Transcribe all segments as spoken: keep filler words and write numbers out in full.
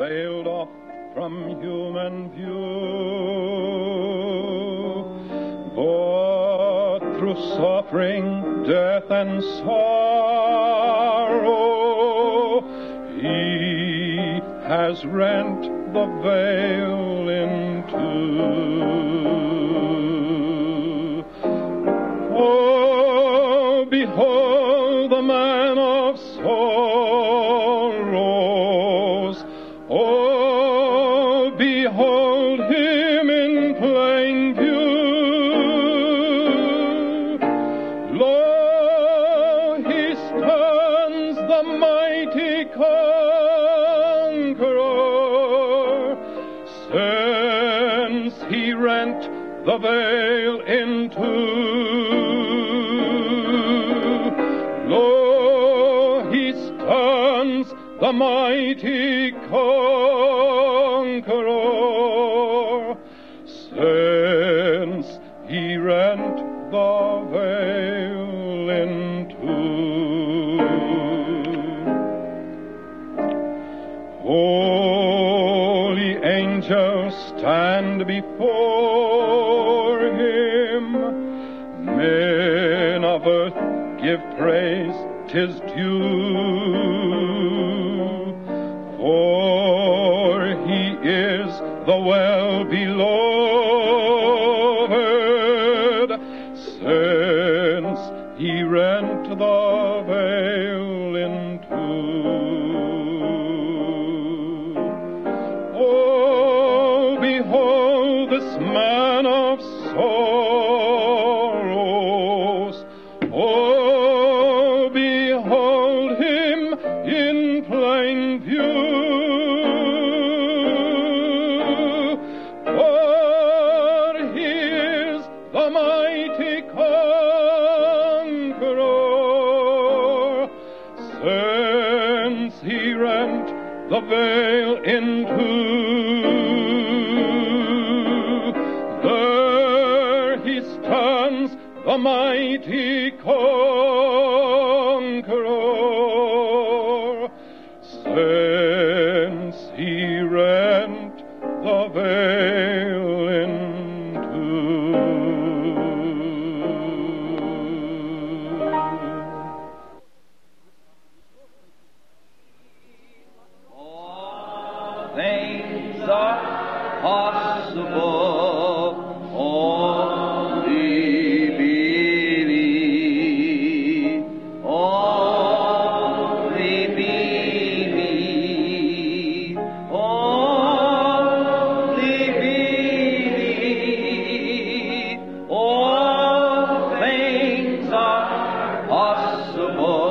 veiled off from human view. But through suffering, death, and sorrow, he has rent the veil in two. Oh, behold the man of sorrows. Oh, behold him in plain view. Lo, he stands the mighty conqueror, since he rent the veil in two. Lo, he stands the mighty conqueror, since he rent the veil in two. Holy angels stand before him, men of earth give praise, 'tis due, for he is the well-beloved, since he rent the veil in two. Oh, behold this man of sorrows. Oh, behold him in plain view. For he is the mighty conqueror, since he rent the veil in two. There he stands, the mighty conqueror, since he rent the veil in two. All things are possible, only believe, only believe, only believe. All things are possible,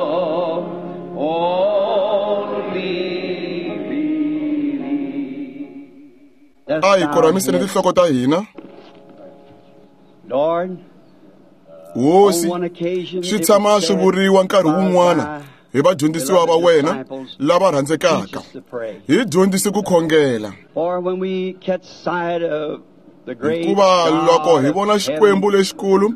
only believe. A hi koramiseni tinhloko ta hina. Lord, Hosi, on one occasion swi it tshama was swi said vuriwa nkarhi by wun'wana thy hi vadyondzisiwa va beloved wena disciples, lava teach rhandzekaka. us to pray. Hi dyondzise ku khongela, For when we catch sight of the great hikuva loko God hi of vona heaven, Xikwembu lexikulu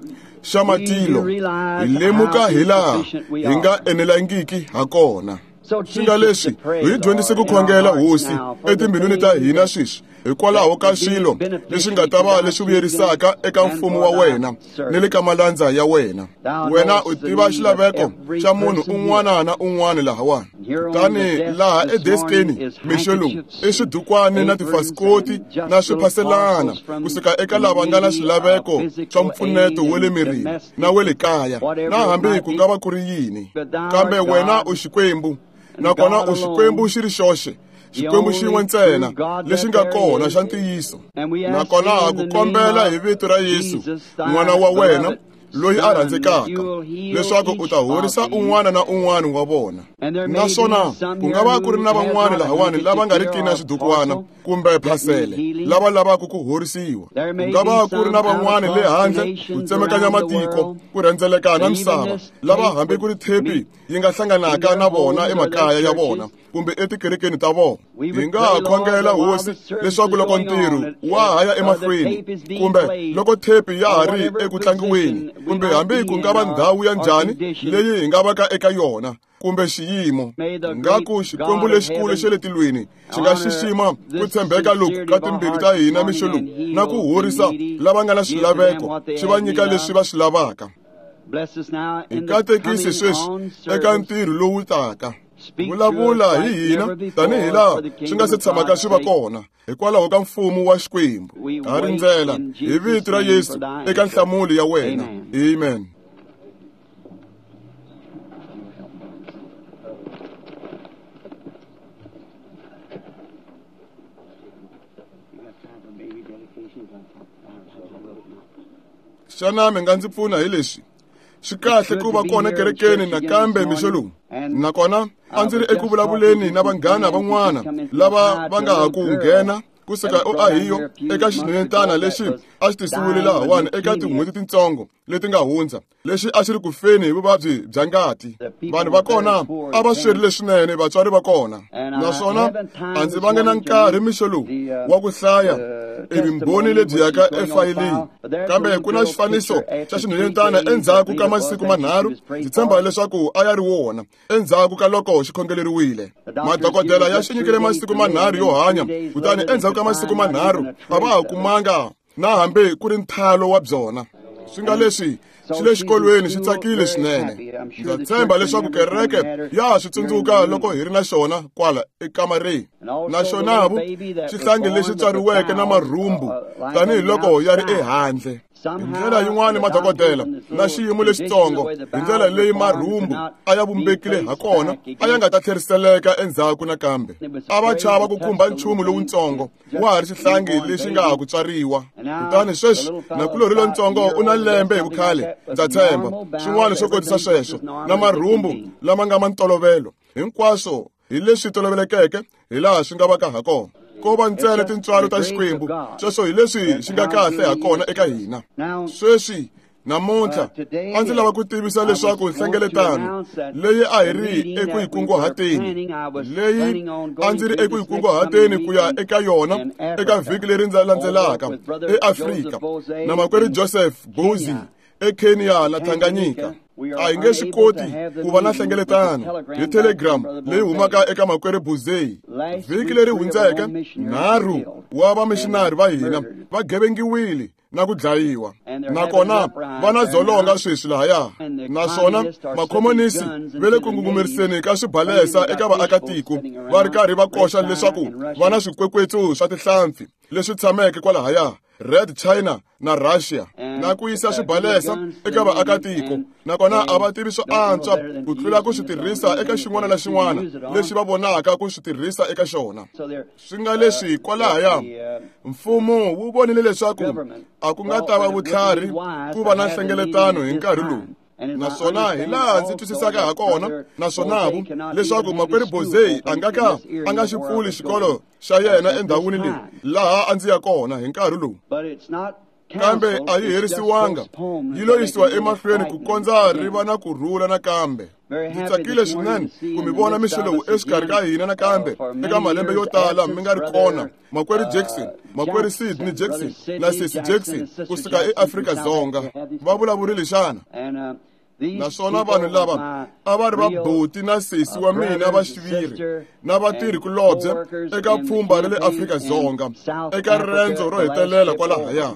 xa we do matilo, hi realize lemuka how hi laha insufficient we hi nga are. enelangiki ha kona. So Swi teach nga us leswi to pray, hi dyondzise Lord, ku in our khongela hearts Hosi now for the etimbilwini ta things hina that sweswi hikwalaho ka that would be swilo leswi beneficial nga ta to va thy leswi kingdom vuyerisaka eka and mfumo for wa thy wena ni le servants. ka malandza ya wena. Thou Wena knowest u the tiva need of xilaveko every xa munhu person here. un'wana na un'wana lahawani. And here on the Kutani desk laha this edeskeni morning is mixo lowu handkerchiefs i and swidukwani na aprons tifasikoti and just na little swiphaselana parcels from kusuka eka the lava nga na needy of swilaveko swa physical mpfuneto aid wa le and mirini na domestic, wa le kaya, whatever na it hambi might ku be. nga va ku ri yini. But thou Kambe art wena God u Xikwembu, and nakona God u Xikwembu alone, xi ri xoxe, the Xikwembu xin'we only ntsena true God lexi that nga there kona is. xa ntiyiso. And we ask Nakona thee ha in ku the name kombela hi of vito ra Yesu, Jesus, thy n'wana wa wena beloved loyi a Son, that rhandzekaka, you will heal leswaku u each ta of horisa these. un'wana na un'wana wa vona. And there may be Naswona some ku here nga va ku ri who na has van'wana not a lahawani lava handkerchief nga riki here na or a swidukwana parcel kumbe that need phasele healing. lava lavaka ku horisiwa. There Ku may nga be va ku ri some na out van'wana le across the handle ku nations tsemakanya around the matiko, world ku rhendzeleka na that even misava, this lava tape hambi ku would ri thepi meet yi nga in hlanganaka their na vona homes or their emakaya ya vona churches. kumbe etikerekeni ta vona. Hi nga ha khongela Hosi leswaku loko ntirho wa ha ya emahlweni, kumbe loko thepi ya ha ri eku tlangiweni, kumbe hambi ku nga va ndhawu ya njhani leyi hi nga va ka eka yona, kumbe xiyimo, ngaku Xikwembu lexikulu xa le tilweni xi nga xixima ku tshembeka loku ka timbilu ta hina mixo lowu, na ku horisa lava nga na swilaveko, xi va nyika leswi va swi lavaka. Hi katekisi sweswi eka ntirho lowu taka. Vulavula hi hina tanihi laha swi nga se tshamaka swi va kona, hikwalaho ka mfumo wa Xikwembu. Ha rindzela hi vito ra Yesu eka nhlamulo ya wena. Amen. Xana mi nga ndzi pfuna hi leswi? Swi kahle ku va kona kerekeni nakambe mixo lowu. Nakona a ndzi ri eku vulavuleni na vanghana van'wana lava va nga ha ku nghena kusuka eOhio eka xinhwanyetana lexi a xi tisiwile lahawani eka tin'hweti tintsongo leti nga hundza, lexi a xi ri ku feni hi vuvabyi bya ngati. Vanhu va kona a va swerile swinene, vatswari va kona. Naswona a ndzi vanga na nkarhi mixo lowu wa ku hlaya evumbhoni lebyi yaka efayilini, kambe ku na xifaniso xa xinhwanyetana endzhaku ka masiku manharhu. Ndzi tshemba leswaku a ya ri wona endzhaku ka loko xi khongeleriwile. Madokodela ya xi nyikile masiku manharhu yo hanya, kutani endzhaku ka masiku manharhu a va ha kumanga na hambi ku ri nthalo wa byona. Swi nga leswi xi le xikolweni xi tsakile swinene. Ndza tshemba leswaku kereke ya ha swi tsundzuka loko hi ri na xona kwala ekamareni. Naswona xihlangi lexi tswariweke na marhumbu tanihiloko ya ri ehandle. Hi ndlela yin'wana madokodela na xiyimo lexitsongo, hi ndlela leyi marhumbu a ya vumbekile ha kona, a ya nga ta tlheriseleka endzhaku nakambe. A va chava ku khumba nchumu lowutsongo wa ha ri xihlangi lexi nga ha ku tswariwa. Kutani sweswi nakulorhi lontsongo u na lembe hi vukhale, ndza tshemba swin'wana swo kotisa sweswo, na marhumbu lama nga ma ntolovelo. Hinkwaswo hi leswi tolovelekeke hi laha swi nga va ka ha kona. Ko va ntsena tintswalo ta Xikwembu, sweswo hi leswi xi nga kahle ha kona eka hina. Sweswi namuntlha a ndzi lava ku tivisa leswaku nhlengeletano leyi a hi ri eku yi kunguhateni, leyi a ndzi ri eku yi kunguhateni ku ya eka yona eka vhiki leri landzelaka eAfrika, na makwerhu Joseph Bozi eKenya na Tanganyika, a hi nge swi koti ku va na nhlengeletano hi telegram leyi humaka eka makwerhu Bozei. Vhiki leri hundzeke, nharhu wa vamishinari va hina va gevengiwile na ku dlayiwa, nakona va na dzolonga sweswi lahaya. Naswona makhomonisi va le ku ngungumeriseni ka swibalesa eka vaakatiko, va ri karhi va koxa leswaku va na swikwekwetsu swa tihlampfi leswi tshameke kwalahaya Red China na Russia, na ku yisa swibalesa eka vaakatiko. Nakona a va tivi swo antswa ku tlula ku swi tirhisa eka xin'wana na xin'wana lexi va vonaka ku swi tirhisa eka xona. Swi nga leswi kwalahaya mfumo wu vonile leswaku a ku nga ta va vutlhari ku va na nhlengeletano hi nkarhi lowu. Naswona hi laha ndzi twisisaka ha kona, naswona leswaku makwerhu Bozei a nga ka a nga xi pfuli xikolo xa yena endhawini leyi laha a ndzi ya kona hi nkarhi lowu. Kambe a yi herisiwanga, yi lo yisiwa emahlweni ku kondza ri va na ku rhula nakambe. Ndzi tsakile swinene ku mi vona mixo lowu exikarhi ka hina nakambe eka malembe yo tala mi nga ri kona, makwerhu Jackson, makwerhu Sidney Jackson na Sesi Jackson kusuka eAfrika-Dzonga. Va vulavurile xana? Naswona vanhu lava a va ri vabuti na sesi wa mina va xiviri na vatirhi-kulobye eka pfhumba ra le Afrika-Dzonga eka riendzo ro hetelela kwalahaya.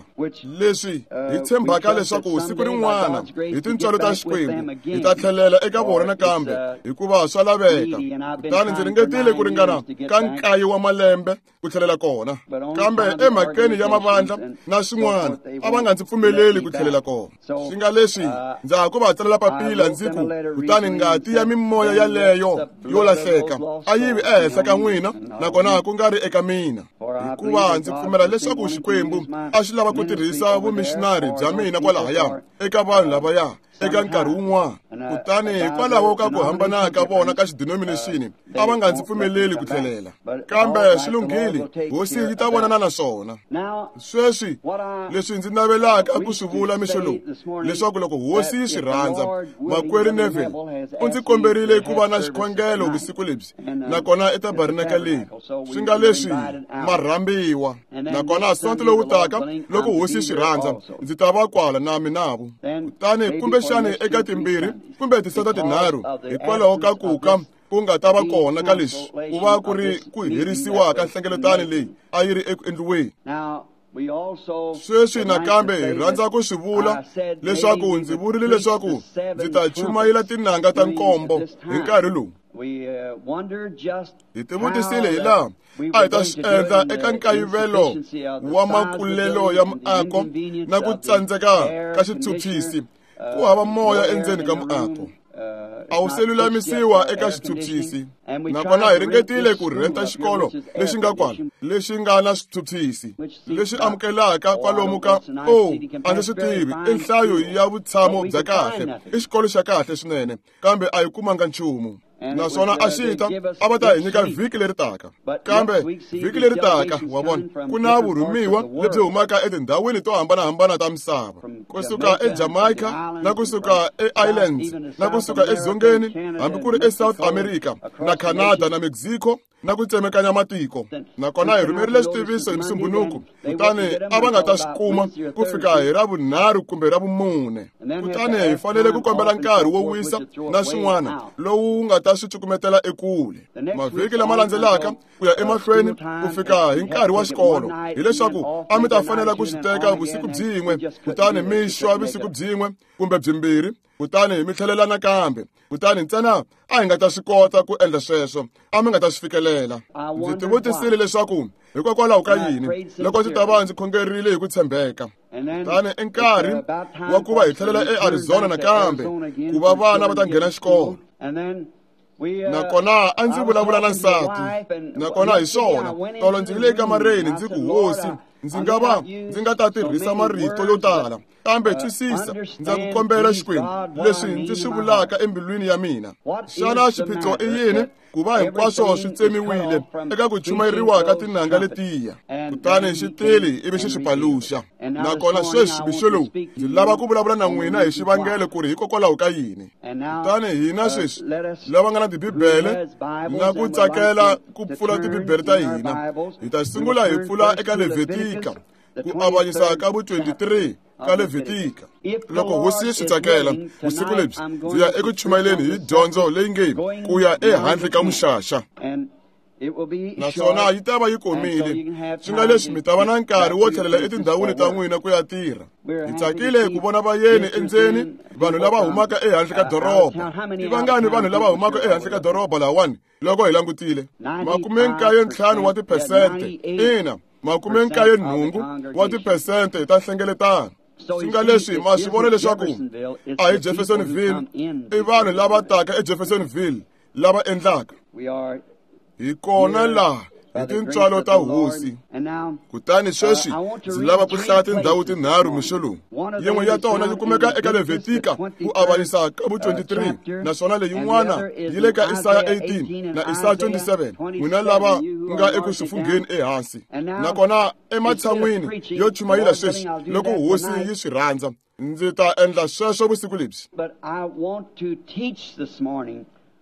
Leswi hi tshembaka leswaku siku rin'wana hi tintswalo ta Xikwembu hi ta tlhelela eka vona nakambe, hikuva swa laveka. Kutani ndzi ringetile ku ringana ka nkaye wa malembe ku tlhelela kona, kambe emhakeni ya mavandla na swin'wana a va nga ndzi pfumeleli ku tlhelela kona. Swi nga leswi ndza ha ku va tsalela papila ndzi ku, kutani ngati ya mimoya yaleyo yo lahleka a yi vi ehenhla ka n'wina, nakona ku nga ri eka mina, hikuva ndzi pfumela leswaku Xikwembu a xi lava ku tirhisa vumishinari bya mina kwalahaya eka vanhu lavaya eka nkarhi wun'wana. Kutani hikwalaho ka ku hambana ka vona ka xidenomination a va nga ndzi pfumeleli ku tlhelela. Kambe swi lunghile, hosi yi ta vonana na swona. Sweswi leswi ndzi navelaka ku swi vula mixo lowu, leswaku loko hosi yi swi rhandza, makwerhu Neville u ndzi komberile ku va na xikhongelo vusiku lebyi, nakona etabernakeleni, swi nga leswi ma rhambiwa. Nakona Sonto lowu taka, loko hosi yi swi rhandza, ndzi ta va kwala na minavo. Kutani kumbexani eka timbirhi kumbe tisonto tinharhu, hikwalaho ka ku ka ku nga ta va kona ka leswi ku va ku ri ku herisiwa ka nhlengeletano leyi a yi ri eku endliweni. Sweswi nakambe hi rhandza ku swi vula leswaku ndzi vurile leswaku ndzi ta chumayela tinanga ta nkombo hi nkarhi lowu. Hi tivutisile hi laha a hi ta swi endla eka nkayivelo wa makulelo ya muako na ku tsandzeka ka xiphyuphyisi, ku hava moya endzeni ka muako. A wu se lulamisiwa eka xiphyuphyisi, nakona hi ringetile ku rhenta xikolo lexi nga kwala, lexi nga na swiphyuphyisi, lexi amukelaka kwalomu ka o a ndzi swi tivi, i nhlayo ya vutshamo bya kahle, i xikolo xa kahle swinene, kambe a hi kumanga nchumu. Naswona a xi ta a va ta hi nyika vhiki leri taka, kambe vhiki leri taka wa vona ku na vurhumiwa lebyi humaka etindhawini to hambanahambana ta misava, kusuka eJamaica na kusuka eIslands na kusuka edzongeni, hambi ku ri eSouth America na Canada na Mexico na ku tsemekanya matiko. Nakona hi rhumerile xitiviso hi Musumbhunuku, kutani a va nga ta swi kuma ku fika hi Ravunharhu kumbe Ravumune. Kutani hi fanele ku kombela nkarhi wo wisa na swin'wana lowu nga ta swi cukumetela ekule. Mavhiki lama landzelaka ku ya emahlweni ku fika hi nkarhi wa xikolo, hileswaku a mi ta fanela ku swi teka vusiku byin'we, kutani mi xwa vusiku byin'we kumbe byimbirhi, kutani mi tlhelela nakambe. Kutani ntsena a hi nga ta swi kota ku endla sweswo, a mi nga ta swi fikelela. Ndzi tivutisile leswaku hikokwalaho ka yini loko ndzi ta va ndzi khongerile hi ku tshembeka. Kutani i nkarhi wa ku va hi tlhelela eArizona nakambe, ku va vana va ta nghena xikolo. Nakona a ndzi vulavula na nsati, nakona hi swona tolo ndzi yile ekamareni ndzi ku, hosi, ndzi nga va ndzi nga ta tirhisa marito yo tala, kambe twisisa, ndza ku kombela Xikwembu leswi ndzi swi vulaka embilwini ya mina. Xana xiphiqo i yini ku va hinkwaswo swi tsemiwile eka ku chumayeriwa ka tinanga letiya? Kutani xi tile ivi xi swi paluxa. Nakona sweswi mixo lowu ndzi lava ku vulavula na n'wina hi xivangelo ku ri hikokwalaho ka yini. Kutani hina sweswi lava nga na tibibele na ku tsakela ku pfula tibibele ta hina, hi ta sungula hi pfula eka Levitika, ku avanyisa ka vu twenty-three ka Levitika. Loko hosi yi swi tsakela, vusiku lebyi ndzi ya eku chumayeleni hi dyondzo leyi nge ku ya ehandle ka muxaxa. Naswona yi ta va yi komile, swi nga leswi mi ta va na nkarhi wo tlhelela etindhawini ta n'wina ku ya tirha. Hi tsakile ku vona vayeni endzeni, vanhu lava humaka ehandle ka doroba. I vangani vanhu lava humaka ehandle ka doroba lahawani loko hi langutile? Makume nkaye ntlhanu wa tiphesente, ina, makume nkaye nhungu wa tiphesente ta nhlengeletano. Swi nga leswi ma swi vona leswaku a hi Jeffersonville, i vanhu lava taka eJeffersonville lava endlaka. Hi kona laha hi tintswalo ta hosi. Kutani sweswi ndzi lava ku hlaya tindhawu tinharhu mixo lowu. Yin'we ya tona yi kumeka eka Levitika ku avanyisa ka vu twenty-three, naswona leyin'wana yi le ka Isaya eighteen na Isaya twenty-seven, n'wina lava nga eku swi fungheni ehansi. Nakona ematshan'wini yo chumayela sweswi, loko hosi yi swi rhandza, ndzi ta endla sweswo vusiku lebyi.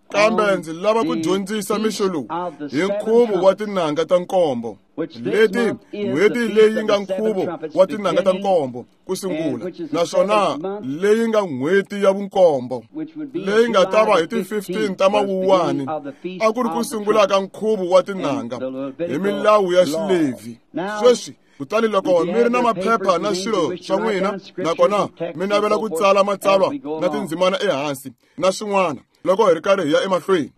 Kambe ndzi lava ku dyondzisa mixo lowu hi nkhuvo wa tinanga ta nkombo, leti n'hweti leyi nga nkhuvo wa tinanga ta nkombo ku sungula, naswona leyi nga n'hweti ya vunkombo, leyi nga ta va hi ti fifteen ta Mawuwani, a ku ri ku sungula ka nkhuvo wa tinanga hi milawu ya Xilevhi. Sweswi kutani loko mi ri na maphepha na swilo swa n'wina, nakona mi navela ku tsala matsalwa na tindzimana ehansi na swin'wana loko hi ri karhi hi ya emahlweni.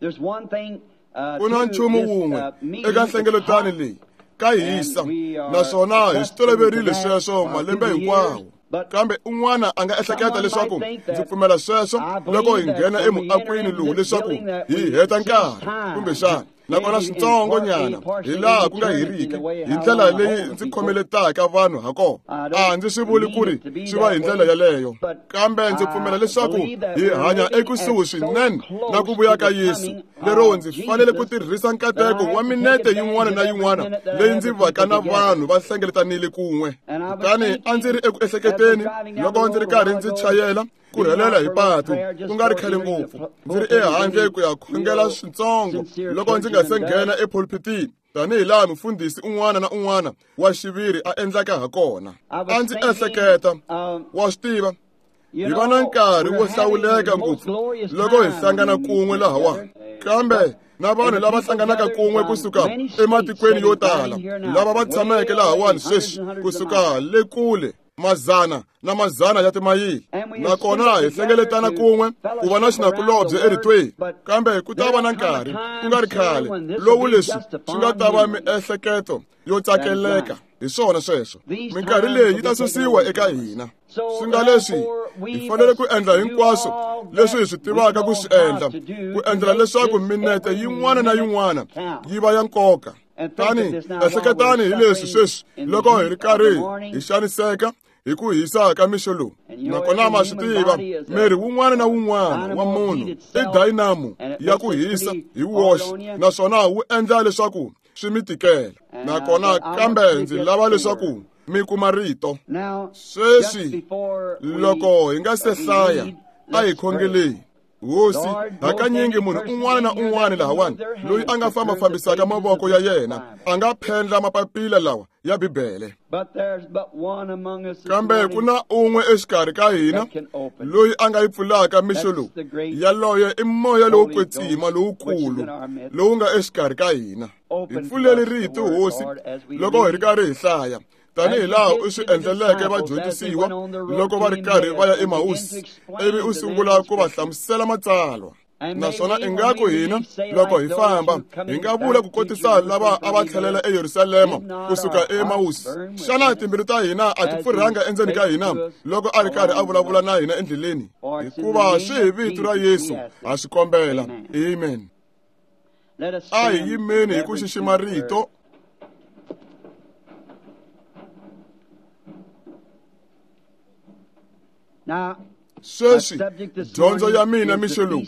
Ku na nchumu wun'we eka nhlengeletano leyi ka hisa, naswona hi swi toloverile sweswo malembe hinkwawo. Kambe un'wana a nga ehleketa leswaku ndzi pfumela sweswo loko hi nghena emuakweni lowu leswaku hi heta nkarhi, kumbexana Nakona switsongo nyana hi laha ku nga heriki hi ndlela leyi ndzi khomeletaka vanhu ha kona. A ndzi swi vuli ku ri swi va hi ndlela yaleyo, kambe ndzi pfumela leswaku hi hanya ekusuhi swinene na ku vuya ka Yesu, lero ndzi fanele ku tirhisa nkateko wa minete yin'wana na yin'wana leyi ndzi vaka na vanhu va hlengeletanile kun'we. Kutani a ndzi ri eku ehleketeni loko ndzi ri karhi ndzi chayela ku rhelela hi patu ku nga ri khale ngopfu, ndzi ri ehandle ku ya khongela switsongo loko ndzi nga se nghena epulpitini, tanihi laha mufundhisi un'wana na un'wana wa xiviri a endlaka ha kona. A ndzi ehleketa, wa swi tiva, hi va na nkarhi wo hlawuleka ngopfu loko hi hlangana kun'we lahawani, kambe na vanhu lava hlanganaka kun'we kusuka ematikweni yo tala, lava va tshameke lahawani sweswi kusuka le kule mazana na mazana ya timayili, nakona hi hlengeletana kun'we ku va na xinakulobye eritweni. Kambe ku ta va na nkarhi ku nga ri khale lowu leswi swi nga ta va miehleketo yo tsakeleka. Hi swona sweswo, minkarhi leyi yi ta susiwa eka hina. Swi nga leswi hi fanele ku endla hinkwaswo leswi hi swi tivaka ku swi endla, ku endlela leswaku minete yin'wana na yin'wana yi va ya nkoka. Tani ehleketani hi leswi sweswi loko hi ri karhi hi xaniseka hi ku hisa ka mixo lowu. Nakona ma swi tiva, miri wun'wana na wun'wana wa munhu i dynamo ya ku hisa hi woxe, naswona wu endla leswaku swi mi tikela. Nakona kambe ndzi lava leswaku mi kuma rito. Sweswi loko hi nga se hlaya, a hi khongeleni. Hosi, hakanyingi munhu un'wana na un'wana lahawani loyi a nga famba-fambisaka mavoko ya yena a nga phendla mapapila lawa ya Bibele, kambe ku na un'we exikarhi ka hina loyi a nga yi pfulaka mixo lowu. Yaloye i moya lowo kwetsima lowukulu lowu nga exikarhi ka hina. Hi pfuleli rito, Hosi, loko hi ri karhi hi hlaya, tanihi laha u swi endleleke vadyondzisiwa loko va ri karhi va ya eMausi, ivi u sungula ku va hlamusela matsalwa. Naswona ingaku hina loko hi famba hi nga vula ku kotisa lava a va tlhelela eYerusalema kusuka eMausi, xana timbilu ta hina a ti pfurhanga endzeni ka hina loko a ri karhi a vulavula na hina endleleni? Hikuva swi hi vito ra Yesu ha swi kombela, amen. A hi yimeni hi ku xixima rito. Sweswi dyondzo ya mina mixo lowu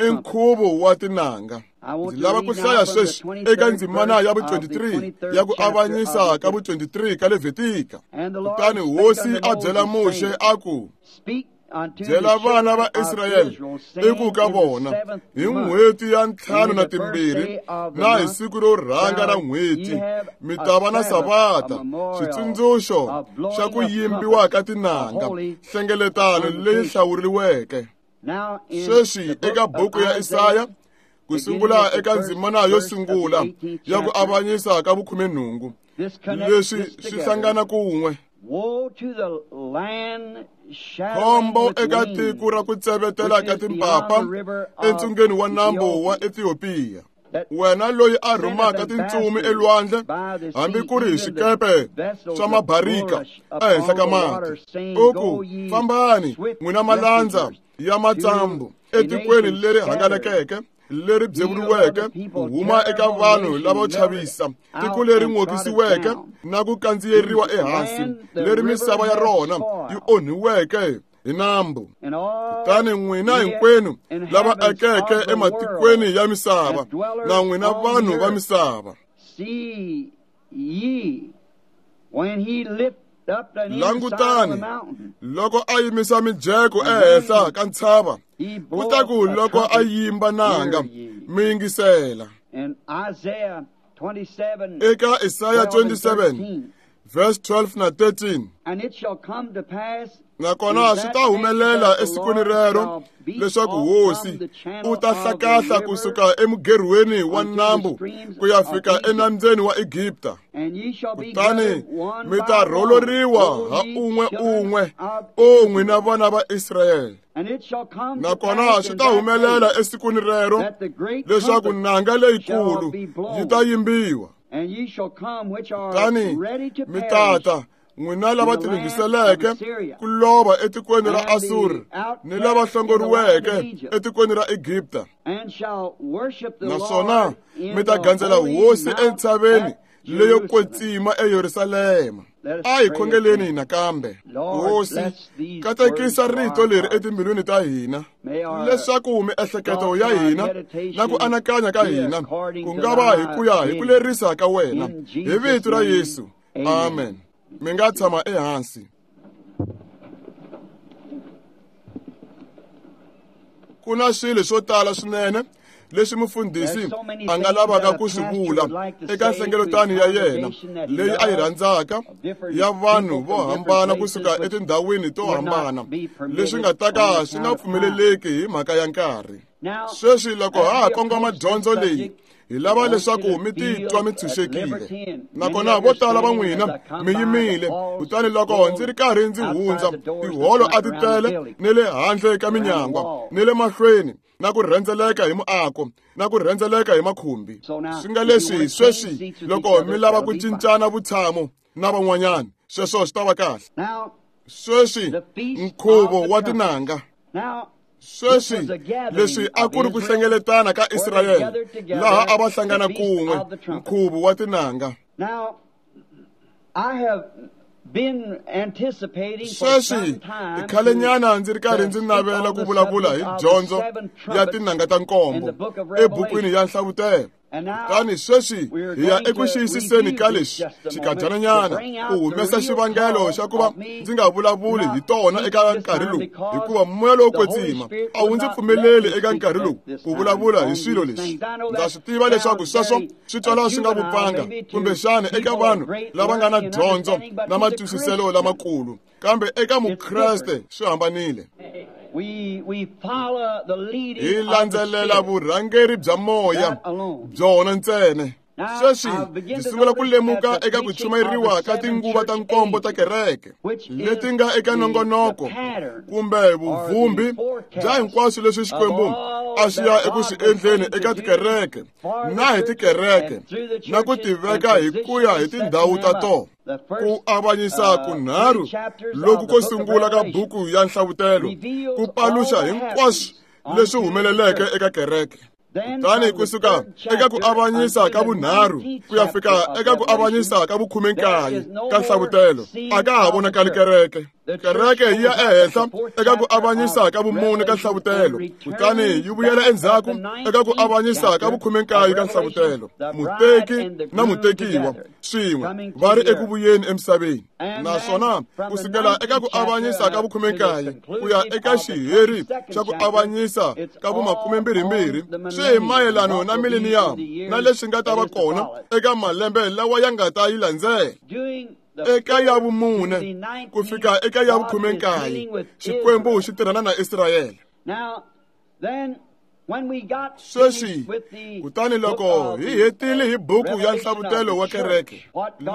i nkhuvo wa tinanga. Ndzi lava ku hlaya sweswi eka ndzimana ya vu twenty-three ya ku avanyisa ka vu twenty-three ka Levitika. Kutani Hosi a byela Muxe a ku, byela vana va Israyele i ku ka vona, hi n'hweti ya ntlhanu na timbirhi na hi siku ro rhanga ra n'hweti mi ta va na savata, xitsundzuxo xa ku yimbiwa ka tinanga, nhlengeletano leyi hlawuriweke. Sweswi eka buku ya Isaya, ku sungula eka ndzimana yo sungula ya ku avanyisa ka vukhumenhungu, leswi swi hlangana kun'we. Khombo eka tiko ra ku tsevetela ka timpapa entsungeni wa nambu wa Ethiopia, wena loyi a rhumaka tintsumi elwandle hambi ku ri hi swikepe swa mabarika ehenhla ka mati, u ku, fambani n'wina malandza ya matsambu etikweni leri hangalakeke leri byevuriweke ku huma eka vanhu lavo chavisa, tiko leri n'okisiweke na ku kandziyeriwa ehansi, leri misava ya rona yi onhiweke hi nambu. Kutani n'wina hinkwenu lava akeke ematikweni ya misava, na n'wina vanhu va misava, langutani loko a yimisa mijeko ehenhla ka ntshava, kutaku loko a yimba nanga mi yingisela. Eka Isaya twenty-seven verse twelve na thirteen, nakona swi ta humelela esikwini rero leswaku Hosi u ta hlakahla kusuka emugerhweni wa nambu ku ya fika enambyeni wa Egipta, kutani mi ta rholoriwa ha un'we un'we, o n'wina vana va Israyele. Nakona swi ta humelela esikwini rero leswaku nanga leyikulu yi ta yimbiwa, kutani mi tata N'wina lava tilunghiseleke ku lova etikweni ra Asuri ni lava hlongoriweke etikweni ra Egipta. Naswona mi ta gandzela Hosi entshaveni leyo kwetsima eYerusalema. A hi khongeleni nakambe. Hosi, katekisa rito leri etimbilwini ta hina, leswaku miehleketo ya hina na ku anakanya ka hina ku nga va hi ku ya hi ku lerisa ka wena. Hi vito ra Yesu. Amen. Mi nga tshama ehansi. Ku na swilo swo tala swinene leswi mufundhisi a nga lavaka ku swi vula eka nhlengeletano ya yena leyi a yi rhandzaka ya vanhu vo hambana kusuka etindhawini to hambana, leswi nga ta ka swi nga pfumeleleki hi mhaka ya nkarhi. Sweswi loko ha ha kongoma dyondzo leyi, hi lava leswaku mi titwa mi tshunxekile. Nakona vo tala va n'wina mi yimile, kutani loko ndzi ri karhi ndzi hundza, tiholo a ti tele ni le handle ka minyangwa ni le mahlweni, na ku rhendzeleka hi muako na ku rhendzeleka hi makhumbi. Swi nga leswi sweswi loko mi lava ku cincana vutshamo na van'wanyana, sweswo swi ta va kahle. Sweswi nkhuvo wa tinanga. Sweswi leswi a ku ri ku hlengeletana ka Israyele, laha a va hlangana kun'we, nkhuvo wa tinanga. Sweswi i khalenyana ndzi ri karhi ndzi navela ku vulavula hi dyondzo ya tinanga ta nkombo ebukwini ya Nhlavutelo. Kutani sweswi hi ya eku xiyisiseni ka leswi xinkadyanyana ku humesa xivangelo xa ku va ndzi nga vulavuli hi tona eka nkarhi lowu, hikuva moya lowo kwetsima a wu ndzi pfumeleli eka nkarhi lowu ku vulavula hi swilo leswi. Ndza swi tiva leswaku sweswo swi twala swi nga vupfanga kumbexana eka vanhu lava nga na dyondzo na matwisiselo lamakulu, kambe eka Mukreste swi hambanile. Hi landzelela vurhangeri bya moya byona ntsena. Sweswi ndzi sungula ku lemuka eka ku chumayeriwa ka tinguva ta nkombo ta kereke leti nga eka nongonoko kumbe vuvumbi bya hinkwaswo leswi Xikwembu a swi ya eku swi endleni eka tikereke na hi tikereke na ku tiveka hi ku ya hi tindhawu ta tona. Ku avanyisa kunharhu loku ko sungula ka buku ya Nhlavutelo ku paluxa hinkwaswo leswi humeleleke eka kereke. Kutani kusuka eka ku avanyisa ka vunharhu ku ya fika eka ku avanyisa ka vukhume-nkaye ka Nhlavutelo, a ka ha vonakali kereke. Kereke yi ya ehenhla eka ku avanyisa ka vumune ka Nhlavutelo, kutani yi vuyela endzhaku eka ku avanyisa ka vukhume-nkaye ka Nhlavutelo. Muteki na mutekiwa swin'we va ri eku vuyeni emisaveni. Naswona kusukela eka ku avanyisa ka vukhume-nkaye ku ya eka xiheri xa ku avanyisa ka vumakumembirhimbirhi swi hi mayelano na mileniyamu na leswi nga ta va kona eka malembe lawa ya nga ta yi landzela. Eka ya vumune ku fika eka ya vukhume-nkaye, Xikwembu xi tirhana na Israyele. Sweswi kutani loko hi hetile hi buku ya Nhlavutelo wa kereke,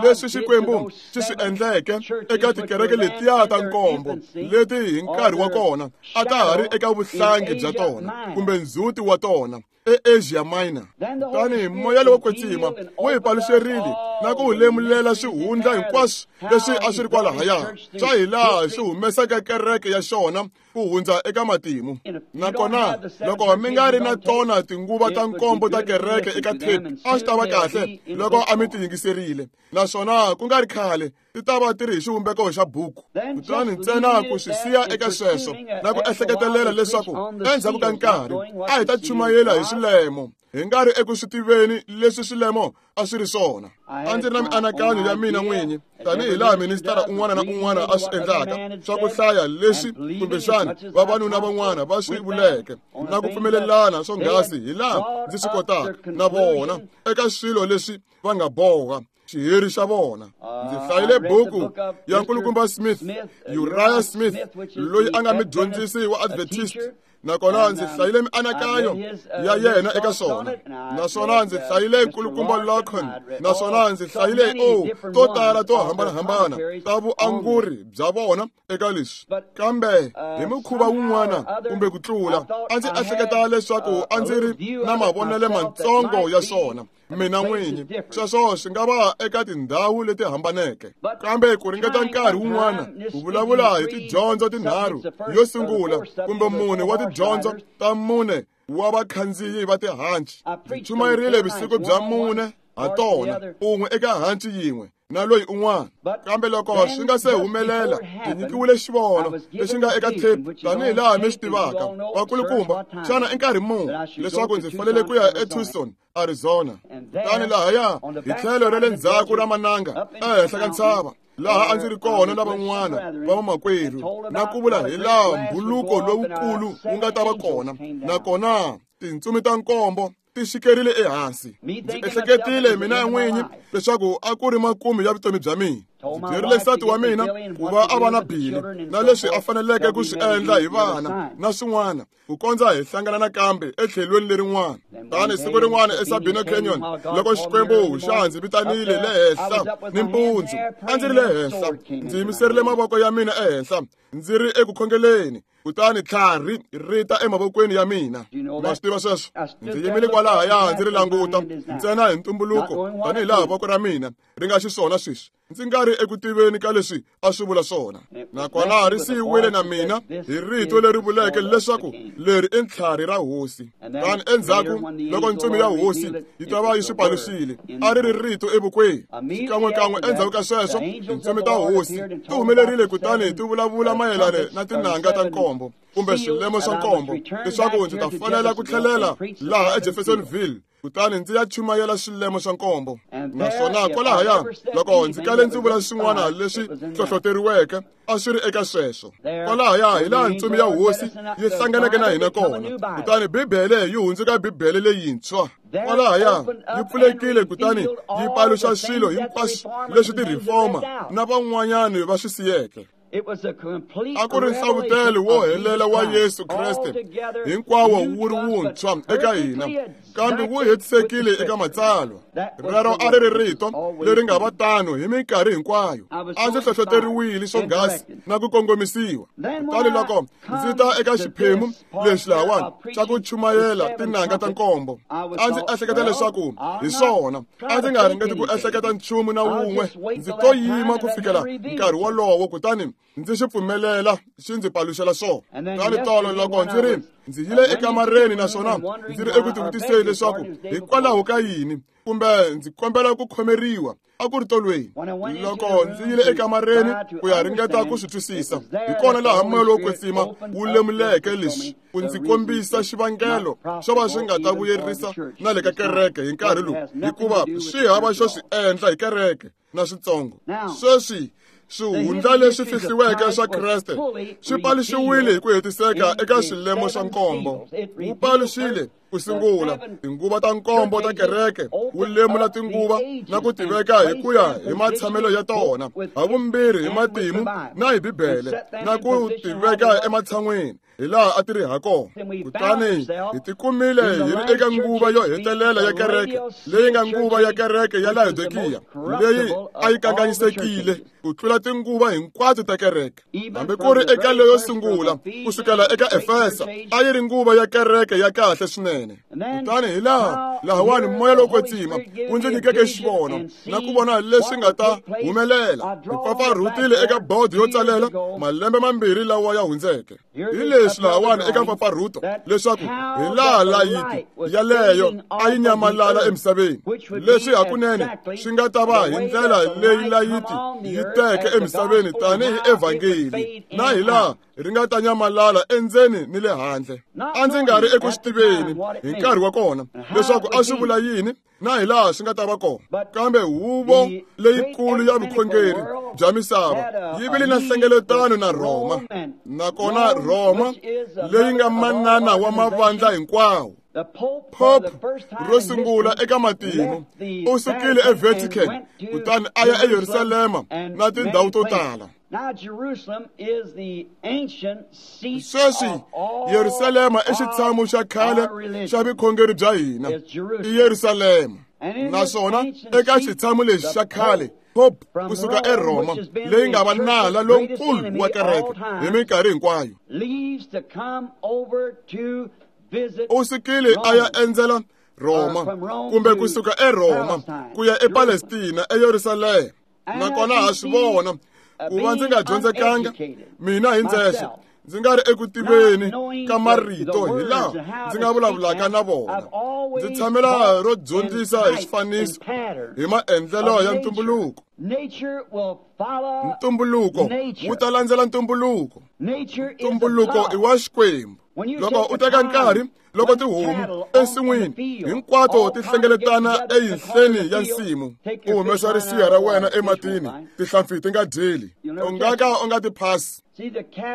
leswi Xikwembu xi swi endleke eka tikereke letiya ta nkombo leti hi nkarhi wa kona a ta ha ri eka vuhlangi bya tona kumbe ndzhuti wa tona eAsia Minor. Kutani moya lowo kwetsima wu hi paluxerile na ku lemulela swihundla hinkwaswo leswi a swi ri kwalahaya swa hi laha swi humesaka kereke ya xona ku hundza eka matimu. Nakona loko mi nga ri na tona tinguva ta nkombo ta kereke eka tape, a swi ta va kahle loko a mi ti yingiserile, naswona ku nga ri khale ti ta va ti ri hi xivumbeko xa buku. Kutani ntsena ku swi siya eka sweswo na ku ehleketelela leswaku endzhaku ka nkarhi a hi ta chumayela hi swilemo, hi nga ri eku swi tiveni leswi swilemo a swi ri swona. A ndzi ri na mianakanyo ya mina n'winyi, tanihi laha ministara un'wana na un'wana a swi endlaka swa ku hlaya leswi kumbexana vavanuna van'wana va swi vuleke na ku pfumelelana swonghasi hi laha ndzi swi kotaka na vona eka swilo leswi va nga boha xiheri xa vona. Ndzi hlayile buku ya Nkulukumba Smith, Uriah Smith, loyi a nga mudyondzisi wa Adventist, nakona ndzi hlayile mianakanyo ya yena eka swona. Naswona ndzi hlayile Nkulukumba Larkin, naswona ndzi hlayile o to tala to hambanahambana ta vuanguri bya vona eka leswi. Kambe hi mukhuva wun'wana kumbe ku tlula, a ndzi ehleketa leswaku a ndzi ri na mavonelo matsongo ya swona mina n'winyi sweswo swi nga va eka tindhawu leti hambaneke kambe ku ringeta nkarhi wun'wana ku vulavula hi tidyondzo tinharhu yo sungula kumbe mune wa tidyondzo ta mune wa vakhandziyi va tihanci ndzi chumayerile vusiku bya mune ha tona un'we eka hanci yin'we na loyi un'wana kambe loko swi nga se humelela ndzi nyikiwile xivono lexi nga eka tape tanihi laha mi swi tivaka vakulukumba xana i nkarhi muni leswaku ndzi fanele ku ya eTucson Arizona kutani lahaya hi tlhelo ra le ndzhaku ra mananga ehenhla ka ntshava laha a ndzi ri kona na van'wana va vamakwerhu na ku vula hi laha mbhuluko lowukulu wu nga ta va kona nakona tintsumi ta nkombo ti xikerile ehansi ndzi ehleketile mina n'winyi leswaku a ku ri makumu ya vutomi bya mina ndzi byerile nsati wa mina ku va a va na Bili na leswi a faneleke ku swi endla hi vana na swin'wana ku kondza hi hlangana nakambe etlhelweni lerin'wana tani siku rin'wana eSabino Canyon loko Xikwembu xa ndzi vitanile le henhla ni mpundzu a ndzi ri le henhla ndzi yimiserile mavoko ya mina ehenhla ndzi ri eku khongeleni kutani tlhari ri ta emavokweni ya mina ma swi tiva sweswo ndzi yimile kwalahaya ndzi ri languta ntsena hi ntumbuluko tanihi laha voko ra mina ri nga xiswona sweswi ndzi nga ri eku tiveni ka leswi a swi vula swona nakona ri siyiwile na mina hi rito leri vuleke leswaku leri i ntlhari ra hosi kutani endzhaku loko ntsumi ya hosi yi ta va yi swi paluxile a ri ri rito evokweni xikan'wekan'we endzhaku ka sweswo tintsumi ta hosi ti humelerile kutani ti vulavula mayelana na tinanga ta nkombo kumbe swilemo swa nkombo leswaku ndzi ta fanela ku tlhelela laha eJeffersonville kutani ndzi ya chumayela swilemo swa nkombo naswona kwalahaya loko ndzi kale ndzi vula swin'wana leswi hlohloteriweke a swi ri eka sweswo kwalahaya hi laha ntsumi ya hosi yi hlanganeke na hina kona kutani bibele yi hundzuka bibele leyintshwa kwalahaya yi pfulekile kutani yi paluxa swilo hinkwaswo leswi ti-reformer na van'wanyani va swi siyeke a ku ri nhlavutelo wo helela wa Yesu Kreste hinkwawo wu ri wuntshwa eka hina kambe wu hetisekile eka matsalwa rero a ri ri rito leri nga va tano hi minkarhi hinkwayo a ndzi hlohloteriwile swonghasi na ku kongomisiwa kutani loko ndzi ta eka xiphemu lexi lahawani xa ku chumayela tinanga ta nkombo a ndzi ehleketa leswaku hi swona a ndzi nga ringeti ku ehleketa nchumu na wun'we ndzi to yima ku fikela nkarhi wolowo kutani ndzi xi pfumelela xi ndzi paluxela swona kutani tolo loko ndzi ri ndzi yile ekamareni naswona ndzi ri eku tivutiseni leswaku hikwalaho ka yini kumbe ndzi kombela ku khomeriwa a ku ri tolweni loko ndzi yile ekamareni ku ya ringeta ku swi twisisa hi kona laha moya lowo kwetsima wu lemuleke leswi ku ndzi kombisa xivangelo xo va swi nga ta vuyerisa na le ka kereke hi nkarhi lowu hikuva swi hava xo swi endla hi kereke na switsongo sweswi swihundla leswi fihliweke swa Kreste swi paluxiwile hi ku hetiseka eka swilemo swa nkombo wu paluxile ku sungula tinguva ta nkombo ta kereke wu lemula tinguva na ku tiveka hi ku ya hi matshamelo ya tona havumbirhi hi matimu na hi bibele na ku tiveka ematshan'wini hi laha a ti ri ha kona kutani hi tikumile hi ri eka nguva yo hetelela ya kereke leyi nga nguva ya kereke ya Laodikiya leyi a yi kanganyisekile ku tlula tinguva hinkwato ta kereke hambi ku ri eka leyo sungula ku sukela eka Efesa a yi ri nguva ya kereke ya kahle swinene kutani hi laha lahawani moya lowo kwetsima wu ndzi nyikeke xivono na ku vona leswi nga ta humelela hi pfapfarhutile eka bodo yo tsalela malembe mambirhi lawa ya hundzeke hi leswi lahawani eka mpfapfarhuto leswaku hi laha layiti yaleyo a yi nyamalala emisaveni leswi hakunene swi nga ta va hi ndlela leyi layiti yi teke emisaveni tanihi evhangeli na hi laha ri nga ta nyamalala endzeni ni le handle a ndzi nga ri eku swi tiveni hi nkarhi wa kona leswaku a swi vula yini na hi laha swi nga ta va kona kambe huvo leyikulu ya vukhongeri bya misava yi vile na nhlengeletano na Rhoma nakona Rhoma leyi nga manana wa mavandla hinkwawo Pope ro sungula eka matimu u sukile eVatican kutani a ya eYerusalema na tindhawu to tala sweswi Yerusalema i xitshamo xa khale xa vukhongeri bya hina i Yerusalema naswona eka xitshamo lexi xa khale Pope kusuka eRhoma leyi nga va nala lonkulu wa kereke hi minkarhi hinkwayo u sukile a ya endzela Rhoma kumbe kusuka eRhoma ku ya ePalestina eYerusalema. Nakona ha swi vona ku va ndzi nga dyondzekanga mina hi ndzexe, ndzi nga ri eku tiveni ka marito hi laha ndzi nga vulavulaka na vona. Ndzi tshamela ro dyondzisa hi swifaniso hi maendlelo ya ntumbuluko. Ntumbuluko wu ta landzela ntumbuluko. Ntumbuluko i wa Xikwembu. Loko u teka nkarhi loko tihomu ensin'wini hinkwato ti hlengeletana eyinhleni ya nsimu, u humesa risiha ra wena ematini, tihlampfi ti nga dyeli, u nga ka u nga ti phasi.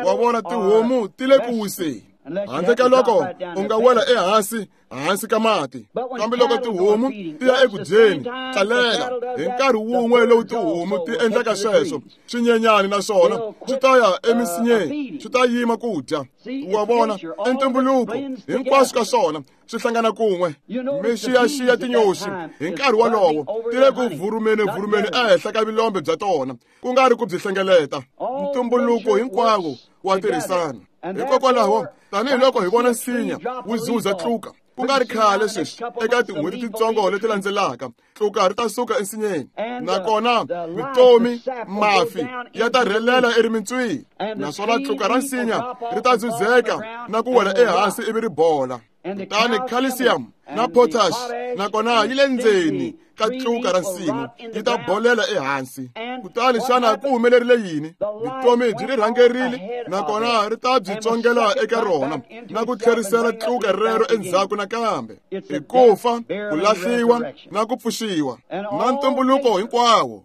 Wa vona tihomu ti le ku wiseni handle ka loko u nga wela ehansi hansi ka mati. Kambe loko tihomu ti ya eku dyeni, tlalela hi nkarhi wun'we lowu tihomu ti endlaka sweswo, swinyenyani naswona swi ta ya emisinyeni, swi ta yima ku dya. Wa vona i ntumbuluko, hinkwaswo ka swona swi hlangana kun'we. Mi xiyaxiya tinyoxi hi nkarhi wolowo ti le ku vurumeni vurumeni ehenhla ka vilombe bya tona, ku nga ri ku byi hlengeleta. Ntumbuluko hinkwawo wa tirhisana. Hikokwalaho tanihiloko hi vona nsinya wu zuza tluka, ku nga ri khale sweswi eka tin'hweti titsongo leti landzelaka, tluka ri ta suka ensinyeni, nakona vutomi mafi ya ta rhelela erimintswini, naswona tluka ra nsinya ri ta zuzeka na ku wela ehansi ivi ri bola. Kutani calcium na potash nakona yi le ndzeni ka tluka ra nsimu yi ta bolela ehansi. Kutani xana ku humelerile yini? Vutomi byi ri rhangerile nakona ri ta byi tsongela eka rona na ku tlherisela tluka rero endzhaku nakambe. I ku fa, ku lahliwa na ku pfuxiwa na ntumbuluko hinkwawo.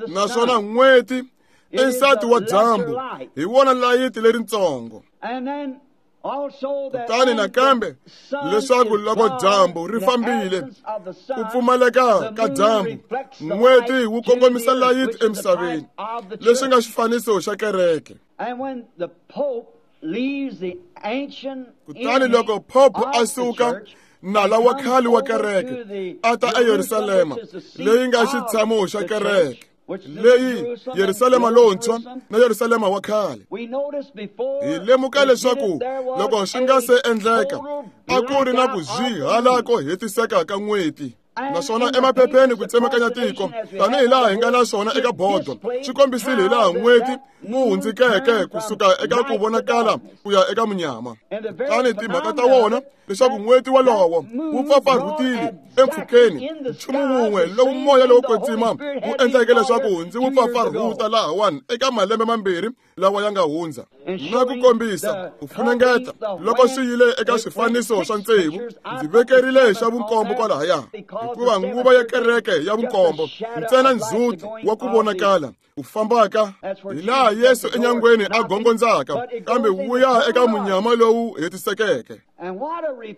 Naswona n'hweti i nsati wa dyambu, hi wona layiti leritsongo. Kutani nakambe leswaku loko dyambu ri fambile, ku pfumaleka ka dyambu, n'hweti wu kongomisa layiti emisaveni, leswi nga xifaniso xa kereke. Kutani loko Pope a suka nala wa khale wa kereke a ta eYerusalema leyi nga xitshamo xa kereke, leyi Yerusalema lontshwa na Yerusalema wa khale. Hi lemuka leswaku loko swi nga se endleka a ku ri na ku zwihala ko hetiseka ka n'hweti. Naswona emaphepheni ku tsemakanya tiko tanihi laha hi nga na swona eka bodo, swi kombisile hi laha n'hweti wu hundzikeke kusuka eka ku vonakala ku ya eka munyama. Kutani timhaka ta wona leswaku n'hweti wolowo wu pfapfarhutile empfhukeni, nchumu wun'we lowu moya lowo kwetsima wu endleke leswaku ndzi wu pfapfarhuta lahawani eka malembe mambirhi lawa ya nga hundza, na ku kombisa ku funengeta loko swi yile eka swifaniso swa tsevu. Ndzi vekerile xa vunkombo kwalahaya, hikuva nguva ya kereke ya vunkombo ntsena ndzhuti wa ku vonakala ku fambaka hi laha Yesu enyangweni a gongondzaka, kambe wu ya eka munyama lowu hetisekeke.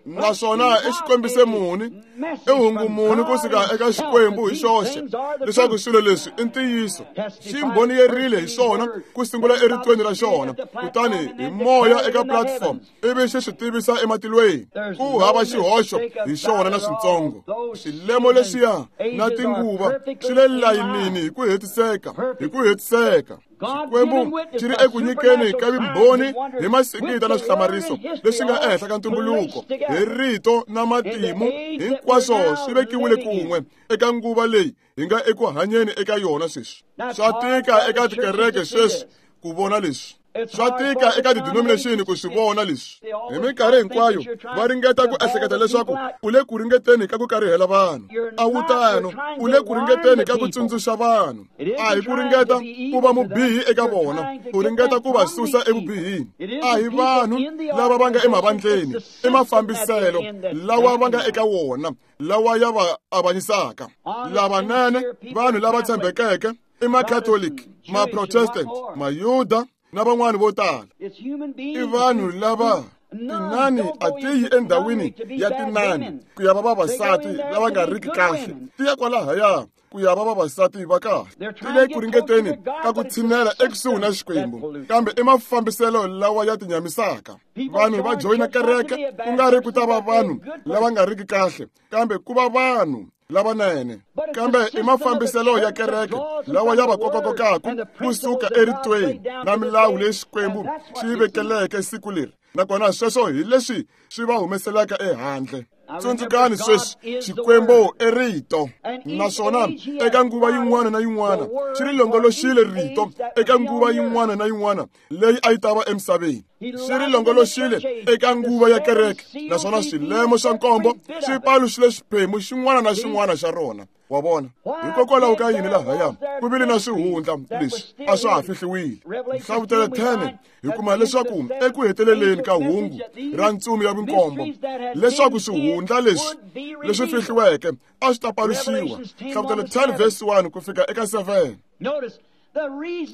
Naswona i xikombiso muni, i hungu muni kusuka eka Xikwembu hi xoxe leswaku swilo leswi i ntiyiso. Xi mbhoniyerile hi swona ku sungula eritweni ra xona, kutani hi moya eka platform ivi xi swi tivisa ematilweni. Ku hava xihoxo hi xona na switsongo. Xilemo lexiya na tinguva swi le layinini hi ku hetiseka, hi ku hetiseka. Xikwembu xi ri eku nyikeni ka vumbhoni hi masingita na swihlamariso leswi nga ehenhla ka ntumbuluko, hi rito na matimu, hinkwaswo swi vekiwile kun'we eka nguva leyi hi nga eku hanyeni eka yona sweswi. Swa tika eka tikereke sweswi ku vona leswi. Swa tika eka ti-denomination ku swi vona leswi. Hi minkarhi hinkwayo va ringeta ku ehleketa leswaku u le ku ringeteni ka ku karihela vanhu. A wu tano, u le ku ringeteni ka ku tsundzuxa vanhu. A hi ku ringeta ku va mubihi eka vona, u ringeta ku va susa evubihini. A hi vanhu lava va nga emavandleni, i mafambiselo lawa va nga eka wona, lawa ya va avanyisaka. Lavanene, vanhu lava tshembekeke, i Makatholiki, Maprotestant, Mayuda na van'wani vo tala. I vanhu lava Tinani a ti yi endhawini ya tinani ku ya va vavasati lava nga riki kahle, ti ya kwalahaya ku ya va vavasati va kahle. Ti le ku ringeteni ka ku tshinela ekusuhi na Xikwembu, kambe i mafambiselo lawa ya tinyamisaka. Vanhu va joyina kereke ku nga ri ku ta va vanhu lava nga riki kahle, kambe ku va vanhu lavanene. Kambe i mafambiselo ya kereke lawa ya va kokakokaka kusuka eritweni na milawu leyi Xikwembu xi yi vekeleke siku leri, nakona sweswo hi leswi swi va humeselaka ehandle. Tsundzukani sweswi, Xikwembu i rito, naswona eka nguva yin'wana na yin'wana xi ri longoloxile rito eka nguva yin'wana na yin'wana leyi a yi ta va emisaveni. Xi ri longoloxile eka nguva ya kereke, naswona swilemo swa nkombo swi paluxile xiphemu xin'wana na xin'wana xa rona. Wa vona? Hikokwalaho ka yini lahaya ku vile na swihundla leswi a swa ha fihliwile. Nhlavutelo ten hi kuma leswaku eku heteleleni ka hungu ra ntsumi ya vunkombo leswaku swihundla leswi leswi fihliweke a swi ta paluxiwa. Nhlavutelo ten verse one ku fika eka seven.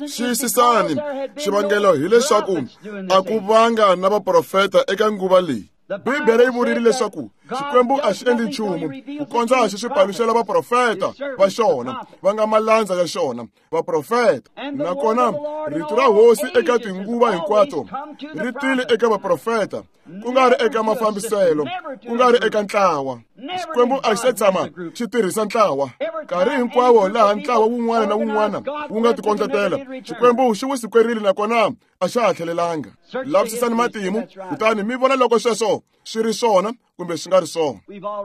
Xiyisisani, xivangelo hileswaku a ku vanga na vaprofeta eka nguva leyi. Bibele yi vurile leswaku Xikwembu a xi endli nchumu ku kondza xi swi paluxela vaprofeta va xona, va nga malandza ya xona, vaprofeta. Nakona rito ra Hosi eka tinguva hinkwato ri tile eka vaprofeta, ku nga ri eka mafambiselo, ku nga ri eka ntlawa. Xikwembu a xi se tshama xi tirhisa ntlawa. Nkarhi hinkwawo laha ntlawa wun'wana na wun'wana wu nga tikondletela, Xikwembu xi wu sukwerile nakona a xa ha tlhelelanga. Lavisisani matimu kutani mi vona loko sweswo swi ri swona kumbe swi nga ri swona.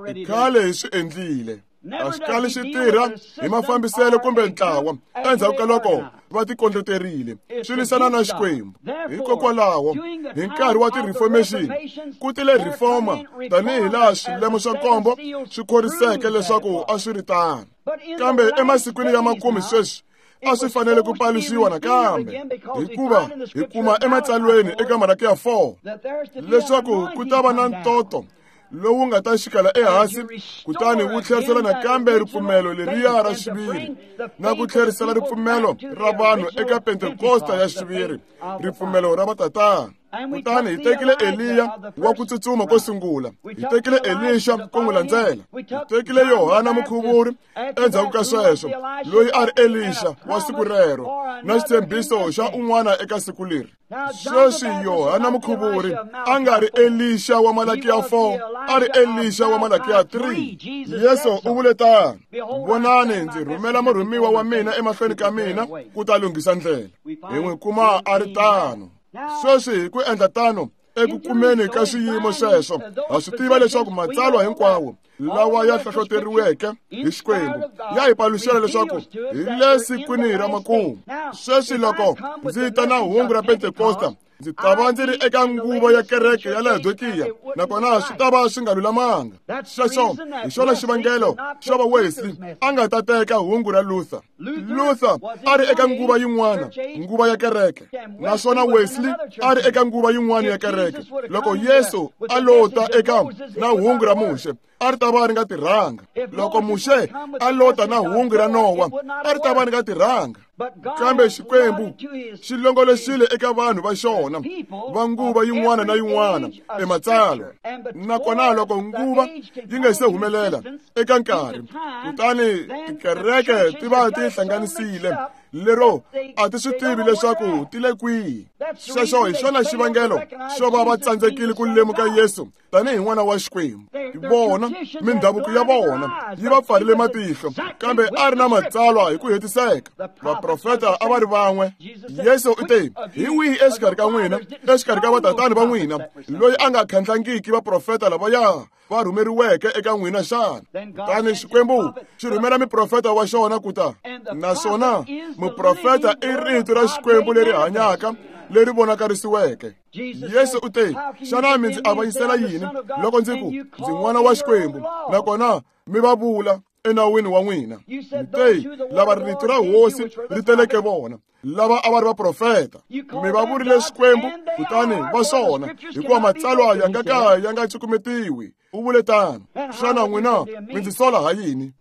I khale hi swi endlile. A swi kali swi tirha hi mafambiselo kumbe ntlawa endzhaku ka loko va tikondleterile, swi lwisana na Xikwembu. Hikokwalaho hi nkarhi wa ti-reformation ku tile reformer tanihi laha swilemo swa nkombo swi khoriseke leswaku a swi ri tano. Kambe emasikwini ya makume sweswi a swi fanele ku paluxiwa nakambe, hikuva hi kuma ematsalweni eka Malaki ya four leswaku ku ta va na ntoto lowu nga ta xikala ehansi kutani wu tlherisela nakambe ripfumelo leriya ra xiviri, na ku tlherisela ripfumelo ra vanhu eka Pentekosta ya xiviri, ripfumelo ra vatatana. Kutani hi tekile Eliya wa ku tsutsuma ko sungula, hi tekile Elisha ku n'wi landzela, hi tekile Yohana Mukhuvuri endzhaku ka sweswo, loyi a ri Elisha wa siku rero, na xitshembiso xa un'wana eka siku leri. Sweswi Yohana Mukhuvuri a nga ri Elisha wa Malakiya four, a ri Elisha wa Malakiya three. Yesu u vule tano: vonani, ndzi rhumela murhumiwa wa mina emahlweni ka mina ku ta lunghisa ndlela. Hi n'wi kuma a ri tano. Sweswi hi ku endla tano eku kumeni ka swiyimo sweswo, ha swi tiva leswaku matsalwa hinkwawo lawa ya hlohloteriweke hi Xikwembu ya hi paluxela leswaku hi le sikwini ra makumu. Sweswi loko ndzi ta na hungu ra Pentekosta, ndzi ta va ndzi ri eka nguva ya kereke ya Laodikiya, nakona swi ta va swi nga lulamanga. Sweswo hi xona xivangelo xo va Wesley a nga ta teka hungu ra Luther. Luther a ri eka nguva yin'wana, nguva ya kereke, naswona Wesley a ri eka nguva yin'wana ya kereke. Loko Yesu a lo ta eka na hungu ra Muxe, a ri ta va ri nga tirhanga. Loko Muxe a lota na hungu ra Nowa, a ri ta va ri nga tirhanga. Kambe Xikwembu xi longoloxile eka vanhu va xona va nguva yin'wana na yin'wana ematsalwa. Nakona loko nguva yi nga se humelela eka nkarhi, kutani tikereke ti va ti hlanganisile lero a ti swi tivi leswaku ti le kwihi. Sweswo hi xona xivangelo xo va va tsandzekile ku lemuka Yesu tanihi n'wana wa Xikwembu. Vona mindhavuko ya vona yi va pfarile matihlo, kambe a ri na matsalwa hi ku hetiseka. Vaprofeta a va ri van'we. Yesu u te: hi wihi exikarhi ka n'wina, exikarhi ka vatatani va n'wina, loyi a nga khandlangiki vaprofeta lavaya va rhumeriweke eka n'wina xana? Kutani Xikwembu xi rhumela muprofeta wa xona ku ta. Naswona muprofeta i rito ra Xikwembu leri hanyaka, leri vonakarisiweke. Yesu u te: xana mi ndzi avanyisela yini loko ndzi ku ndzi n'wana wa Xikwembu, nakona mi va vula enawini wa n'wina? Mi te lava rito ra Hosi ri teleke vona, lava a va ri vaprofeta. Mi va vurile Xikwembu, kutani va swona, hikuva matsalwa ya nga ka ya nga cukumetiwi. U vule tano. Xana n'wina mi ndzi sola ha yini?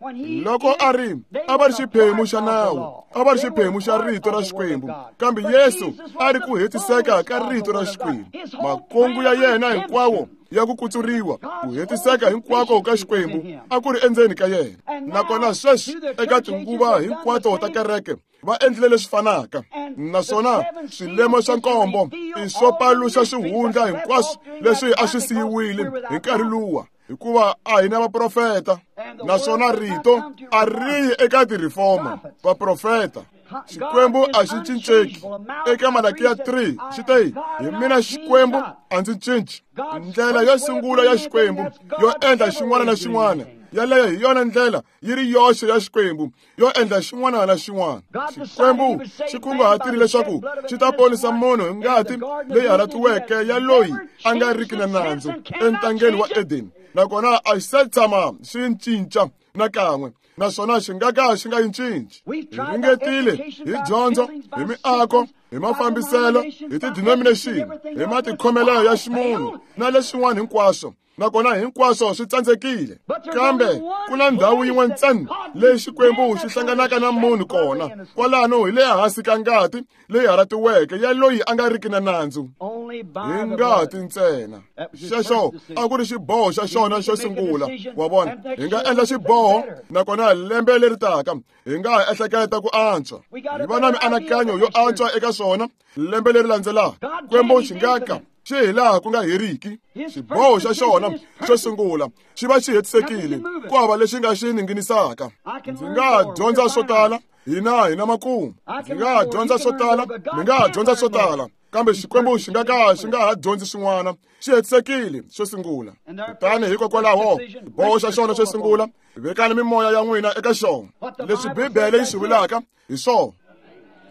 Loko a ri a va ri xiphemu xa nawu, a va ri xiphemu xa rito ra Xikwembu, kambe Yesu a ri ku hetiseka ka rito ra Xikwembu. Makungu ya yena hinkwawo ya ku kutsuriwa, ku hetiseka hinkwako ka Xikwembu a ku ri endzeni ka yena. Nakona sweswi eka tinguva hinkwato ta kereke va endlile leswi fanaka. Naswona swilemo swa nkombo i swo paluxa swihundla hinkwaswo leswi a swi siyiwile hi nkarhi luwa, hikuva a hi na vaprofeta. Naswona rito a ri yi eka ti-reformer, vaprofeta. Xikwembu a xi cinceki. Eka Malakiya three xi te, hi mina Xikwembu a ndzi cinci. Ndlela yo sungula ya Xikwembu yo endla xin'wana na xin'wana, yaleyo hi yona ndlela yi ri yoxe ya Xikwembu yo endla xin'wana na xin'wana. Xikwembu xi kunguhatile leswaku xi ta ponisa munhu hi ngati leyi halatiweke ya loyi a nga riki na nandzu entangeni wa Edeni, nakona a xi se tshama xi cinca nakan'we, naswona xi nga ka xi nga yi cinci. Hi ringetile hi dyondzo, hi miako, hi mafambiselo, hi ti-denomination, hi matikhomelo ya ximunhu na leswin'wana hinkwaswo, nakona hinkwaswo swi tsandzekile. Kambe ku na ndhawu yin'we ntsena leyi Xikwembu xi hlanganaka na munhu kona, kwalano hi le hansi ka ngati leyi halatiweke ya loyi a nga riki na nandzu, hi ngati ntsena. Xexo a ku ri xiboho xa xona xo sungula. Wa vona, hi nga endla xiboho, nakona lembe leri taka hi nga ha ehleketa ku antswa, hi va na mianakanyo yo antswa eka swona lembe leri landzelaka. Xikwembu xi nga ka xi hi laha ku nga heriki. Xiboho xa xona xo sungula xi va xi hetisekile, ku hava lexi nga xi ninginisaka. Ndzi nga dyondza swo tala, hina hi na makumu. Ndzi nga dyondza swo tala, mi nga dyondza swo tala, kambe Xikwembu xi nga ka xi nga ha dyondzi swin'wana. Xi hetisekile xo sungula. Kutani hikokwalaho xiboho xa xona xo sungula, vekani mimoya ya n'wina eka xona. Leswi Bibele yi swi vulaka hi swona.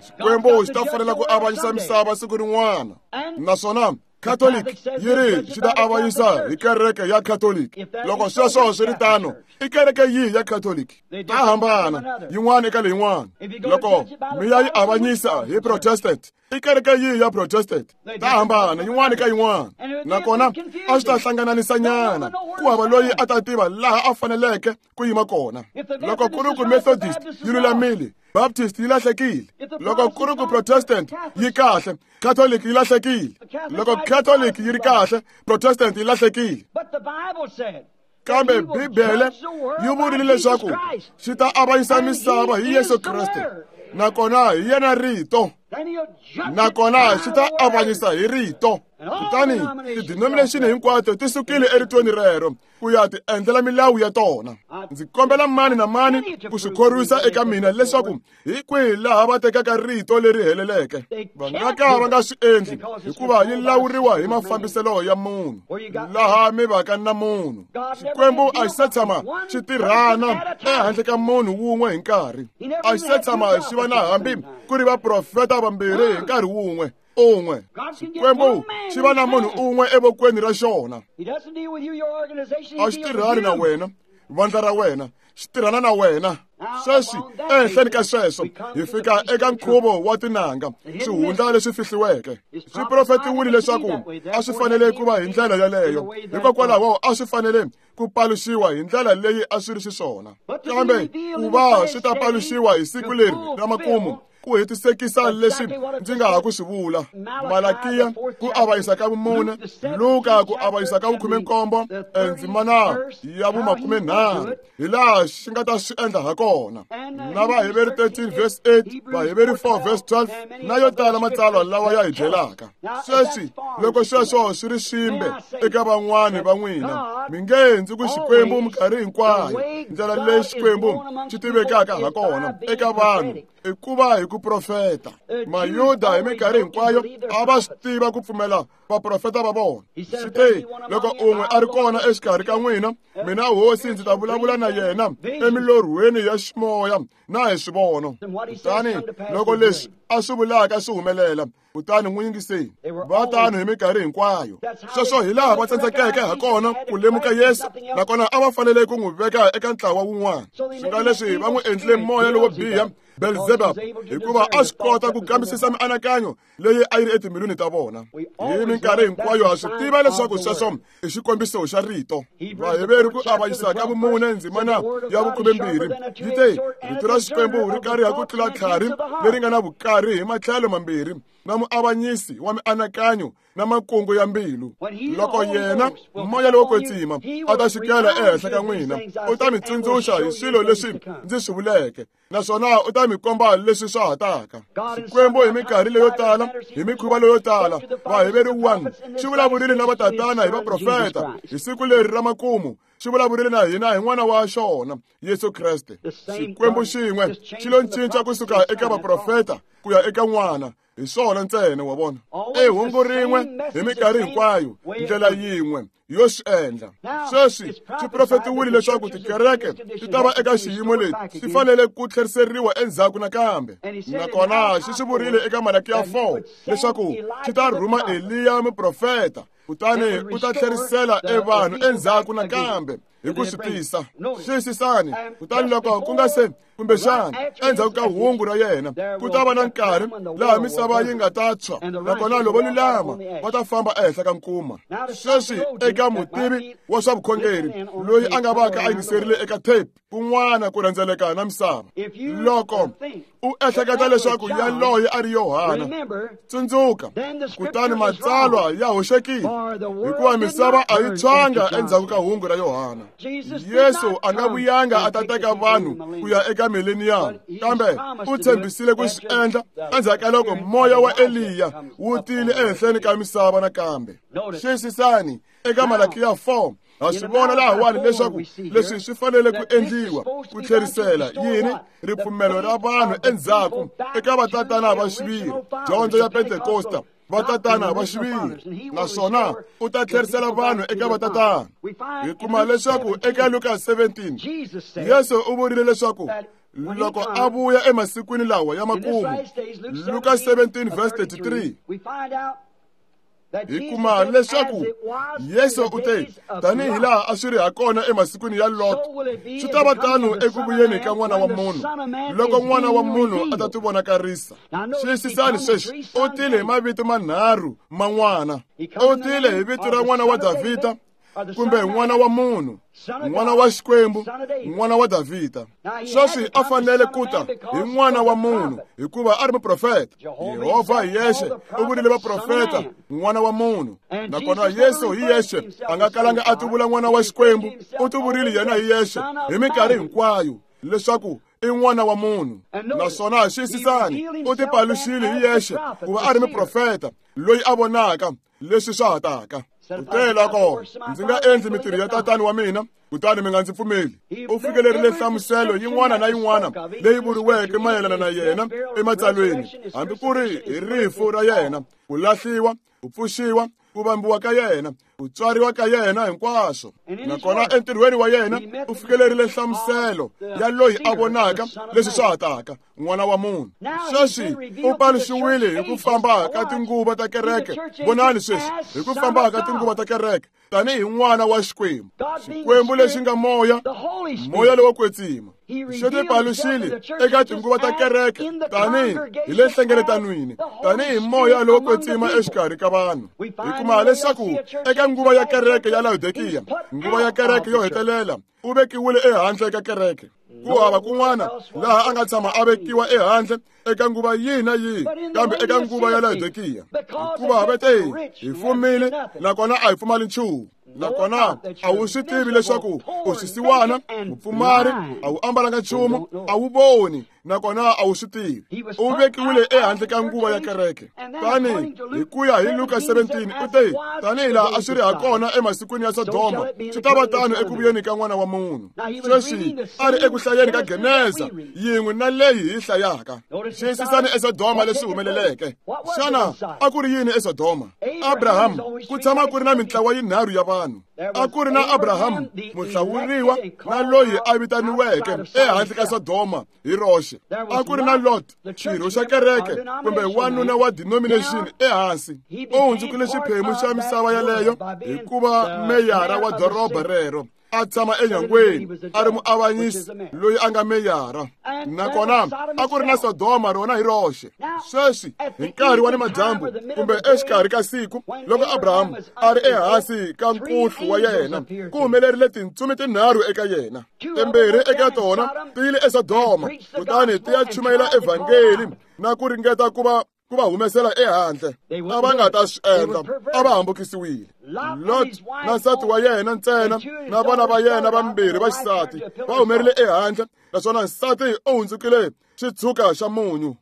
Xikwembu xi ta fanela ku avanyisa misava siku rin'wana, naswona Catholic yi ri xi ta avanyisa hi kereke ya Catholic. Loko sweswo swi ri tano, i kereke yihi ya Catholic? Ta hambana yin'wana eka leyin'wana. Loko mi ya yi avanyisa hi Protestant, i kereke yihi ya Protestant? Ta hambana yin'wana eka yin'wana. Nakona a swi ta hlangananisa nyana, ku hava loyi a ta tiva laha a faneleke ku yima kona. Loko ku ri ku Methodist yi lulamile, Baptist yi lahlekile. Loko ku ri ku Protestant yi kahle, Catholic yi lahlekile. Loko Catholic yi ri kahle, Protestant yi lahlekile. Kambe Bibele yi vurile leswaku xi ta avanyisa misava hi Yesu Kreste, nakona hi yena rito, nakona xi ta avanyisa hi rito. Kutani ti-denomination hinkwato ti sukile eritweni rero ku ya ti endlela milawu ya tona. Ndzi kombela mani na mani ku swi khorwisa eka mina leswaku hi kwihi laha va tekaka rito leri heleleke. Va nga ka va nga swi endli, hikuva yi lawuriwa hi mafambiselo ya munhu, laha mi vaka na munhu. Xikwembu a xi se tshama xi tirhana ehandle ka munhu wun'we hi nkarhi. A xi se tshama xi va na hambi ku ri vaprofeta vambirhi hi nkarhi wun'we. Un'we. Xikwembu xi va na munhu un'we evokweni ra xona. A xi tirhani na wena, vandla ra wena, xi tirhana na wena. Sweswi ehenhleni ka sweswo hi fika eka nkhuvo wa tinanga, swihundla leswi fihliweke. Swi profetiwile leswaku a swi fanele ku va hi ndlela yaleyo, hikokwalaho a swi fanele ku paluxiwa hi ndlela leyi a swi ri xiswona. Kambe ku va swi ta paluxiwa hi siku leri ra makumu, ku hetisekisa leswi ndzi nga ha ku swi vula. Malakiya ku avanyisa ka vumune, Luka ku avanyisa ka vukhume-nkombo, endzimana ya vumakume-nharhu, hi laha xi nga ta swi endla ha kona. Na Vaheveri thirteen verse eight, Vaheveri four verse twelve, na yo tala matsalwa lawa ya hi byelaka. Sweswi loko sweswo swi ri swimbe eka van'wani va n'wina, mi nge ndzi ku Xikwembu minkarhi hinkwayo. Ndlela leyi Xikwembu xi tivekaka ha kona eka vanhu i ku va hi ku profeta. Mayuda hi minkarhi hinkwayo a va swi tiva ku pfumela vaprofeta va vona. Swi te, loko un'we a ri kona exikarhi ka n'wina, mina hosi ndzi ta vulavula na yena emilorhweni ya ximoya na hi swivono. Kutani loko leswi a swi vulaka swi humelela, kutani n'wi yingiseni. Va tano hi minkarhi hinkwayo. Sweswo hi laha va tsandzekeke ha kona ku lemuka Yesu, nakona a va fanele ku n'wi veka eka ntlawa wun'wana. Swi nga leswi va n'wi endlile moya lowo biha, Belzebub, hikuva a swi kota ku kambisisa mianakanyo leyi a yi ri etimbilwini ta vona. Hi minkarhi hinkwayo ha swi tiva leswaku sweswo i xikombiso xa rito. Vaheveru ku avanyisa ka vumune ndzimana ya vukhumembirhi yi te, rito ra Xikwembu ri kariha ku tlula tlhari leri nga na vukari hi matlhelo mambirhi, na muavanyisi wa mianakanyo na makungu ya mbilu. Loko yena moya lowo kwetsima a ta xikela ehenhla ka n'wina, u ta mi tsundzuxa hi swilo leswi ndzi swi vuleke, naswona u ta mi komba leswi swa ha taka. Xikwembu hi minkarhi leyo tala, hi mikhuva leyo tala, Vaheveru one xi vulavurile na vatatana hi vaprofeta hi siku leri ra makumu, xi vulavurile na hina hi n'wana wa xona Yesu Kreste. Xikwembu xin'we xi lo cinca kusuka eka vaprofeta ku ya eka n'wana. Hi swona ntsena, wa vona. I hungu rin'we hi minkarhi hinkwayo, ndlela yin'we yo swi endla. Sweswi swi profetiwile leswaku tikereke ti ta va eka xiyimo lexi, ti fanele ku tlheriseriwa endzhaku nakambe. Nakona xi swi vurile eka Malakiya four leswaku xi ta rhuma Eliya muprofeta, kutani u ta tlherisela evanhu endzhaku nakambe hi ku swi tisa. Xiyisisani, kutani loko ku nga se kumbexana endzhaku ka hungu ra yena ku ta va na nkarhi laha misava yi nga ta tshwa, nakona lavo lulama va ta famba ehenhla ka nkuma. Sweswi eka mutivi wa swa vukhongeri loyi a nga vaka a yingiserile eka tape kun'wana ku rhendzeleka na misava, loko u ehleketa leswaku yaloye a ri Yohana, tsundzuka, kutani matsalwa ya hoxekile, hikuva misava a yi tshwanga endzhaku ka hungu ra Yohana. Yesu a nga vuyanga a ta teka vanhu ku ya eka millennium, kambe u tshembisile ku swi endla endzhaku ka loko moya wa Eliya wu tile ehenhleni ka misava nakambe. Xiyisisani eka Malakiya four, ha swi vona lahawani leswaku leswi swi fanele ku endliwa ku tlherisela yini ripfumelo ra vanhu endzhaku eka vatatana va xiviri, dyondzo ya Pentekosta, vatatana va xiviri, naswona u ta tlherisela vanhu eka vatatana. Hi kuma leswaku eka Luka seventeen, Yesu u vurile leswaku loko a vuya emasikwini lawa ya makumu, Luka seventeen verse thirty-three, hi kuma leswaku Yesu u te, tanihi laha a swi ri ha kona emasikwini ya Lot, swi ta va tano eku vuyeni ka n'wana wa munhu, loko n'wana wa munhu a ta tivonakarisa. Xiyisisani sweswi, u tile hi mavito manharhu man'wana. U tile hi vito ra n'wana wa Davhida, kumbe n'wana wa munhu, n'wana wa Xikwembu, n'wana wa Davhida. Sweswi a fanele ku ta hi n'wana wa munhu hikuva a ri muprofeta. Yehovha hi yexe u vurile vaprofeta n'wana wa munhu, nakona Yesu hi yexe a nga kalanga a tivula n'wana wa Xikwembu, u tivurile yena hi yexe hi minkarhi hinkwayo leswaku i n'wana wa munhu. Naswona xiyisisani, u tipaluxile hi yexe ku va a ri muprofeta loyi a vonaka leswi swa ha taka. Kute loko ndzi nga endli mintirho ya tatani wa mina, kutani mi nga ndzi pfumeli. U fikelerile nhlamuselo yin'wana na yin'wana leyi vuriweke mayelana na yena ematsalweni, hambi ku ri hi rifu ra yena, ku lahliwa, ku pfuxiwa, ku vambiwa ka yena, ku tswariwa ka yena hinkwaswo. Nakona entirhweni wa yena u fikelerile nhlamuselo ya loyi a vonaka leswi swa ha taka, n'wana wa munhu. Sweswi u paluxiwile hi ku famba ka tinguva ta kereke. Vonani sweswi, hi ku famba ka tinguva ta kereke, tanihi n'wana wa Xikwembu, Xikwembu lexi nga moya, moya lowo kwetsima. Xi tipaluxile eka tinguva ta kereke tanihi hi le nhlengeletanwini, tanihi moya lowo kwetsima exikarhi ka vanhu. Hi kuma leswaku eka nguva ya kereke ya Laodikiya, nguva ya kereke yo hetelela, u vekiwile ehandle ka kereke. Ku hava kun'wana laha a nga tshama a vekiwa ehandle eka nguva yihi na yihi, kambe eka nguva ya Laodikiya, hikuva va te hi fumile nakona a hi pfumali nchumu. Nakona a wu swi tivi leswaku u xisiwana, mupfumari, a wu ambalanga nchumu, a wu voni, nakona a wu swi tivi. U vekiwile ehandle ka nguva ya kereke. Tani hi ku ya hi Luka seventeen, u te, tanihi laha a swi ri ha kona emasikwini ya Sodoma, swi ta va tano eku vuyeni ka n'wana wa munhu. Sweswi a ri eku hlayeni ka Geneza yin'we na leyi hi hlayaka. Xiyisisani eSodoma leswi humeleleke. Xana a ku ri yini eSodoma? Abraham, ku tshama ku ri na mintlawa yinharhu ya vanhu. vanhu. A ku ri na Abraham muhlawuriwa na loyi a vitaniweke ehandle ka Sodoma hi roxe. A ku ri na Lot, xirho xa kereke kumbe wanuna wa denomination ehansi. U hundzukile xiphemu xa misava yaleyo hikuva meyara wa doroba rero a tshama enyangweni a ri muavanyisi loyi a nga meyara. Nakona a ku ri na Sodoma rona hi roxe. Sweswi hi nkarhi wa nimadyambu kumbe exikarhi ka siku loko Abraham a ri ehansi ka nkuhlu wa yena, ku humelerile tintsumi tinharhu eka yena. Timbirhi eka tona ti yile eSodoma kutani ti ya chumayela evhangeli na ku ringeta ku va ku va humesela ehandle. A va nga ta swi endla, a va hambukisiwile. Lot na nsati wa yena ntsena na vana va yena vambirhi va xisati va humerile ehandle, naswona nsati u hundzukile xitshuka xa munyu.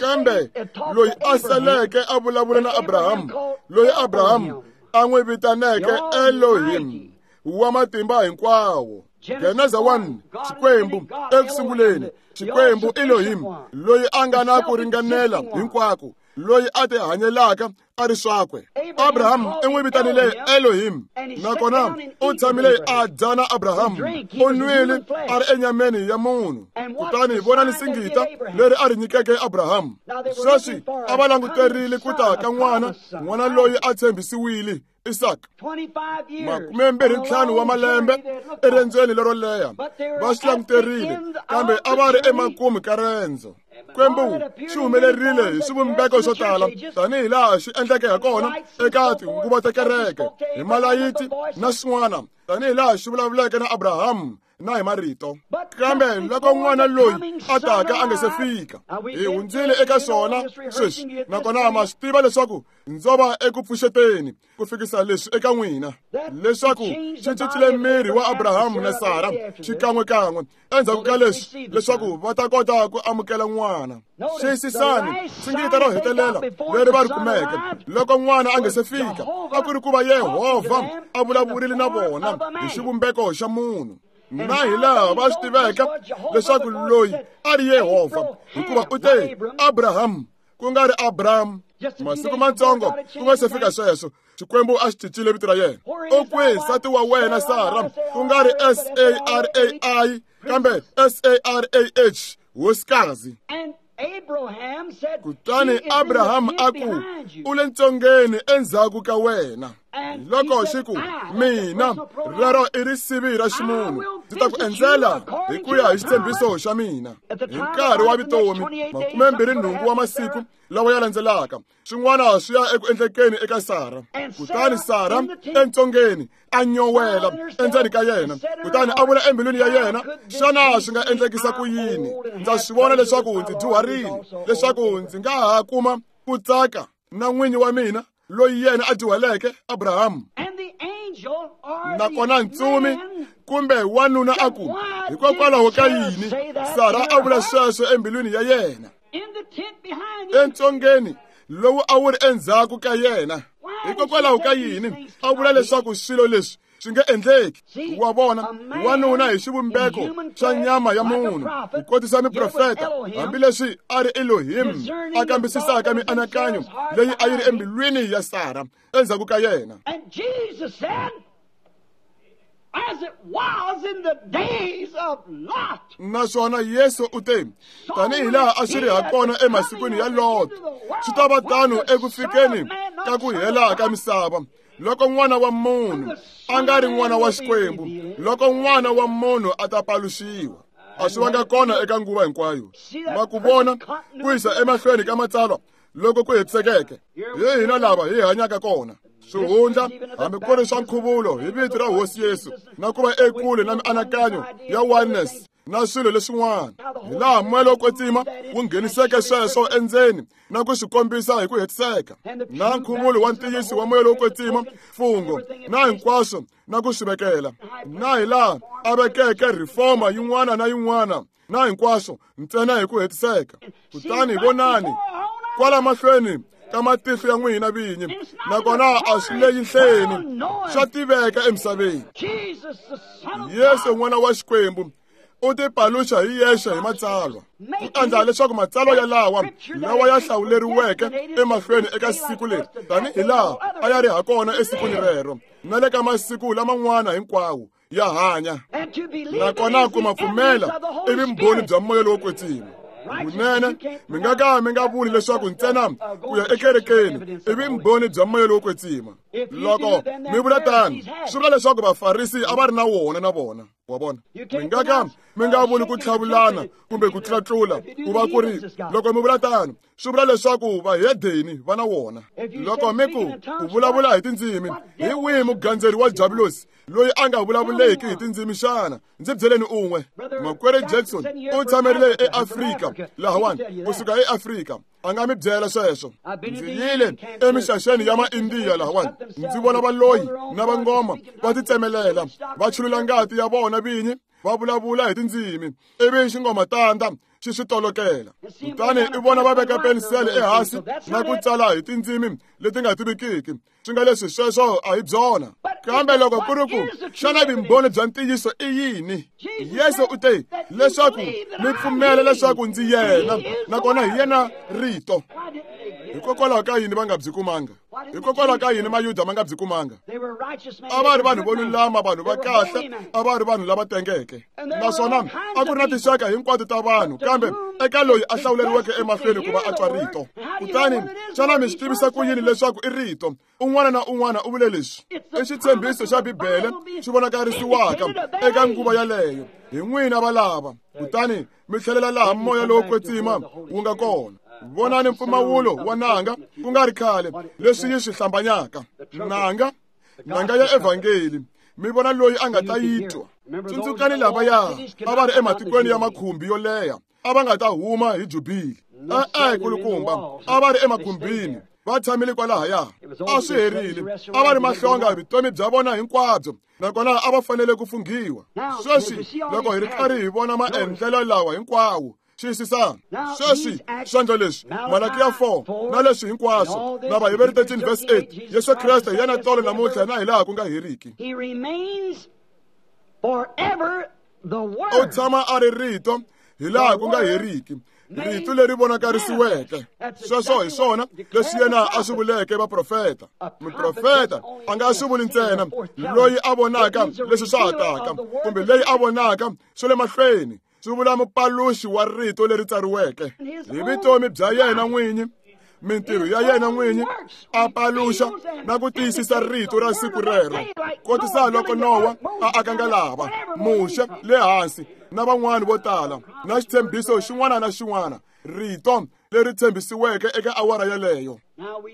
Kambe loyi a saleke a vulavula na Abraham, loyi Abraham a n'wi vitaneke Elohim wa matimba hinkwawo. Geneza one, Xikwembu ekusunguleni, Xikwembu Elohim, loyi a nga na ku ringanela hinkwako, loyi a ti hanyelaka a ri swakwe. Abraham i n'wi vitanile Elohim, nakona u tshamile a dya na Abraham, u nwile a ri enyameni ya munhu. Kutani vonani singita leri a ri nyikeke Abraham. Sweswi a va languterile ku ta ka n'wana, n'wana loyi a tshembisiwile, Isaac. Makume mbirhi ntlhanu wa malembe eriendzweni lero leha va swi languterile, kambe a va ri emakumu ka rendzo. Xikwembu xi humelerile hi swivumbeko swo tala tanihi laha xi endleke ha kona eka tinguva ta kereke, hi malayiti na swin'wana, tanihi laha xi vulavuleke na Abraham na hi marito. Kambe loko n'wana loyi a taka a nga se fika, hi hundzile eka swona sweswi, nakona ma swi tiva leswaku ndzo va eku pfuxeteni ku fikisa leswi eka n'wina, leswaku xi cincile miri wa Abraham na Sara xikan'wekan'we endzhaku ka leswi, leswaku va ta kota ku amukela n'wana. Xiyisisani singita ro hetelela leri va ri kumeke loko n'wana a nga se fika, a ku ri ku va Yehovha a vulavurile na vona hi xivumbeko xa munhu. Na hi laha va swi tiveka leswaku loyi a ri Yehovha, hikuva u te Abraham ku nga ri Abraham. Masiku matsongo ku nga se fika sweswo, Xikwembu a xi cincile vito ra yena. U kwihi nsati wa wena Sara, ku nga ri S A R A I kambe S A R A H, hosikazi. Kutani Abraham a ku, u le ntsongeni endzhaku ka wena. Loko xi ku, mina rero i risivi ra ximunhu, ndzi ta ku endzela hi ku ya hi xitshembiso xa mina. Hi nkarhi wa vutomi makume mbirhi nhungu wa masiku lawa ya landzelaka, swin'wana swi ya eku endlekeni eka Sara. Kutani Sara entsongeni a nyowela endzeni ka yena, kutani a vula embilwini ya yena, xana swi nga endlekisa ku yini? Ndza swi vona leswaku ndzi dyuharile, leswaku ndzi nga ha kuma ku tsaka na n'winyi wa mina loyi yena a dyuhaleke, Abraham. Nakona ntsumi kumbe wanuna a ku, hikokwalaho ka yini Sara a vula sweswo embilwini ya yena? Entsongeni lowu a wu ri endzhaku ka yena, hikokwalaho ka yini a vula leswaku swilo leswi swi nge endleki? Wa vona, wanuna hi xivumbeko xa nyama ya munhu, ku kotisa miprofeta, hambileswi a ri Elohim a kambisisaka mianakanyo leyi a yi ri embilwini ya Sara endzhaku ka yena. As it was in the days of Lot. Naswona Yesu u te, tanihi laha a swi ri ha kona emasikwini ya Lot, swi ta va tano eku fikeni ka ku hela ka misava, loko n'wana wa munhu a nga ri n'wana wa Xikwembu, loko n'wana wa munhu a ta paluxiwa. A swi vanga kona eka nguva hinkwayo. Ma ku vona ku yisa emahlweni ka matsalwa loko ku hetisekeke, hi hina lava hi hanyaka kona. Swihundla hambi ku ri swa nkhuvulo hi vito ra Hosi Yesu, na ku va ekule na mianakanyo ya oneness na swilo leswin'wana, hi laha moya lowo kwetsima wu ngheniseke sweswo endzeni na ku swi kombisa hi ku hetiseka, na nkhuvulo wa ntiyiso wa moya lowo kwetsima, mfungho na hinkwaswo na ku swi vekela, na hi laha a vekeke reforma yin'wana na yin'wana na hinkwaswo ntsena hi ku hetiseka. Kutani vonani kwala mahlweni ka matihlo ya n'wina vinyi, nakona a swi le yinhleni, swa tiveka emisaveni. Yesu n'wana wa Xikwembu U tipaluxa hi yexe hi matsalwa ku endla leswaku matsalwa yalawa lawa ya hlawuleriweke emahlweni eka siku leri tanihi laha a ya ri hakona esikwini rero na le ka masiku laman'wana hinkwawo ya hanya nakona ku ma pfumela i vumbhoni bya moya lowo kwetsima vunene mi nga ka mi nga vuli leswaku ntsena ku ya ekerekeni i vumbhoni bya moya lowo kwetsima loko mi vula tano swi vula leswaku vafarisi a va ri na wona na vona wa vona mi nga ka mi nga vuli ku tlhavulana kumbe ku tlatlula ku va ku ri loko mi vula tano swi vula leswaku vahedeni va na wona loko mi ku ku vulavula hi tindzimi hi wihi mugandzeri wa javulosi loyi a nga vulavuleki hi tindzimi xana ndzi byeleni un'we makwerhu Jackson u tshamerile eAfrika lahawani kusuka eAfrika a nga mi byela sweswo ndzi yile emixaxeni ya maindiya lahawani ndzi vona valoyi na vangoma va titsemelela va chulula ngati ya vona vinyi va vulavula hi tindzimi ivi xingomatanda xi swi tolokela kutani i vona va veka penisele ehansi na ku tsala hi tindzimi leti nga tivikiki swi nga leswi sweswo a hi byona kambe loko ku ri ku xana vumbhoni bya ntiyiso i yini Yesu u te leswaku mi pfumela leswaku ndzi yena nakona hi yena rito hikokwalaho ka yini va nga byi kumanga hikokwalaho ka yini mayuda ma nga byi kumanga a va ri vanhu vo lulama vanhu va kahle a va ri vanhu lava tengeke naswona a ku ri na tinxaka hinkwato ta vanhu kambe eka loyi a hlawuleriweke emahlweni ku va a twa rito kutani xana mi swi tivisa ku yini leswaku i rito un'wana na un'wana u vule leswi i xitshembiso xa bibele xi vonakarisiwaka eka nguva yaleyo hi n'wina valava kutani mi tlhelela laha moya lowo kwetsima wu nga kona vonani mpfumawulo wa nanga ku nga ri khale leswi yi swi hlambanyaka nanga nanga ya evhangeli mi vona loyi a nga ta yi twa tsundzukani lavaya a va ri ematikweni ya makhumbi yo leha a va nga ta huma hi jubili e-e kulukumba a va ri emakhumbini va tshamile kwalahaya a swi herile a va ri mahlonga vutomi bya vona hinkwabyo nakona a va fanele ku funghiwa sweswi loko hi ri karhi hi vona maendlelo lawa hinkwawo xiyisisana sweswi swendlo leswi Malakiya four na leswi hinkwaswo na Vaheberi thirteen verse eight Yesu Kreste hi yena tolo namuntlha na hi laha ku nga heriki u tshama a ri rito hi laha ku nga heriki rito leri vonakarisiweke sweswo hi swona leswi yena a swi vuleke vaprofeta muprofeta a nga swi vuli ntsena loyi a vonaka leswi swa ha taka kumbe leyi a vonaka swi le mahlweni swi vula mupaluxi wa rito leri tsariweke hi vutomi bya yena n'winyi mintirho ya yena n'winyi a paluxa na ku tiyisisa rito ra siku rero kotisa loko Nowa a aka ngalava Muxe le hansi na van'wani vo tala na xitshembiso xin'wana na xin'wana rito leri tshembisiweke eka awara yaleyo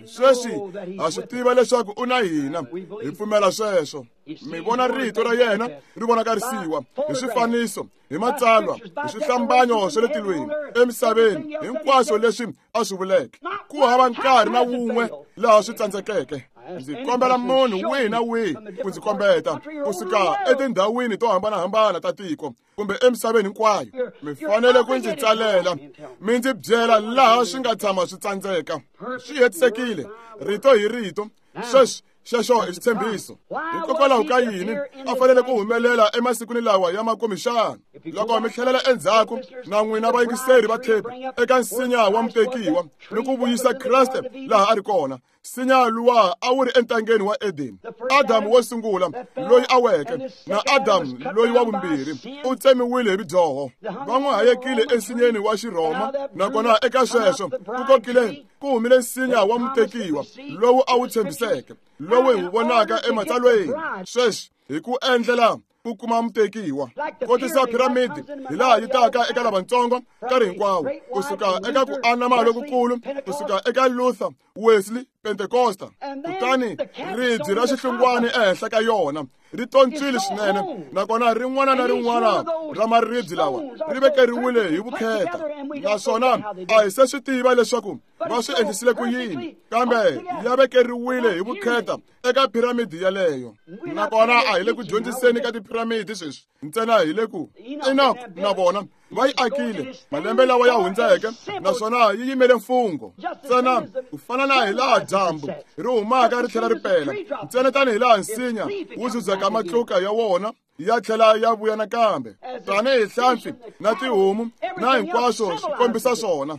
sweswi ha swi tiva leswaku u na hina hi pfumela sweswo mi vona rito ra yena ri vonakarisiwa hi swifaniso hi matsalwa hi swihlambanyo swa le tilweni emisaveni hinkwaswo leswi a swi vuleke ku hava nkarhi na wun'we laha swi tsandzekeke ndzi kombela munhu wihi na wihi ku ndzi kombeta kusuka etindhawini to hambanahambana ta tiko kumbe emisaveni hinkwayo mi fanele ku ndzi tsalela mi ndzi byela laha swi nga tshama swi tsandzeka swi hetisekile rito hi rito sweswi xexo i xitshembiso hikokwalaho ka yini a fanele ku humelela emasikwini lawa ya makumu xana loko mi tlhelela endzhaku na n'wina vayingiseri va thepi eka nsinya wa mutekiwa ni ku vuyisa Kreste laha a ri kona nsinya luwa a wu ri entangeni wa Edeni Adamu wo sungula loyi a weke na Adamu loyi wa vumbirhi u tsemiwile hi vudyoho va n'wi hayekile ensinyeni wa Xirhoma nakona eka sweswo ku kokile ku humile nsinya wa mutekiwa lowu a wu tshembiseke lowu hi wu vonaka ematsalweni sweswi hi ku endlela ku kuma mutekiwa kotisa piramidi hi laha yi taka eka lavatsongo nkarhi hinkwawo kusuka eka ku anama lokukulu kusuka eka Luther Wesley Pentecosta kutani ribye ra xihlungwana ehenhla ka yona ri tontswile swinene nakona rin'wana na rin'wana ra maribye lawa ri vekeriwile hi vukheta naswona a hi se swi tiva leswaku va swi endlisile ku yini kambe ya vekeriwile hi vukheta eka piramidi yaleyo nakona a hi le ku dyondziseni ka tiphiramidi sweswi ntsena hi le ku Enoch na vona va yi akile malembe lawa ya hundzeke naswona yi yimele mfungho ntsena ku fana na hi laha dyambu ri humaka ri tlhela ri pela ntsena tanihi laha nsinya wu zuzeka matluka ya wona ya tlhela ya vuya nakambe tanihi hlampfi na tihomu na hinkwaswo swi kombisa swona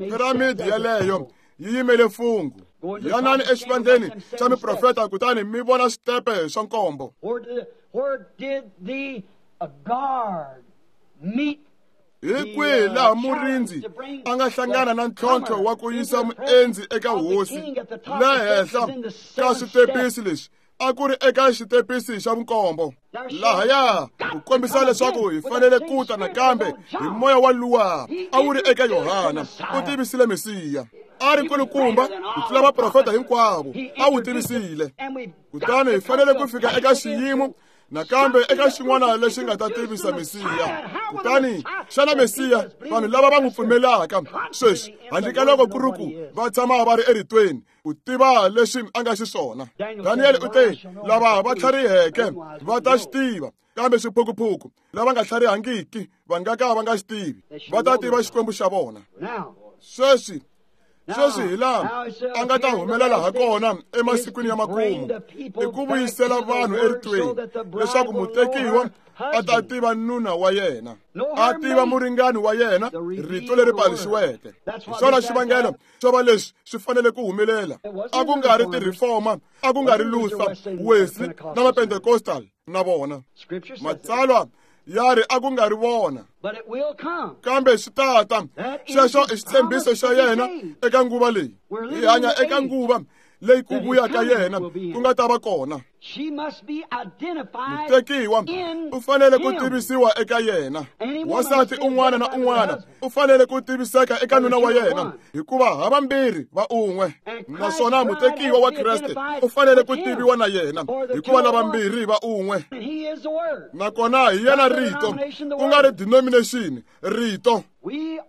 piramidi yeleyo yi yimele mfungho yanani exivandleni xa miprofeta kutani mi vona switepe swa nkombo hi kwihi laha murindzi a nga hlangana na ntlhontlho wa ku yisa muendzi eka hosi le henhla ka switepisi leswi a ku ri eka xitepisi xa vunkombo lahaya ku kombisa leswaku hi fanele ku ta nakambe hi moya wa luwa a wu ri eka Yohana u tivisile Mesiya a ri nkulukumba ku tlula vaprofeta hinkwavo a wu tivisile kutani hi fanele ku fika eka xiyimo nakambe eka xin'wana lexi nga ta tivisa Mesiya kutani xana Mesiya vanhu lava va n'wi pfumelaka sweswi handle ka loko ku ri ku va tshama va ri eritweni ku tiva leswi a nga xiswona Daniel u te lava va tlhariheke va ta xi tiva kambe swiphukuphuku lava nga tlharihangiki va nga ka va nga xi tivi va ta tiva Xikwembu xa vona sweswi sweswi hi laha a nga ta humelela ha kona emasikwini ya makumu i ku vuyisela vanhu eritweni leswaku mutekiwa a ta tiva nuna wa yena a tiva muringani wa yena rito leri paluxiweke hi swona xivangelo xo va leswi swi fanele ku humelela a ku nga ri ti-reformer a ku nga ri Luther Wesley na va-Pentecostal na vona matsalwa ya ri a ku nga ri vona kambe swi tata xexo i xitshembiso xa yena eka nguva leyi hi hanya eka nguva leyi ku vuya ka yena ku nga ta va kona mutekiwa u fanele ku tivisiwa eka yena wansati un'wana na un'wana u fanele ku tiviseka eka nuna wa yena hikuva havambirhi va un'we naswona mutekiwa wa Kreste u fanele ku tiviwa na yena hikuva lavambirhi va un'we nakona hi yena rito ku nga ri denomination rito hi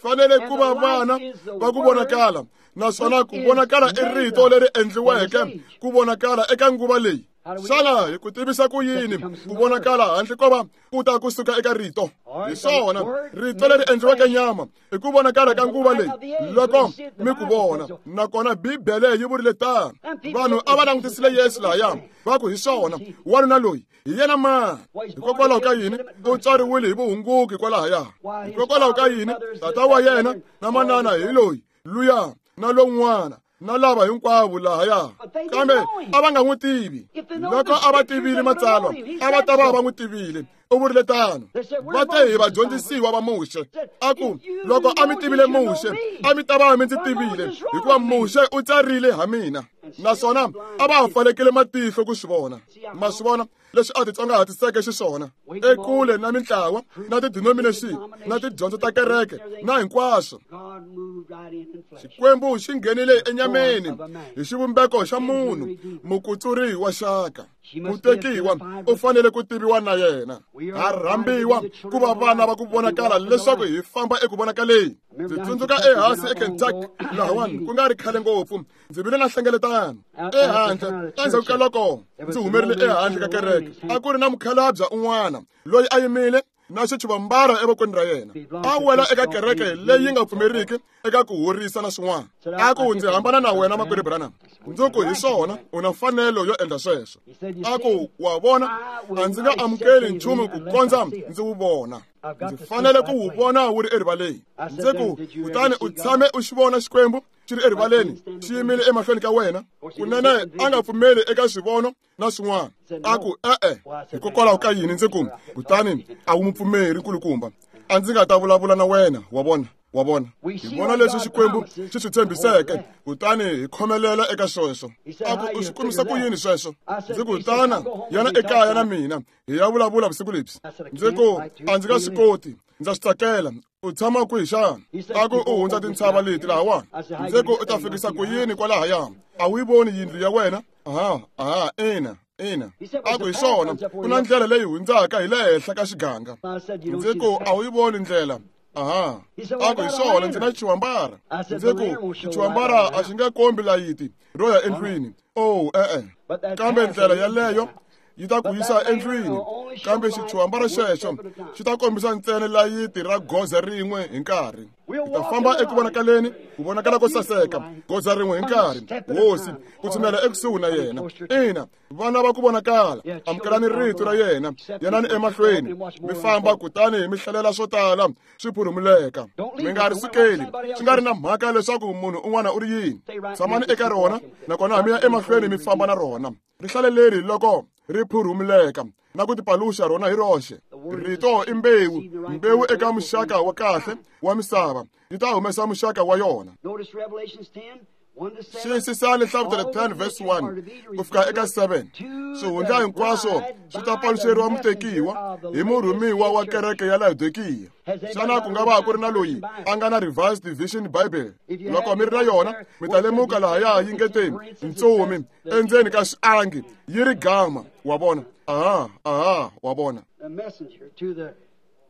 fanele ku va vana va ku vonakala naswona ku vonakala i rito leri endliweke ku vonakala eka nguva leyi xana hi ku tivisa ku yini ku vonakala handle ko va ku ta kusuka eka rito hi swona rito leri endliweke nyama i ku vonakala ka nguva leyi loko mi ku vona nakona Bibele yi vurile tano vanhu a va langutisile Yesu lahaya va ku hi swona wanuna loyi hi yena mani hikokwalaho ka yini u tswariwile hi vuhunguki kwalahaya hikokwalaho ka yini tata wa yena na manana hi loyi luya na lowun'wana na lava hinkwavo lahaya kambe a va nga n'wi tivi loko a va tivile matsalwa a va ta va va n'wi tivile u vurile tano va te hi vadyondzisiwa va Muxe a ku loko a mi tivile Muxe a mi ta va mi ndzi tivile hikuva Muxe u tsarile ha mina naswona a va ha pfalekile matihlo ku swi vona ma swi vona leswi a titsongahatiseke xiswona ekule na mintlawa na ti-denomination na tidyondzo ta kereke na hinkwaswo Xikwembu xi nghenile enyameni hi xivumbeko xa munhu mukutsuri wa xaka mutekiwa u fanele ku tiviwa na yena ha rhambiwa ku va vana va ku vonakala leswaku hi famba eku vonakaleni ndzi tsundzuka ehansi eKentucky lahawani ku nga ri khale ngopfu ndzi vile na hlengeletano ehandle endzhaku ka loko ndzi humerile ehandle ka kereke a ku ri na mukhalabya un'wana loyi a yimile na xitshuvambara evokweni ra yena a wela eka kereke leyi nga pfumeriki eka ku horisa na swin'wana a ku ndzi hambana na wena makwerhu Branham ndzi ku hi swona u na mfanelo yo endla sweswo a ku wa vona a ndzi nga amukeli nchumu ku kondza ndzi wu vona ndzi fanele ku wu vona wu ri erivaleni ndzi ku kutani u tshame u xi vona Xikwembu xi ri erivaleni xi yimile emahlweni ka wena kunene a nga pfumeli eka swivono na swin'wana a ku e-e hikokwalaho ka yini ndzi ku kutani a wu mupfumeri nkulukumba a ndzi nga ta vulavula na wena wa vona wa vona hi vona leswi Xikwembu xi swi tshembiseke kutani hi khomelela eka sweswo a ku u swi kumisa ku yini sweswo ndzi ku tana yana ekaya na mina hi ya vulavula vusiku lebyi ndzi ku a ndzi nga swi koti ndza swi tsakela u tshama kwihi xana a ku u hundza tintshava leti lahawani ndzi ku u ta fikisa ku yini kwalahaya a wu yi voni yindlu ya wena aha aha ina ina a ku hi swona ku na ndlela leyi hundzaka hi le henhla ka xiganga ndzi ku a wu yi voni ndlela aha a ku hi swona ndzi na xiwambara ndzi ku xiwambara a xi nge kombi layiti ro ya endlwini oh e-e kambe ndlela yaleyo yi ta ku yisa endlwini, kambe xithuhambara xexo xi ta kombisa ntsena layiti ra goza rin'we hi nkarhi. Hi ta famba eku vonakaleni, ku vonakala ko saseka, goza rin'we hi nkarhi. Hosi, ku tshinela ekusuhi na yena. Ina, vana va ku vonakala, amukelani rito ra yena, yanani emahlweni, mi famba kutani mi hlalela swo tala swi phurumuleka. Mi nga ri sukeli, swi nga ri na mhaka leswaku munhu un'wana u ri yini. Tshamani eka rona, nakona mi ya emahlweni mi famba na rona. Ri hlaleleri loko ri phurumuleka na ku tipaluxa rona hi roxe. Rito i mbewu, mbewu eka muxaka wa kahle wa misava yi ta humesa muxaka wa yona. Xiyisisani Nhlavutelo ten verse one ku fika eka seven. Swihundla hinkwaswo swi ta paluxeriwa mutekiwa hi murhumiwa wa kereke ya Laodikiya. Xana ku nga va ku ri na loyi a nga na Revised Division Bible? Loko mi ri na yona, mi ta lemuka lahaya yi nge te ntsumi endzeni ka xiangi yi ri gama. Wa vona? Aha, aha, wa vona.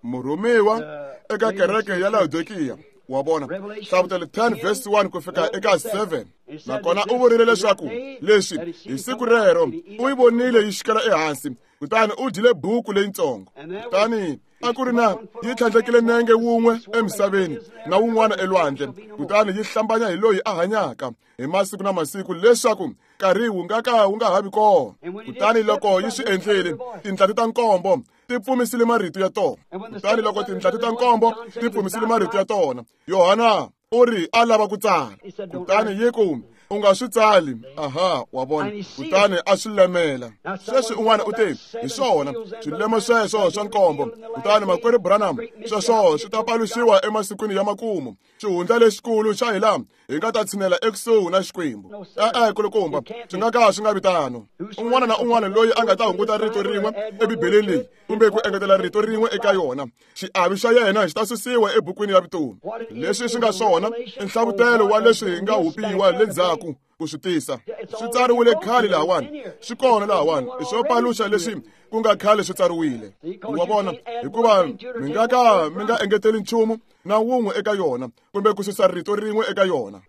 Murhumiwa eka kereke ya Laodikiya. Wa vona? Nhlavutelo ten verse one ku fika eka seven. Nakona u vurile leswaku leswi hi siku rero u yi vonile yi xikela ehansi, kutani u dyile buku leyitsongo. Kutani a ku ri na yi tlhandlekile nenge wun'we emisaveni na wun'wana elwandle, kutani yi hlambanya hi loyi a hanyaka hi masiku na masiku leswaku nkarhi wu nga ka wu nga ha vi kona. Kutani loko yi swi endlile, tintlhati ta nkombo ti pfumisile marito ya tona. Kutani loko tintlhati ta nkombo ti pfumisile marito ya tona, Yohana u ri a lava ku tsala. Kutani yi ku, u nga swi tsali. Aha, wa vona. Kutani a swi lemela. Sweswi un'wana u te, hi swona swilemo sweswo swa nkombo. Kutani makwerhu Branham, sweswo swi ta paluxiwa emasikwini ya makumu. Xihundla lexikulu xa hi laha hi nga ta tshinela ekusuhi na Xikwembu. E-e, kulukumba, swi nga ka swi nga vi tano. Un'wana na un'wana loyi a nga ta hunguta rito rin'we eBibeleni leyi kumbe ku engetela rito rin'we eka yona, xiavi xa yena xi ta susiwa ebukwini ya vutomi. Leswi swi nga swona i nhlavutelo wa leswi hi nga hupiwa le ndzhaku ku swi tisa. Swi tsariwile khale lahawani, swi kona lahawani, i swo paluxa leswi ku nga khale swi tsariwile. Wa vona? Hikuva mi nga ka mi nga engeteli nchumu na wun'we eka yona kumbe ku susa rito rin'we eka yona.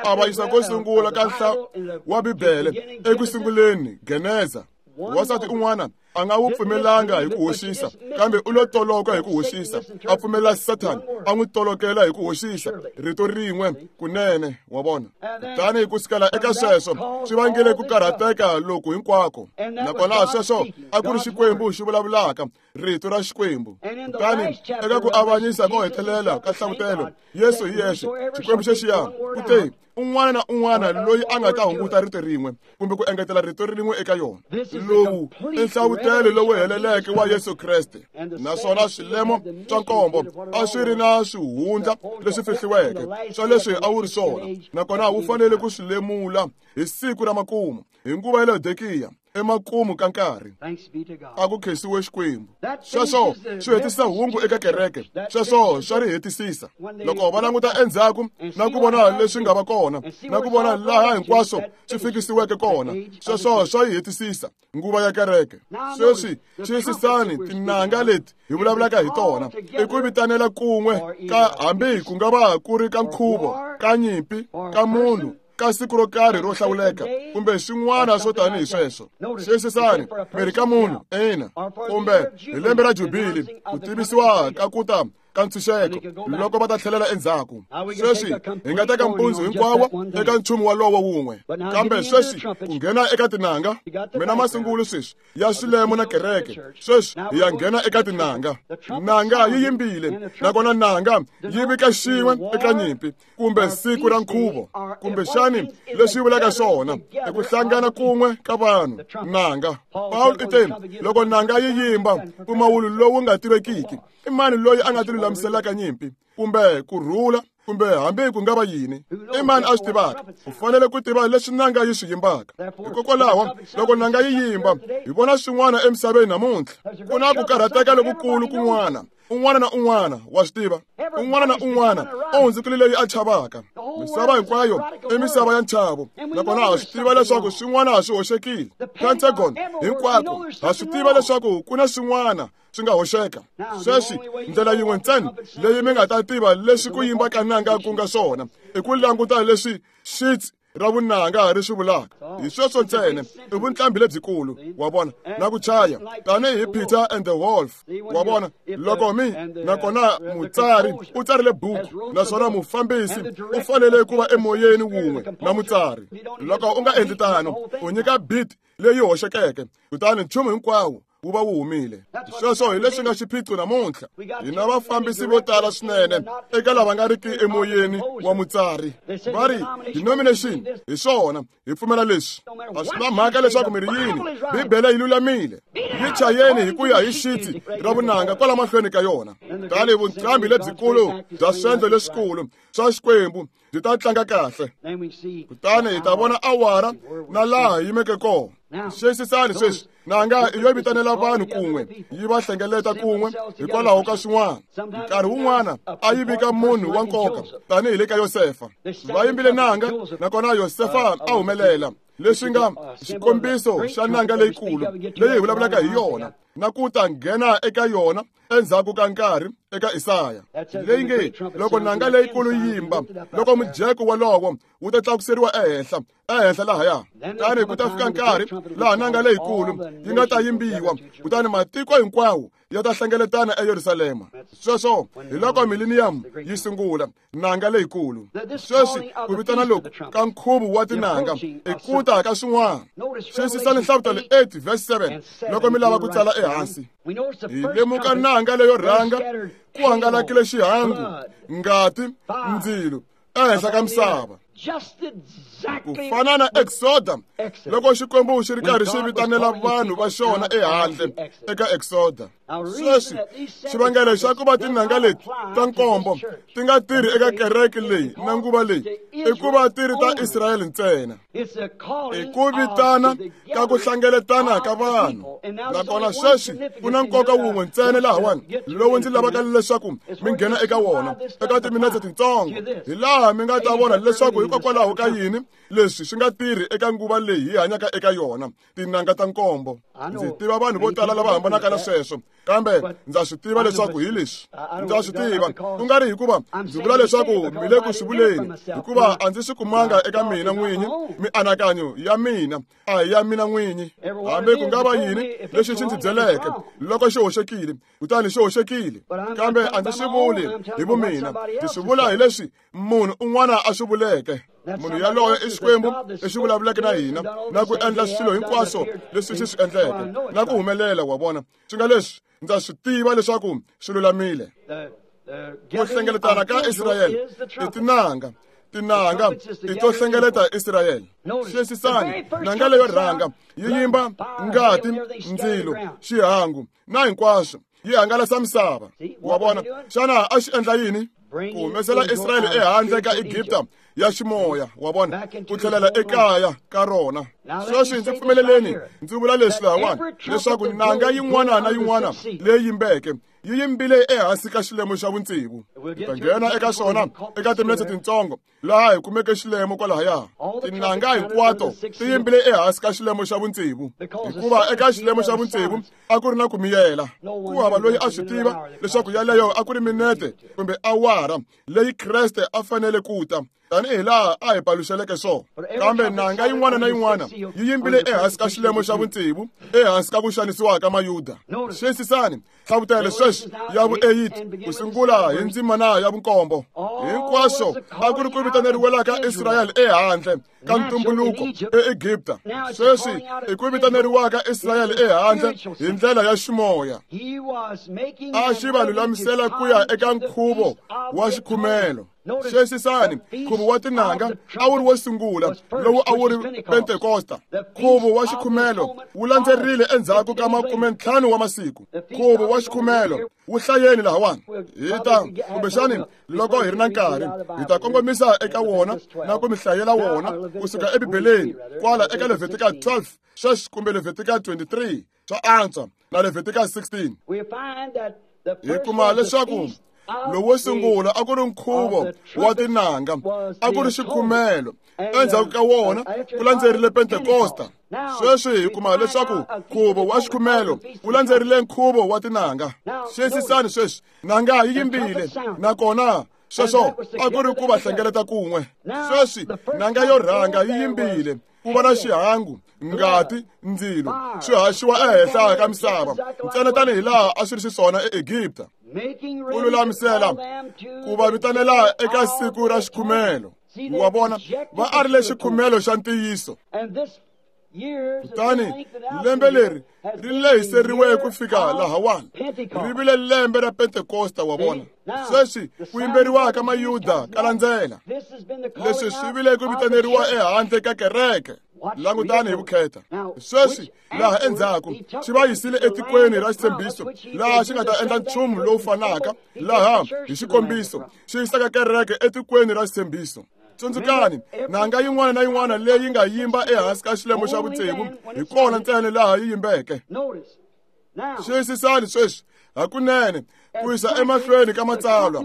Ku avanyisa ko sungula ka nhla wa Bibele eku sunguleni, Geneza. Wansati un'wana a nga wu pfumelanga hi ku hoxisa, kambe u lo toloka hi ku hoxisa, a pfumela Sathana a n'wi tolokela hi ku hoxisa rito rin'we kunene. Wa vona? Kutani ku sukela eka sweswo swi vangile ku karhateka loku hinkwako. Nakona sweswo a ku ri Xikwembu xi vulavulaka, rito ra Xikwembu. Kutani eka ku avanyisa ko hetelela ka nhlavutelo, Yesu hi yexe, Xikwembu xexiya, u te, un'wana na un'wana loyi a nga ta hunguta rito rin'we kumbe ku engetela rito rin'we eka yona, lowu i nhlavutelo lowu heleleke wa Yesu Kreste. Naswona swilemo swa nkombo a swi ri na swihundla leswi fihliweke swa leswi a wu ri swona, nakona wu fanele ku swi lemula hi siku ra makumu, hi nguva ya Laodikiya, emakumu ka nkarhi. A ku khensiwe Xikwembu. Sweswo swi hetisisa hungu eka kereke. Sweswo swa ri hetisisa. Loko va languta endzhaku na ku vona leswi nga va kona, na ku vona laha hinkwaswo swi fikisiweke kona, sweswo swa yi hetisisa nguva ya kereke. Sweswi xiyisisani tinanga leti hi vulavulaka hi tona i ku vitanela kun'we ka hambi ku nga va ku ri ka nkhuvo, ka nyimpi, ka munhu, ka siku ro karhi ro hlawuleka kumbe swin'wana swo tanihi sweswo. Xiyisisani, mi ri ka munhu, ina, kumbe hi lembe ra jubili, ku tivisiwa ka ku ta ka ntshunxeko loko va ta tlhelela endzhaku. Sweswi hi nga teka mpundzu hinkwawo eka nchumu walowo wun'we, kambe sweswi ku nghena eka tinanga, mina masungulo sweswi ya swilemo na kereke. Sweswi hi ya nghena eka tinanga. Nanga yi yimbile, nakona nanga yi vika xin'we eka nyimpi kumbe siku ra nkhuvo, kumbexani leswi vulaka swona i ku hlangana kun'we ka vanhu. Nanga, Paul i te, loko nanga yi yimba mpfumawulo lowu nga tivekiki, i mani loyi a nga ti lulamiselaka nyimpi kumbe ku rhula kumbe hambi ku nga va yini? I mani a swi tivaka? U fanele ku tiva leswi nanga yi swi yimbaka. Hikokwalaho loko nanga yi yimba, hi vona swin'wana emisaveni namuntlha. Ku na ku karhateka lokukulu kun'wana. Un'wana na un'wana wa swi tiva. Un'wana na un'wana u hundzukile leyi a chavaka. Misava hinkwayo i misava ya nchavo, nakona ha swi tiva leswaku swin'wana swi hoxekile. Pentagon hinkwako ha swi tiva leswaku ku na swin'wana swi nga hoxeka. Sweswi ndlela yin'we ntsena leyi mi nga ta tiva leswi ku yimba ka nanga ku nga swona i ku languta leswi xits ra vunanga ri swi vulaka. Hi sweswo ntsena i vuntlambi lebyikulu, wa vona, na ku chaya tanihi Peter and the Wolf, wa vona. Loko mi nakona mutsari u tsarile buku, naswona mufambisi u fanele ku va emoyeni wun'we na mutsari. Loko u nga endli tano, u nyika beat leyi hoxekeke, kutani nchumu hinkwawo wu va wu humile. Sweswo hi leswi nga xiphiqo namuntlha. Hi na vafambisi vo tala swinene eka lava nga riki emoyeni wa mutsari. Va ri denomination hi swona, hi pfumela leswi. A swi na mhaka leswaku mi ri yini, Bibele yi lulamile. Yi chayeni hi ku ya hi xitsi ra vunanga kwala mahlweni ka yona. Tani vunqambi lebyikulu bya swendlo leswikulu swa Xikwembu byi ta tlanga kahle. Kutani hi ta vona awara na laha hi yimeke kona. Xiyisisani sweswi, nanga yo vitanela vanhu kun'we, yi va hlengeleta kun'we hikwalaho ka swin'wana. Nkarhi wun'wana a yi vika munhu wa nkoka tanihi le ka Yosefa. Va yimbile nanga, nakona Yosefa a humelela, leswi nga xikombiso xa nanga leyikulu leyi hi vulavulaka hi yona, na ku ta nghena eka yona endzhaku ka nkarhi eka Isaya, leyi nge loko nanga leyikulu yi yimba, loko mujeko wolowo wu ta tlakuseriwa ehenhla ehenhla lahaya. Kutani ku ta fika nkarhi laha nanga leyikulu yi nga ta yimbiwa, kutani matiko hinkwawo ya ta hlengeletana eYerusalema. Sweswo hi loko millennium yi sungula, nanga leyikulu. Sweswi ku vitana loku ka nkhuvo wa tinanga i ku ta ka swin'wana. Xiyisisani Nhlavutelo eight verse seven loko mi lava ku tsala ehansi. Hi lemuka nanga leyo rhanga ku hangalakile xihangu, ngati, ndzilo ehenhla ka misava. Ku fana na Exoda, loko Xikwembu xi ri karhi xi vitanela vanhu va xona ehandle eka Exoda. Sweswi xivangelo xa ku va tinanga leti ta nkombo ti nga tirhi eka kereke leyi na nguva leyi i ku va ti ri ta Israyele ntsena. I ku vitana ka ku hlengeletana ka vanhu. Nakona sweswi ku na nkoka wun'we ntsena lahawani lowu ndzi lavaka leswaku mi nghena eka wona eka timinetse tintsongo, hi laha mi nga ta vona leswaku hikokwalaho ka yini leswi swi nga tirhi eka nguva leyi hi hanyaka eka yona, tinanga ta nkombo. Ndzi tiva vanhu vo tala lava hambanaka na sweswo, kambe ndza swi tiva leswaku hi leswi. Ndza swi tiva, ku nga ri hikuva ndzi vula leswaku mi le ku swi vuleni, hikuva a ndzi swi kumanga eka mina n'winyi. Mianakanyo ya mina a hi ya mina n'winyi. Hambi ku nga va yini lexi xi ndzi byeleke, loko xi hoxekile, kutani xi hoxekile. Kambe a ndzi swi vuli hi vumina, ndzi swi vula hi leswi munhu un'wana a swi vuleke. Munhu yaloye i Xikwembu lexi vulavuleke na hina na ku endla swilo hinkwaswo leswi xi swi endleke na ku humelela, wa vona. Swi nga leswi ndza swi tiva leswaku swi lulamile. Ku hlengeletana ka Israyele i tinanga, tinanga i to hlengeleta Israyele. Xiyisisani, nanga leyo rhanga yi yimba ngati, ndzilo, xihangu na hinkwaswo, yi hangalasa misava, wa vona. Xana a xi endla yini? Ku humesela Israyele ehandle ka Egipta ya ximoya, wa vona, ku tlhelela ekaya ka rona. Sweswi ndzi pfumeleleni ndzi vula leswi lahawani, leswaku nanga yin'wana na yin'wana leyi yimbeke yi yimbile ehansi ka xilemo xa vutsevu. Hi ta nghena eka swona eka timinetse tintsongo laha hi kumeke xilemo kwalahaya. Tinanga hinkwato ti yimbile ehansi ka xilemo xa vutsevu, hikuva eka xilemo xa vutsevu a ku ri na ku miyela. Ku hava loyi a swi tiva leswaku yaleyo a ku ri minete kumbe awara leyi Kreste a fanele ku ta, tanihi laha a hi paluxeleke swona. Kambe nanga yin'wana na yin'wana yi yimbile ehansi ka xilemo xa vutsevu, ehansi ka ku xanisiwa ka Mayuda. Xiyisisani Nhlavutelo sweswi ya vu-eight ku sungula hi ndzimana ya vunkombo. Hinkwaswo a ku ri ku vitaneriwelaka Israyele ehandle ka ntumbuluko eEgipta. Sweswi i ku vitaneriwaka Israyele ehandle hi ndlela ya ximoya. A xi va lulamisela ku ya eka nkhuvo wa xikhumelo. Xiyisisani, nkhuvo wa tinanga a wu ri wo sungula lowu a wu ri Pentekosta. Nkhuvo wa xikhumelo wu landzerile endzhaku ka makume ntlhanu wa masiku. Nkhuvo wa xikhumelo wu hlayeni lahawani. Hi ta kumbexani loko hi ri na nkarhi hi ta kongomisa eka wona na ku mi hlayela wona kusuka eBibeleni kwala eka Leviticus twelve sweswi kumbe Leviticus twenty-three swa antswa na Leviticus sixteen. Hi kuma leswaku lowo sungula a ku ri nkhuvo wa tinanga, a ku ri xikhumelo. Endzhaku ka wona ku landzerile Pentekosta. Sweswi hi kuma leswaku nkhuvo wa xikhumelo wu landzerile nkhuvo wa tinanga. Xiyisisani sweswi, nanga yi yimbile nakona Sweswo a ku ri ku va hlengeleta kun'we. Sweswi nanga yo rhanga yi yimbile, ku va na xihangu, ngati, ndzilo, swi haxiwa ehenhla ka misava, ntsena tanihi laha a swi ri xiswona eEgipta. Ku lulamisela ku va vitanela eka siku ra xikhumelo. Wa vona, va arile xikhumelo xa ntiyiso. Kutani lembe leri ri lehiseriwe ku fika lahawani, ri vile lembe ra Pentekosta. Wa vona, sweswi ku yimberiwa ka Mayuda ka landzela. Leswi swi vile ku vitaneriwa ehandle ka kereke. Langutani hi vukheta. Sweswi laha endzhaku xi va yisile etikweni ra xitshembiso, laha xi nga ta endla nchumu lowu fanaka, laha hi xikombiso xi yisaka kereke etikweni ra xitshembiso. Tsundzukani, nanga yin'wana na yin'wana leyi nga yimba ehansi ka xilemo xa vutsevu hi kona ntsena laha yi yimbeke. Xiyisisani sweswi hakunene ku yisa emahlweni ka matsalwa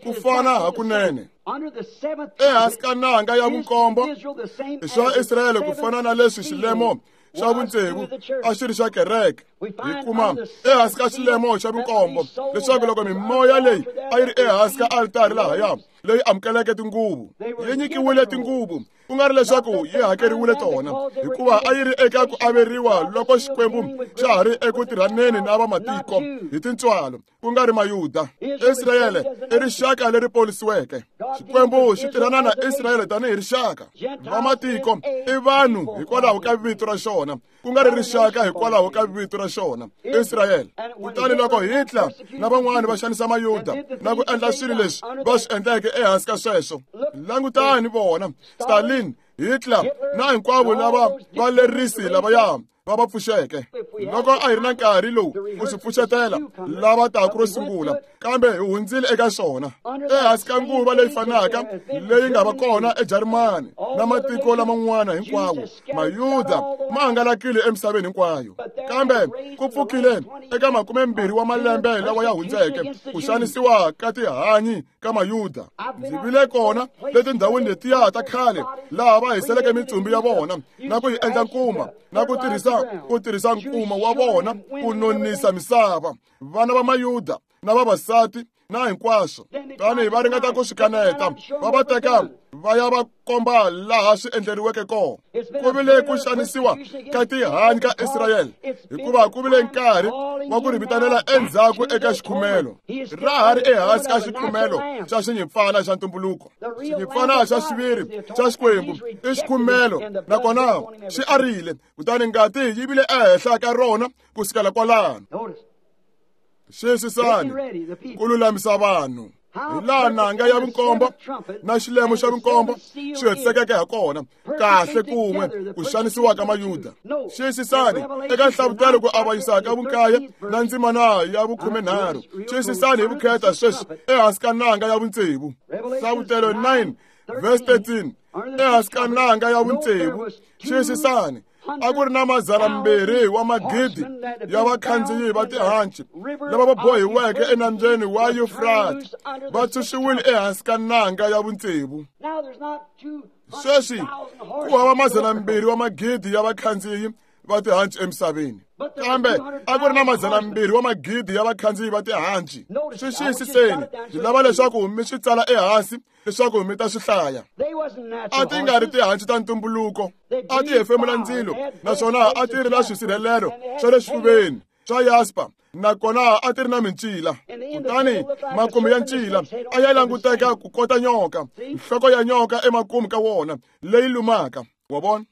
ku fana hakunene. Ehansi ka nanga ya vunkombo i swa Israyele ku fana na leswi xilemo xa vutsevu a xi ri xa kereke. Hi kuma ehansi ka xilemo xa vunkombo leswaku loko mimoya leyi a yi ri ehansi ka altari lahaya leyi amukeleke tinguvu yi nyikiwile tinguvu, ku nga ri leswaku yi hakeriwile tona, hikuva a yi ri eka ku averiwa loko Xikwembu xa ha ri eku tirhaneni na vamatiko hi tintswalo, ku nga ri Mayuda. Israyele i rixaka leri ponisiweke. Xikwembu xi tirhana na Israyele tanihi rixaka. Vamatiko i vanhu hikwalaho ka vito ra xona, ku nga ri rixaka hikwalaho ka vito ra xona, Israyele. Kutani loko Hitler na van'wani va xanisa Mayuda na ku endla swilo leswi va swi endleke ehansi ka sweswo, langutani vona Stalin, Hitler na hinkwavo lava valerisi lavaya va va pfuxeke. Loko a hi ri na nkarhi lowu ku swi pfuxetela lava taku ro sungula, kambe hi hundzile eka swona. Ehansi ka nguva leyi fanaka leyi nga va kona eJarimani na matiko laman'wana hinkwawo, Mayuda ma hangalakile emisaveni hinkwayo. Kambe ku pfukile eka makumembirhi wa malembe lawa ya hundzeke ku xanisiwa ka tihanyi ka Mayuda. Ndzi vile kona letindhawini letiya ta khale laha va hiseleke mitsumbu ya vona na ku yi endla nkuma na ku tirhisa ku tirhisa nkuma wa vona ku nonisa misava. Vana va Mayuda na vavasati na hinkwaswo, tanihi va ringeta ku swi kaneta, va va teka va ya va komba laha swi endleriweke kona. Ku vile ku xanisiwa ka tihanyi ka Israyele, hikuva ku vile nkarhi wa ku ri vitanela endzhaku eka xikhumelo. Ra ha ri ehansi ka xikhumelo xa xinyimpfana xa ntumbuluko. Xinyimpfana xa xiviri xa Xikwembu i xikhumelo, nakona xi arile, kutani ngati yi vile ehenhla ka rona ku sukela kwalano. Xiyisisani ku lulamisa vanhu hi laha nanga ya vunkombo na xilemo xa vunkombo xi hetisekeke ha kona, kahle kun'we ku xanisiwa ka Mayuda. Xiyisisani eka nhlavutelo ku avanyisa ka vunkaye na ndzimana ya vukhumenharhu. Xiyisisani hi vukheta sweswi ehansi ka nanga ya vutsevu. Nhlavutelo nine verse thirteen, ehansi ka nanga ya vutsevu. Xiyisisani, a ku ri na madzana mbirhi wa magidi ya vakhandziyi va tihanci lava va bohiweke enambyeni wa Yufrata, va tshunxiwile ehansi ka nanga ya vutsevu. Sweswi ku hava madzana mbirhi wa magidi ya vakhandziyi va tihanci emisaveni, kambe a ku ri na madzana mbirhi wa magidi ya vakhandziyi va tihanci. Swi xiyisiseni, ndzi lava leswaku mi swi tsala ehansi leswaku mi ta swi hlaya. A ti nga ri tihanci ta ntumbuluko, a ti hefemula ndzilo, naswona a ti ri na swisirhelelo swa le xifuveni swa yaspa, nakona a ti ri na mincila. Kutani makumu ya ncila a ya languteka ku kota nyoka, nhloko ya nyoka emakumu ka wona leyi lumaka. Wa vona,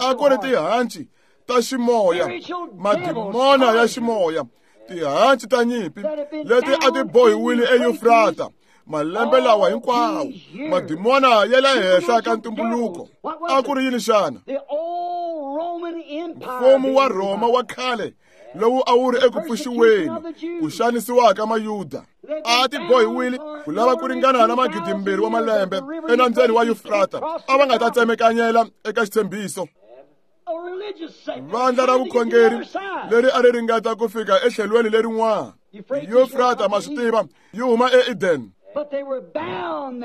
a ku ri tihanci ta ximoya, madimona ya ximoya, tihanci ta nyimpi leti a ti bohiwile eYufrata malembe lawa hinkwawo, madimona ya le henhla ka ntumbuluko. A ku ri yini xana? Mfumo wa Rhoma wa khale lowu a wu ri eku pfuxiweni ku xanisiwa ka Mayuda. A ti bohiwile ku lava ku ringana na magidi mbirhi wa malembe enambyeni wa Yufrata. A va nga ta tsemekanyela eka xitshembiso. Vandla ra vukhongeri leri a ri ringeta ku fika etlhelweni lerin'wana. Yufrata, ma swi tiva, yi huma eEden.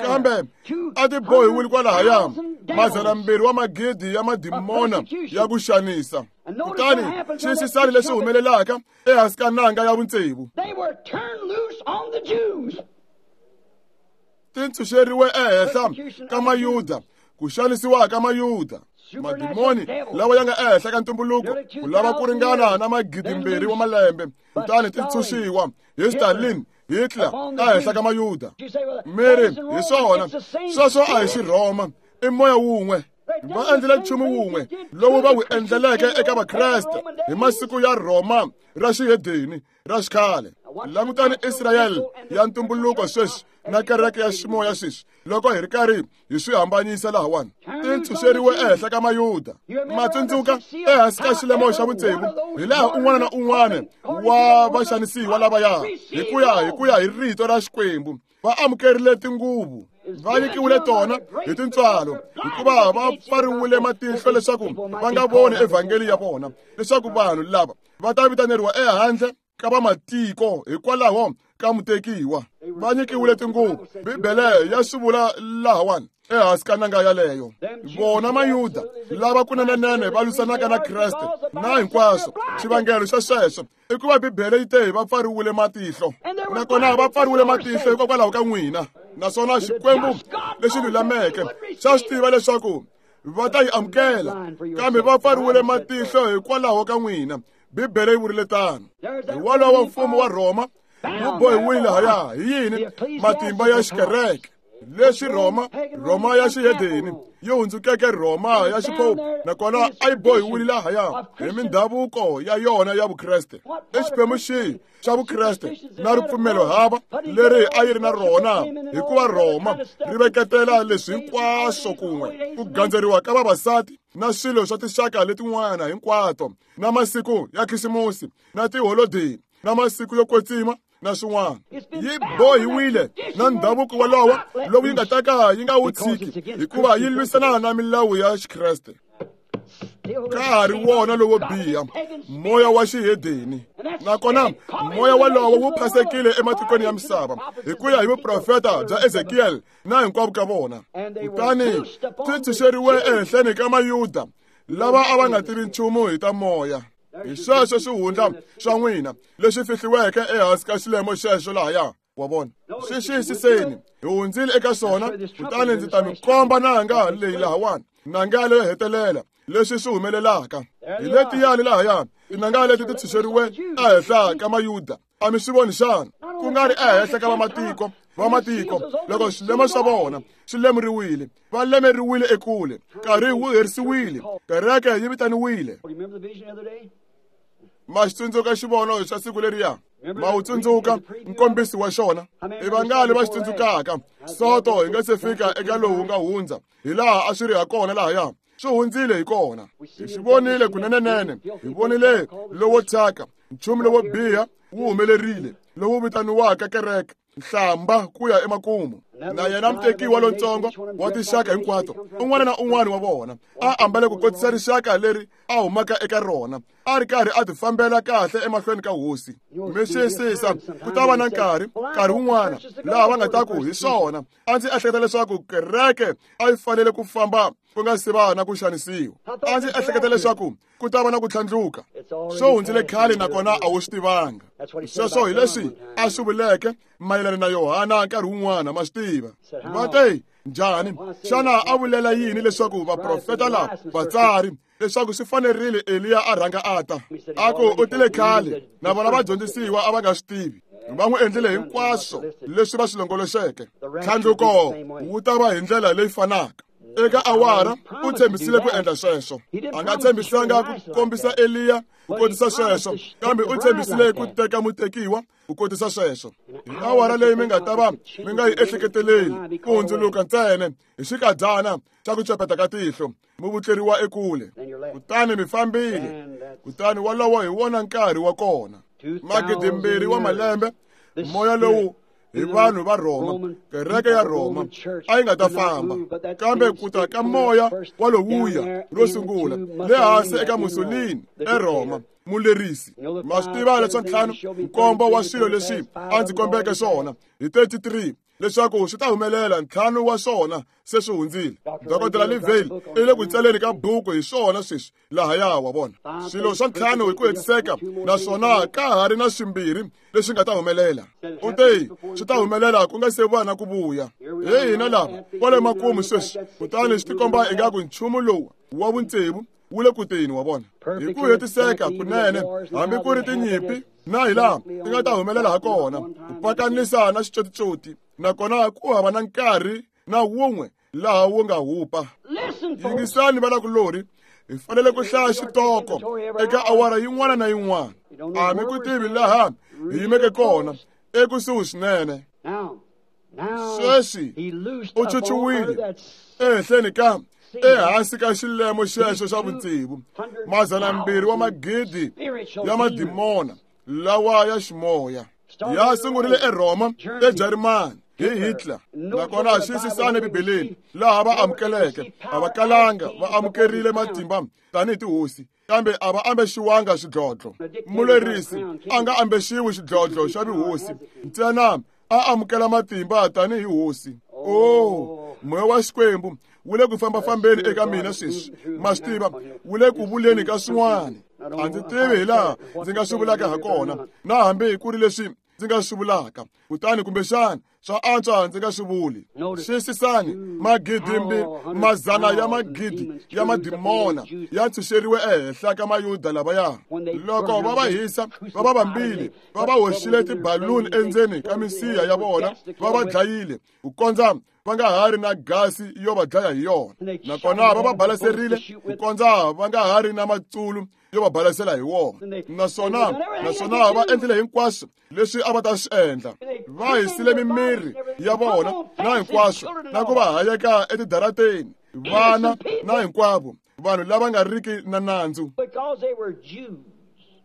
Kambe a ti bohiwile kwalahaya madzana mbirhi wa magidi ya madimona ya ku xanisa. Kutani xiyisisani leswi humelelaka ehansi ka nanga ya vutsevu. Ti ntshunxeriwe ehenhla ka Mayuda, ku xanisiwa ka Mayuda. Madimoni lawa ya nga ehenhla ka ntumbuluko ku lava ku ringana na magidimbirhi wa malembe, kutani ti ntshunxiwa hi Stalin, Hitler ehenhla ka Mayuda. Miri hi swona sweswo a hi Xirhoma, i moya wun'we. Va endlile nchumu wun'we lowu va wu endleleke eka Vakreste hi masiku ya Rhoma ra xihedeni ra xikhale. Langutani Israyele ya ntumbuluko sweswi na kereke ya ximoya sweswi loko hi ri karhi hi swi hambanyisa lahawani. Ti ntshunxeriwe ehenhla ka Mayuda. Ma tsundzuka ehansi ka xilemo xa vutsevu hi laha un'wana na un'wana wa vaxanisiwa lavaya hi ku ya hi ku ya hi rito ra Xikwembu va amukerile tinguvu, va nyikiwile tona hi tintswalo, hikuva va pfariwile matihlo leswaku va nga voni evhangeli ya vona, leswaku vanhu lava va ta vitaneriwa ehandle ka vamatiko hikwalaho ka mutekiwa. Va nyikiwile tinguvu. Bibele ya swi vula lahawani ehansi ka nanga yaleyo. Vona Mayuda lava kunenenene va lwisanaka na Kreste na hinkwaswo. Xivangelo xa sweswo i ku va Bibele yi te va pfariwile matihlo, nakona va pfariwile matihlo hikokwalaho ka n'wina. Naswona Xikwembu lexi lulameke xa swi tiva leswaku va ta yi amukela, kambe va pfariwile matihlo hikwalaho ka n'wina. Bibele yi vurile tano. Hi wolowo mfumo wa Rhoma wu bohiwile haya hi yini? Matimba ya xikereke. Leswi Rhoma, Rhoma ya xihedeni yi hundzukeke Rhoma ya xipope, nakona a yi bohiwile lahaya hi mindhavuko ya yona ya Vukreste. I xiphemu xihi xa Vukreste na ripfumelo hava leri a yi ri na rona, hikuva Rhoma ri veketela leswi hinkwaswo kun'we, ku gandzeriwa ka vavasati na swilo swa tinxaka letin'wana hinkwato, na masiku ya Khisimusi na tiholodeni na masiku yo kwetsima na swin'wana. Yi bohiwile na ndhavuko wolowo lowu yi nga ta ka yi nga wu tshiki, hikuva yi lwisana na milawu ya Xikreste. Ka ha ri wona lowo biha, moya wa xihedeni. Nakona moya wolowo wu phasekile ematikweni ya misava hi ku ya hi vuprofeta bya Ezekiel na hinkwavo ka vona. Kutani ti ntshunxeriwe ehenhleni ka Mayuda lava a va nga tivi nchumu hi ta moya. Hi sweswo swihundla swa n'wina leswi fihliweke ehansi ka xilemo xexo lahaya. Wa vona, swi xiyisiseni, hi hundzile eka swona, kutani ndzi ta mi komba nanga leyi lahawani, nanga leyo hetelela leswi swi humelelaka. Hi letiyani lahaya tinanga leti ti ntshunxeriwe ehenhla ka Mayuda. A mi swi voni xana? Ku nga ri ehenhla ka vamatiko. Vamatiko loko swilemo swa vona swi lemuriwile, va lemeriwile ekule, nkarhi wu herisiwile, kereke yi vitaniwile. Ma xi tsundzuka xivono xa siku leriya? Ma wu tsundzuka nkombiso wa xona? I vangali va xi tsundzukaka? Soto hi nga se fika eka lowu nga hundza, hi laha a swi ri ha kona lahaya. Swi hundzile hi kona. Hi swi vonile kunenenene. Hi vonile lowo thyaka, nchumu lowo biha wu humelerile, lowu vitaniwaka kereke, nhlamba ku ya emakumu. Na yena mutekiwa lontsongo wa tinxaka hinkwato, un'wana na un'wana wa vona a ambale ku kotisa rixaka leri a humaka eka rona, a ri karhi a ti fambela kahle emahlweni ka hosi. Mi xiyisisa, ku ta va na nkarhi, nkarhi wun'wana laha va nga ta ku hi swona, a ndzi ehleketa leswaku kereke a yi fanele ku famba ku nga si va na ku xanisiwa. A ndzi ehleketa leswaku ku ta va na ku tlhandluka. Swo hundzile khale nakona a wu swi tivanga. Sweswo hi leswi a swi vuleke mayelana na Yohana nkarhi wun'wana, ma swi tiva. Va te njhani? Xana a vulela yini leswaku vaprofeta lava vatsari leswaku swi fanerile Eliya a rhanga a ta? A ku u tile khale, na vona vadyondzisiwa a va nga swi tivi. Va n'wi endlile hinkwaswo leswi va swi longoloxeke. Ntlhandluko wu ta va hi ndlela leyi fanaka. Eka awara u tshembisile ku endla sweswo. A nga tshembisanga ku kombisa Eliya ku kotisa sweswo, kambe u tshembisile ku teka mutekiwa ku kotisa sweswo. Hi awara leyi mi nga ta va mi nga yi ehleketeleli, ku hundzuluka ntsena hi xikadyana xa ku cepeta ka tihlo, mi vutleriwa ekule, kutani mi fambile. Kutani wolowo hi wona nkarhi wa kona. Magidimbirhi wa malembe, moya lowu hi vanhu va Rhoma, kereke ya Rhoma a yi nga ta famba, kambe ku ta ka moya wa lowuya ro sungula le hansi eka Mussolini eRhoma, mulerisi. Ma swi tiva leswa ntlhanu nkombo wa swilo leswi a ndzi kombeke swona hi thirty-three leswaku swi ta humelela ntlhanu wa swona se swi hundzile. Dokodela Livale i le ku tsaleni ka buku hi swona sweswi lahaya wa vona. Swilo swa ntlhanu hi ku hetiseka naswona ka ha ri na swimbirhi leswi nga ta humelela. U te swi ta humelela ku nga se va na ku vuya. Hi hina lava kwale makumu sweswi, kutani swi tikomba ingaku nchumu lowu wa vutsevu wu le ku teni wa vona. Hi ku hetiseka kunene hambi ku ri tinyimpi na hi laha ti nga ta humelela ha kona, ku pakanisa na xicocicoti, nakona ku hava na nkarhi na wun'we laha wu nga hupa. Yingisani vanakulorhi, hi fanele ku hlaya xitoko eka awara yin'wana na yin'wana. A mi ku tivi laha hi yimeke kona, ekusuhi swinene. Sweswi u chuchuwile ehenhleni ka ehansi ka xilemo xexo xa vutsevu, mazana mbirhi wa magidi ya madimona lawa ya ximoya ya sungurile eRhoma, eJarimani hi Hitler. Nakona xiyisisani eBibeleni laha va amukeleke, a va kalanga va amukerile matimba tanihi tihosi, kambe a va ambexiwanga xidlodlo. Mulerisi a nga ambexiwi xidlodlo xa vuhosi, ntsena a amukela matimba tanihi hosi. Oh, moya wa Xikwembu wu le ku fambafambeni eka mina sweswi, ma swi tiva, wu le ku vuleni ka swin'wana. A ndzi tivi hi laha ndzi nga swi vulaka ha kona, na hambi ku ri leswi ndzi nga swi vulaka, kutani kumbexana swa antswa ndzi nga swi vuli. Xiyisisani, magidimbi mazana ya magidi ya madimona ya ntshunxeriwe ehenhla ka Mayuda lavaya. Loko va va hisa, va va vambile, va va hoxile tibaluni endzeni ka misiha ya vona, va va dlayile ku kondza va nga ha ri na gasi yo va dlaya hi yona. Nakona va va balaserile ku kondza va nga ha ri na matsulu yo va balasela hi wona. Naswona naswona va endlile hinkwaswo leswi a va ta swi endla. Va hisile mimiri ya vona na hinkwaswo, na ku va hayeka etidarateni, vana na hinkwavo vanhu lava nga riki na nandzu.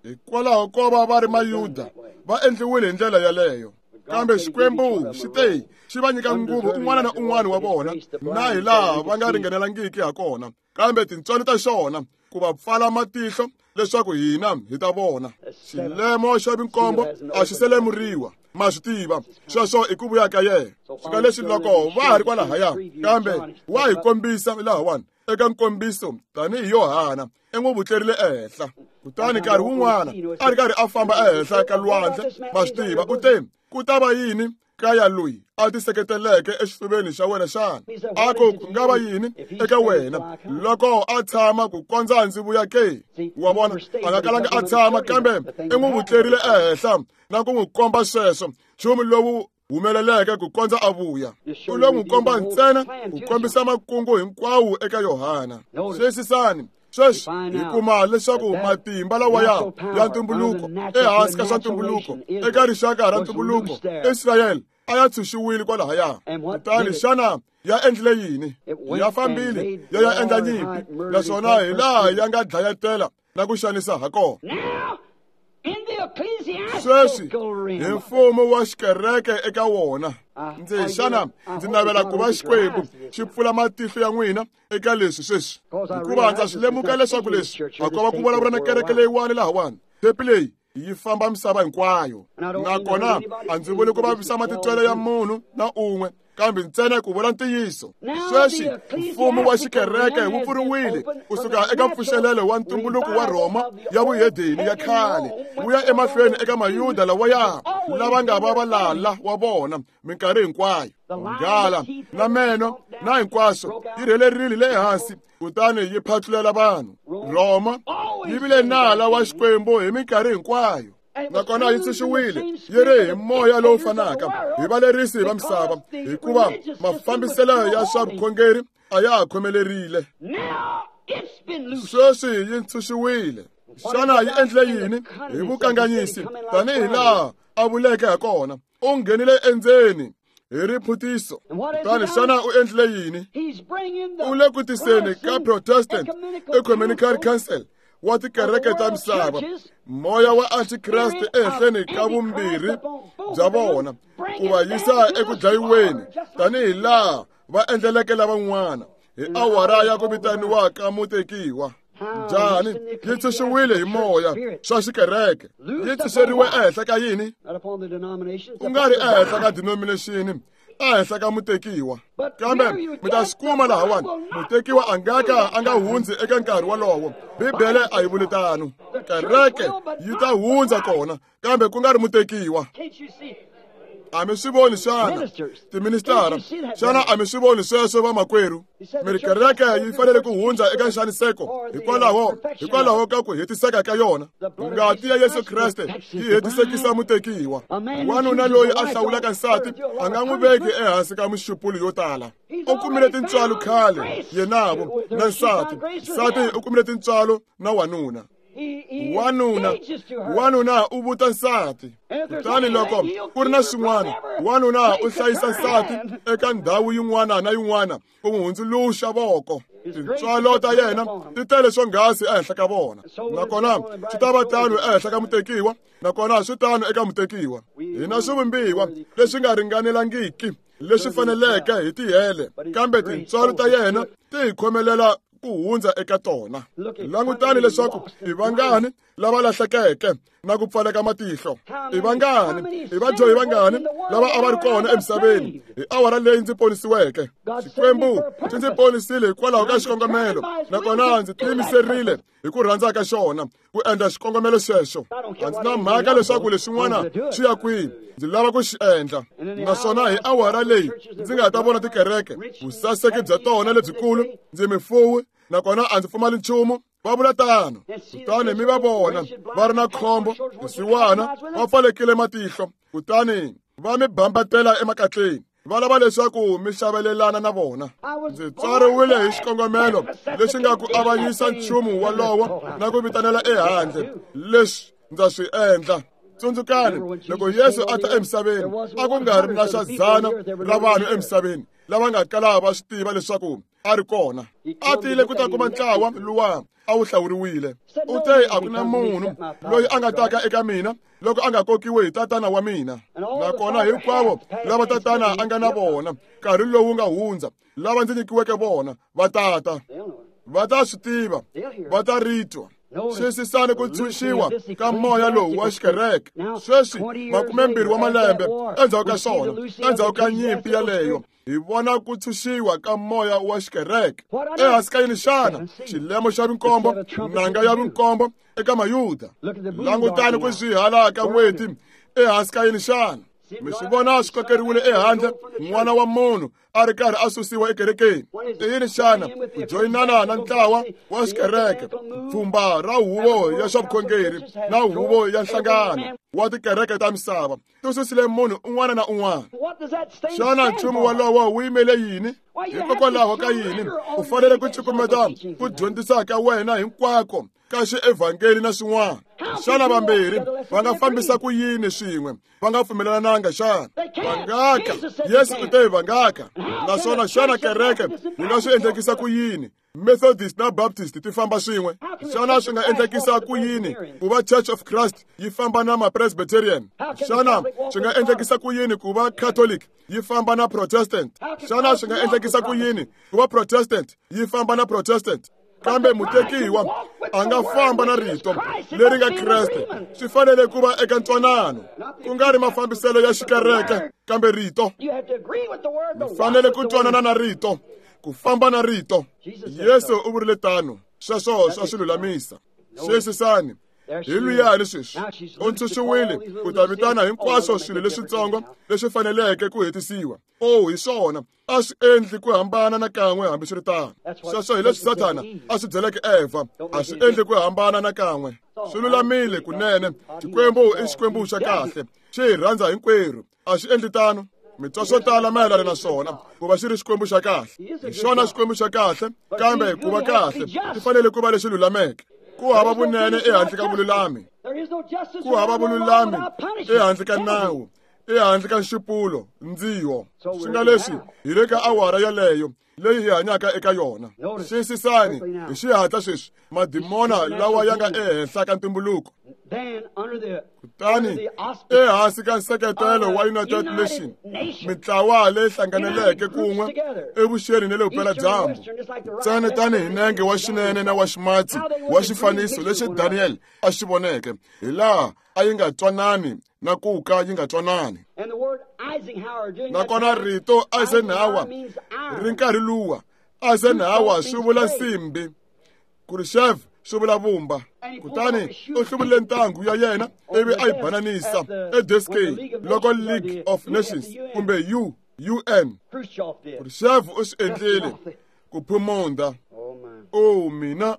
Hikwalaho ko va va ri Mayuda, va endliwile hi ndlela yaleyo. Kambe Xikwembu xi te xi va nyika nguvu un'wana na un'wana wa vona, na hi laha va nga ringanelangiki ha kona, kambe tintswalo ta xona ku va pfala matihlo leswaku hina hi ta vona. Xilemo xa vinkombo a xi selemuriwa, ma swi tiva sweswo i ku vuya ka yena. Swika leswi loko va ha ri kwalahaya, kambe wa hi kombisa lahawani eka nkombiso tanihi Yohana i n'wi vutlerile ehenhla. Kutani nkarhi wun'wana a ri karhi a famba ehenhla ka lwandle, ma swi tiva, u te ku ta va yini kaya loyi a tiseketeleke exifuveni xa wena xana? A ku ku nga va yini eka wena loko a tshama ku kondza ndzi vuya ke? Wa vona, a nga kalanga a tshama, kambe i n'wi vutlerile ehenhla na ku n'wi komba sweswo nchumu lowu humeleleke ku kondza a vuya. U lo n'wi komba ntsena ku kombisa makungu hinkwawo eka Yohana. Xiyisisani, sweswi hi kuma leswaku matimba lawaya ya ntumbuluko ehansi ka swa ntumbuluko eka rixaka ra ntumbuluko Israyele a ya tshunxiwile kwalahaya. Kutani xana ya endlile yini? Ya fambile ya ya endla nyimpi, naswona hi laha ya nga dlayetela na ku xanisa ha kona. Sweswi hi mfumo wa xikereke eka wona. Ndzi xana ndzi navela ku va Xikwembu xi pfula matihlo ya n'wina eka leswi sweswi, hikuva ndza swi lemuka leswaku leswi a ko va ku vulavula na kereke leyiwani lahawani. Tepi leyi yi famba misava hinkwayo, nakona a ndzi vuli ku vavisa matitwelo ya munhu na un'we, kambe ntsena ku vula ntiyiso. Sweswi mfumo wa xikereke wu pfuriwile kusuka eka mpfuxelelo wa ntumbuluko wa Rhoma ya vuhedeni ya khale wu ya emahlweni eka Mayuda lawaya lava nga va valala wa vona minkarhi hinkwayo. Nghala na meno na hinkwaswo yi rhelerile le hansi kutani yi phatlulela vanhu. Rhoma yi vile nala wa Xikwembu hi minkarhi hinkwayo, nakona yi tshunxiwile yi ri hi moya lowu fanaka hi valerisi va misava, hikuva mafambiselo ya swa vukhongeri a ya ha khomelerile. Sweswi yi tshunxiwile. Xana yi endle yini hi vukanganyisi? Tanihi laha a vuleke ha kona, u nghenile endzeni hi riphutiso. Kutani xana u endlile yini? U le ku tiseni ka Protestant Ecumenical Council wa tikereke ta misava, moya wa antikreste ehenhleni ka vumbirhi bya vona, ku va yisa eku dlayiweni tanihi laha va endleleke lavan'wana hi awara ya ku vitaniwa ka mutekiwa. Njhani? Yi tshunxiwile hi moya swa xikereke. Yi tshunxeriwe ehenhla ka yini? Ku nga ri ehenhla ka denomination, ehenhla ka mutekiwa. Kambe mi ta swi kuma lahawani, mutekiwa a nga ka a nga hundzi eka nkarhi wolowo. Bibele a yi vuli tano. Kereke yi ta hundza kona, kambe ku nga ri mutekiwa. A mi swi voni xana tiministara? Xana a mi swi voni sweswo vamakwerhu? Mi ri kereke yi fanele ku hundza eka nxaniseko hikwalaho hikwalaho ka ku hetiseka ka yona. Ngati ya Yesu Kreste yi hetisekisa mutekiwa. Wanuna loyi a hlawulaka nsati a nga n'wi veki ehansi ka mixupulo yo tala. U kumile tintswalo khale yenavo na nsati. Nsati u kumile tintswalo na wanuna. Wanuna wanuna u vuta nsati. Kutani loko ku ri na swin'wana, wanuna u hlayisa nsati eka ndhawu yin'wana na yin'wana ku n'wi hundzuluxa voko. Tintswalo ta yena ti tele swonghasi ehenhla ka vona. Nakona swi ta va tano ehenhla ka mutekiwa, nakona swi tano eka mutekiwa. Hina swivumbiwa leswi nga ringanelangiki leswi faneleke hi tihele, kambe tintswalo ta yena ti hi khomelela ku hundza eka tona. Langutani leswaku i vangani lava lahlekeke na ku pfaleka matihlo. I vangani, i vadyohi vangani lava a va ri kona emisaveni hi awara leyi ndzi ponisiweke. Xikwembu xi ndzi ponisile hikwalaho ka xikongomelo, nakona ndzi tiyimiserile hi ku rhandza ka xona ku endla xikongomelo xexo. A ndzi na mhaka leswaku leswin'wana swi ya kwihi, ndzi lava ku xi endla. Naswona hi awara leyi ndzi nga ta vona tikereke, vusaseki bya tona lebyikulu, ndzi mifuwi, nakona a ndzi pfumali nchumu. Va vula tano. Kutani mi va vona va ri na khombo, swisiwana, va pfalekile matihlo, kutani va mi bambatela emakatleni, va lava leswaku mi xavelelana na vona. Ndzi tswariwile hi xikongomelo lexi nga ku avanyisa nchumu wolowo na ku vitanela ehandle. Leswi ndza swi endla. Tsundzukani, loko Yesu a ta emisaveni, a ku nga ri na xa dzana ra vanhu emisaveni lava nga kala va swi tiva leswaku a ri kona. A tile ku ta kuma ntlawa luwa a wu hlawuriwile. U te a ku na munhu loyi a nga taka eka mina loko a nga kokiwi hi tatana wa mina. Nakona hinkwavo lava tatana a nga na vona nkarhi lowu nga hundza, lava ndzi nyikiweke vona, va tata. Va ta swi tiva, va ta ri twa. Xiyisisani ku tshunxiwa ka moya lowu wa xikereke. Sweswi makumembirhi wa malembe endzhaku ka swona, endzhaku ka nyimpi yaleyo, hi vona ku tshunxiwa ka moya wa xikereke. Ehansi ka yini xana? Xilemo xa vinkombo, nanga ya vinkombo eka Mayuda. Langutani ku swihala ka n'hweti ehansi ka yini xana? Mi swi vona swi kokeriwile ehandle, n'wana wa munhu a ri karhi a susiwa ekerekeni. I yini xana? Ku joyinana na ntlawa wa xikereke, pfhumba ra huvo ya swa vukhongeri na huvo ya nhlangano wa tikereke ta misava ti susile munhu un'wana na un'wana. Xana nchumu wolowo wu yimele yini? Hikokwalaho ka yini u fanele ku cukumeta ku dyondzisa ka wena hinkwako ka xievhangeli na swin'wana? Xana vambirhi va nga fambisa ku yini swin'we va nga pfumelelananga xana? Va ngaka. Yesu u te va ngaka. Naswona xana kereke yi nga swi endlekisa ku yini Methodist na Baptist ti famba swin'we? Xana swi nga endlekisa ku yini ku va Church of Christ yi famba na ma-Presbyterian? Xana swi nga endlekisa ku yini ku va Catholic yi famba na Protestant? Xana swi nga endlekisa ku yini ku va Protestant yi famba na Protestant? Kambe mutekiwa a nga famba na rito leri nga Kreste. Swi fanele ku va eka ntwanano, ku nga ri mafambiselo ya xikereke, kambe rito. Mi fanele ku twanana na rito, ku famba na rito. Yesu u vurile tano. Sweswo swa swi lulamisa. Xiyisisani, hi luyani sweswi u ntshunxiwile ku ta vitana hinkwaswo swilo leswitsongo leswi faneleke ku hetisiwa. Oh, hi swona, a swi endli ku hambana na kan'we hambiswiritano. Sweswo hi leswi Sathana a swi byeleke Eva, a swi endli ku hambana na kan'we. Swi lulamile kunene. Xikwembu i Xikwembu xa kahle, xi hi rhandza hinkwerhu. A swi endli tano. Mi twa swo tala mayelana na swona ku va xi ri Xikwembu xa kahle. Hi xona Xikwembu xa kahle, kambe ku va kahle swi fanele ku va leswi lulameke. Ku hava vunene ehandle ka vululami. Ku hava vululami ehandle ka nawu, ehandle ka nxupulo, ndziho. Swi nga leswi hi le ka awara yaleyo leyi hi hanyaka eka yona. Xiyisisani hi xihatla sweswi madimona lawa ya nga ehenhla ka ntumbuluko. Kutani ehansi ka nseketelo wa United Nations, mintlawa leyi hlanganeleke kun'we evuxeni na le vupeladyambu, ntsena tanihi nenge wa xinene na wa ximatsi wa xifaniso lexi Daniel a xi voneke, hi laha a yi nga twanani na ku ka yi nga twanani. Nakona rito Eisenhower ri nkarhi luwa, Eisenhower swi vula nsimbi, Khrushchev swi vula vumba. Kutani u hluvule ntangu ya yena ivi a yi bananisa edeskeni loko League of Nations kumbe U UN. Khrushchev u swi endlile ku phumunda. O mina,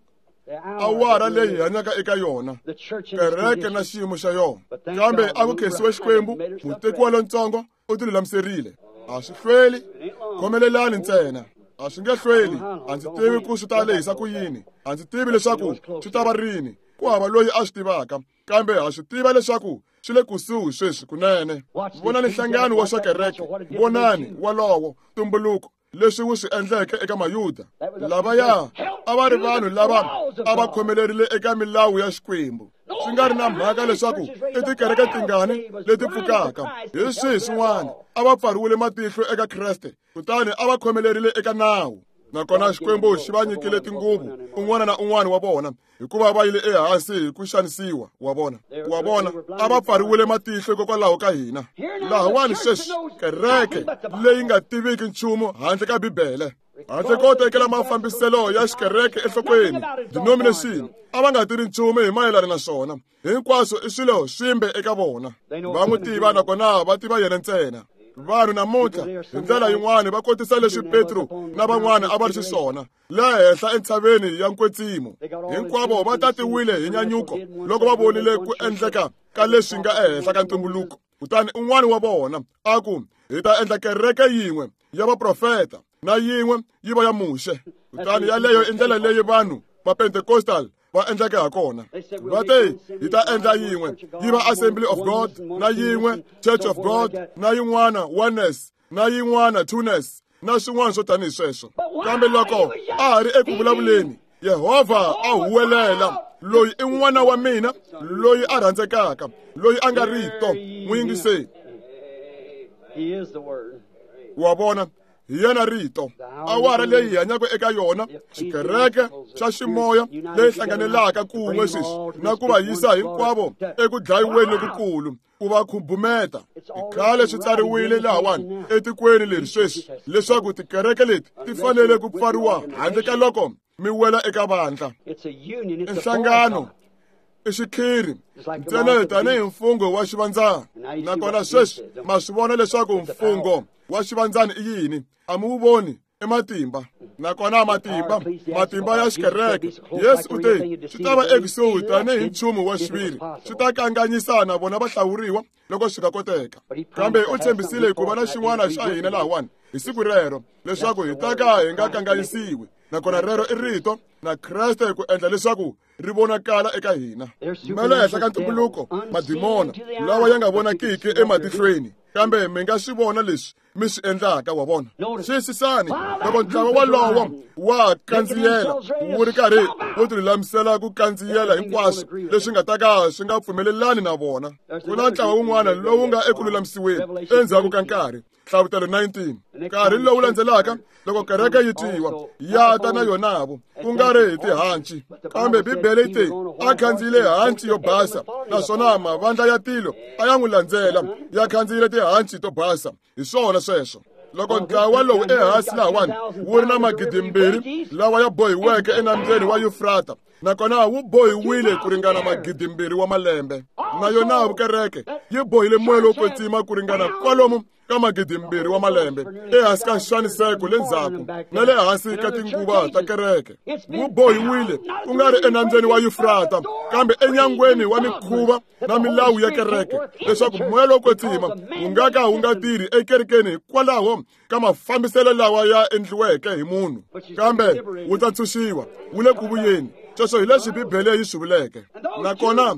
awara leyi hi hanyaka eka yona, kereke na xiyimo xa yona. Kambe a ku khensiwe Xikwembu, mutekiwa lontsongo u tilulamiserile. A swi hlweli, khomelelani ntsena. A swi nge hlweli. A ndzi tivi ku swi ta lehisa ku yini, a ndzi tivi leswaku swi ta va rini, ku hava loyi a swi tivaka, kambe ha swi tiva leswaku swi le kusuhi sweswi kunene. Vonani nhlangano wa swa kereke, vonani walowo tumbuluko leswi wu swi endleke eka Mayuda. Lavaya a va ri vanhu lava a va khomelerile eka milawu ya Xikwembu, swi nga ri na mhaka leswaku i tikereke tingani leti pfukaka hi swihi swin'wana. A va pfariwile matihlo eka Kreste, kutani a va khomelerile eka nawu. Nakona Xikwembu xi va nyikile tinguvu un'wana na un'wana wa vona, hikuva va yile ehansi hi ku xanisiwa wa vona. Wa vona, a va pfariwile matihlo hikokwalaho ka hina. Lahawani sweswi kereke leyi nga tiviki nchumu handle ka Bibele, handle ko tekela mafambiselo ya xikereke enhlokweni, denomination, a va nga tivi nchumu hi mayelana na swona. Hinkwaswo i swilo swimbe eka vona. Va n'wi tiva nakona va tiva yena ntsena. Vanhu namuntlha hi ndlela yin'wana va kotisa leswi Petro na van'wana a va ri xiswona le henhla entshaveni ya nkwetsimo. Hinkwavo va tatiwile hi nyanyuko loko va vonile ku endleka ka leswi nga ehenhla ka ntumbuluko. Kutani un'wana wa vona a ku, hi ta endla kereke yin'we ya vaprofeta na yin'we yi va ya Muxe. Kutani yaleyo i ndlela leyi vanhu va Pentecostal va endleke ha kona. Va te hi ta endla yin'we yi va Assembly of God, na yin'we Church of God, na yin'wana Oneness, na yin'wana Twoness, na swin'wana swo tanihi sweswo. Kambe loko a ha ri eku vulavuleni, Yehovha a huwelela, loyi i n'wana wa mina, loyi a rhandzekaka, loyi a nga rito, n'wi yingiseni. Wa vona, hi yena rito. Awara leyi hi hanyaka eka yona, xikereke xa ximoya leyi hlanganelaka kun'we sweswi na ku va yisa hinkwavo eku dlayiweni lokukulu, ku va khubumeta. I khale swi tsariwile lahawani etikweni leri sweswi leswaku tikereke leti ti fanele ku pfariwa handle ka loko mi wela eka vandla. I nhlangano, i xikhiri ntsena tanihi mfungho wa xivandzana. Nakona sweswi ma swi vona leswaku mfungho wa xivandzana i yini. A mi wu voni, i matimba. Nakona matimba, matimba ya xikereke. Yesu u te swi ta va ekusuhi tanihi nchumu wa xiviri, swi ta kanganyisana vona va hlawuriwa loko swi nga koteka. Kambe u tshembisile ku va na xin'wana xa hina lahawani hi siku rero, leswaku hi ta ka hi nga kanganyisiwi. Nakona rero i rito na Kreste ku endla leswaku ri vonakala eka hina. Ma le henhla ka ntumbuluko, madimona lawa ya nga vonakiki ematihlweni, kambe mi nga swi vona leswi mi swi endlaka. Wa vona, xiyisisani loko ntlawa walowo wa kandziyela wu ri karhi wu tilulamisela ku kandziyela hinkwaswo leswi nga ta ka swi nga pfumelelani na vona. Ku na ntlawa wun'wana lowu nga eku lulamisiweni endzhaku ka nkarhi. Hlavutelo nineteen. Nkarhi lowu landzelaka loko kereke yi twiwa ya ta na yonavo, ku nga ri hi tihanci, kambe Bibele yi te a khandziyile hanci yo basa, naswona mavandla ya tilo a ya n'wi landzela ya khandziyile tihanci to basa. Hi swona sweswo. Loko ntlawa lowu ehansi lahawani wu ri na magidimbirhi lawa ya bohiweke enambyeni wa Yufrata, nakona wu bohiwile ku ringana magidimbirhi wa malembe, na yona vukereke yi bohile moya lowo kwetsima ku ringana kwalomu ka magidimbirhi wa malembe ehansi ka nxaniseko le ndzhaku na le hansi ka tinguva ta kereke. Wu bohiwile ku nga ri enambyeni wa Yufrata, kambe enyangweni wa mikhuva na milawu ya kereke, leswaku moya lowo kwetsima wu nga ka wu nga tirhi ekerekeni hikwalaho ka mafambiselo lawa ya endliweke hi munhu, kambe wu ta ntshunxiwa, wu le ku vuyeni. Sweswo hi leswi Bibele yi swi vuleke. Nakona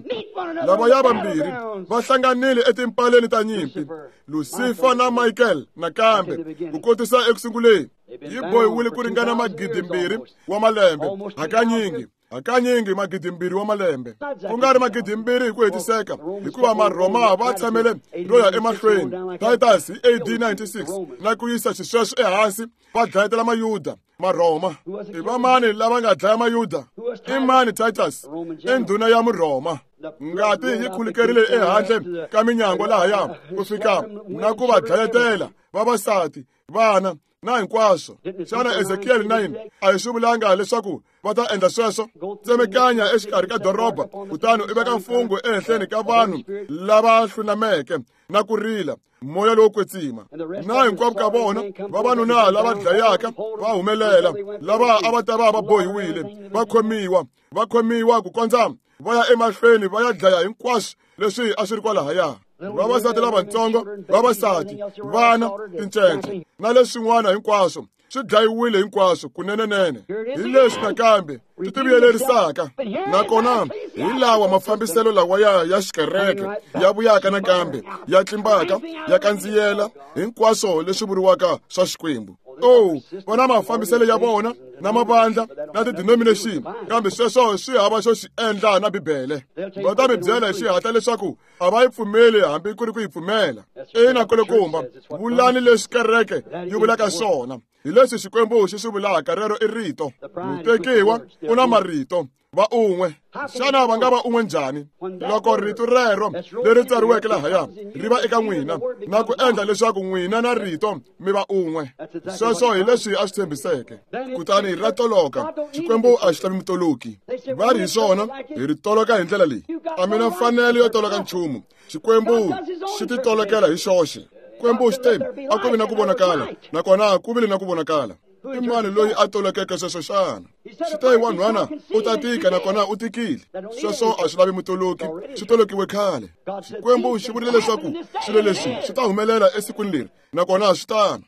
lavaya vambirhi va hlanganile etimpaleni ta nyimpi, Lucifer na Michael nakambe ku kotisa eku sunguleni. Yi bohiwile ku ringana magidimbirhi wa malembe, hakanyingi Hakanyingi magidimbirhi wa malembe, ku nga ri magidimbirhi hi ku hetiseka, hikuva Marhoma va tshamele ro ya emahlweni. Titus hi A D ninety-six na ku yisa xisweswo ehansi va dlayetela Mayuda. Marhoma i vamani lava nga dlaya Mayuda? I mani Titus? I ndhuna ya Murhoma. Ngati yi khulukerile ehandle ka minyangwa lahaya ku fika na ku va dlayetela vavasati, vana na hinkwaswo. Xana Ezekiel nine a hi swi vulanga leswaku va ta endla sweswo? Tsemekanya exikarhi ka doroba, kutani u veka mfungho ehenhleni ka vanhu lava hlunameke na ku rila moya lowo kwetsima. Na hinkwavo ka vona vavanuna lava dlayaka va humelela, lava a va ta va va bohiwile, va khomiwa, va khomiwa ku kondza va ya emahlweni va ya dlaya hinkwaswo leswi a swi ri kwalahaya. Vavasati lavatsongo, vavasati, vana, tincece na leswin'wana hinkwaswo swi dlayiwile hinkwaswo kunenenene. Hi leswi nakambe swi tivuyelerisaka, nakona hi lawa mafambiselo lawa ya ya xikereke ya vuyaka nakambe ya tlimbaka ya kandziyela hinkwaswo leswi vuriwaka swa Xikwembu. Oh, vona mafambiselo ya vona na mavandla na ti-denomination, kambe sweswo swi hava xo xi endla na Bibele. Va ta mi byela hi xihatla leswaku a va yi pfumeli hambi ku ri ku yi pfumela. Ina kulukumba, vulani leswi kereke yi vulaka swona. Hi leswi Xikwembu xi swi vulaka, rero i rito. Mutekiwa u na marito, va un'we. Xana va nga va un'we njhani loko rito rero leri tsariweke lahaya ri va eka n'wina na ku endla leswaku n'wina na rito mi va un'we? Sweswo hi leswi a swi tshembiseke. Kutani ra toloka. Xikwembu a xi lavi mutoloki. Va ri hi swona, hi ri toloka hi ndlela leyi. A mi na mfanelo yo toloka nchumu. Xikwembu xi ti tolokela hi xoxe. Xikwembu xi te a ku vi na ku vonakala, nakona ku vile na ku vonakala. I mani loyi a tolokeke sweswo xana? Xi te wanhwana u ta tika, nakona u tikile. Sweswo a swi lavi mutoloki, swi tolokiwe khale. Xikwembu xi vurile leswaku swilo leswi swi ta humelela esikwini leri, nakona swi tano.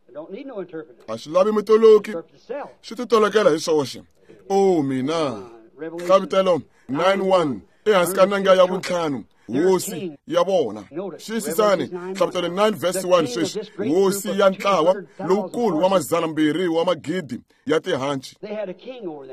A swi lavi mutoloki, swi ti tolokela hi swoxe. Oh mina! Hlavutelo nine one ehansi ka nanga ya vuntlhanu, hosi ya vona. Xiyisisani Hlavutelo nine verse one sweswi, hosi ya ntlawa lowukulu wa mazana mbirhi wa magidi ya tihanci.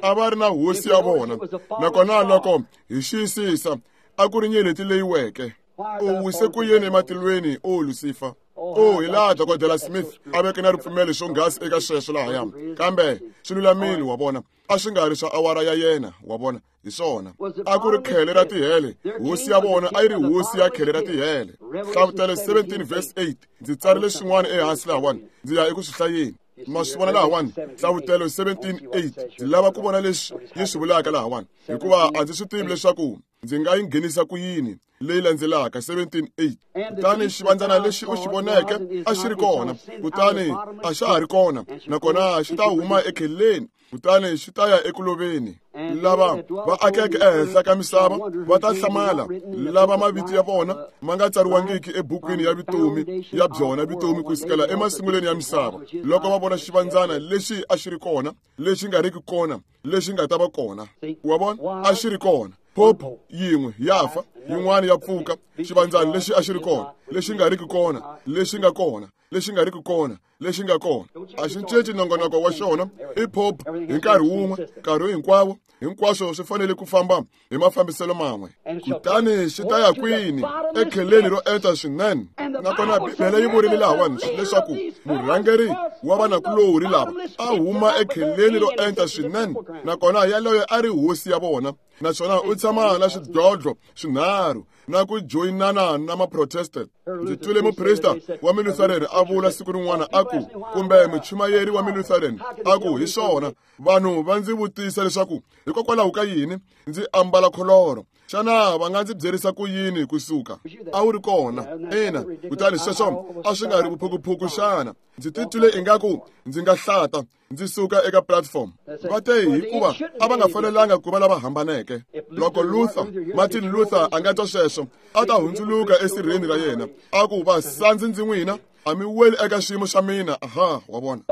A va ri na hosi ya vona, nakona loko hi xiyisisa a ku ri nyeleti leyi weke. U wise ku yini ematilweni, o Lucifer? Oh, hi laha Dokodela Smith a veke na ripfumelo swonghasi eka sweswo lahaya, kambe swi lulamile, wa vona. A swi nga ri swa awara ya yena, wa vona. Hi swona, a ku ri khele ra tihele. Hosi ya vona a yi ri hosi ya khele ra tihele. Hlavutelo seventeen verse eight. Ndzi tsarile swin'wana ehansi lahawani, ndzi ya eku swi hlayeni. Ma swi vona lahawani, Hlavutelo seventeen eight. Ndzi lava ku vona leswi yi swi vulaka lahawani, hikuva a ndzi swi tivi leswaku ndzi nga yi nghenisa ku yini leyi landzelaka seventeen eight. Kutani xivandzana lexi u xi voneke a xi ri kona, kutani a xa ha ri kona, nakona xi ta huma ekheleni, kutani xi ta ya eku loveni. Lava va akeke ehenhla ka misava va ta hlamala, lava mavito ya vona ma nga tsariwangiki ebukwini ya vutomi ya byona vutomi ku sukela emasungulweni ya misava, loko va vona xivandzana lexi a xi ri kona, lexi nga riki kona, lexi nga ta va kona. Wa vona, a xi ri kona. Pope yin'we ya fa, yin'wana ya pfuka. Xivandzana lexi a xi ri kona, lexi nga riki kona, lexi nga kona, lexi nga riki kona, lexi nga kona. A xi cinci nongonoko wa xona. I pope hi nkarhi wun'we, nkarhi hinkwawo. Hinkwaswo swi fanele ku famba hi mafambiselo man'we. Kutani xi ta ya kwini? Ekheleni ro enta swinene. Nakona Bibele yi vurile lahawani leswaku murhangeri wa vanakulorhi lava a huma ekheleni ro enta swinene, nakona yaloye a ri hosi ya vona, naswona u tshama na swidlodlo swinharhu na ku joyinana na maprotestant. Ndzi twile muprista wa Milutheran a vula siku rin'wana a ku, kumbe muchumayeri wa Milutheran a ku, hi swona, vanhu va ndzi vutisa leswaku hikokwalaho ka yini ndzi ambala kholoro. Xana va nga ndzi byerisa ku yini kusuka? A wu ri kona. Ina, kutani sweswo a swi nga ri vuphukuphuku xana? Ndzi titwile ingaku ndzi nga hlata ndzi suka eka platform. Va te hikuva a va nga fanelanga ku va lava hambaneke. Loko Luther, Martin Luther a nga twa sweswo, a ta hundzuluka esirheni ra yena, a ku, vasandzi ndzi n'wina, a mi weli eka xiyimo xa mina. Aha, wa vona.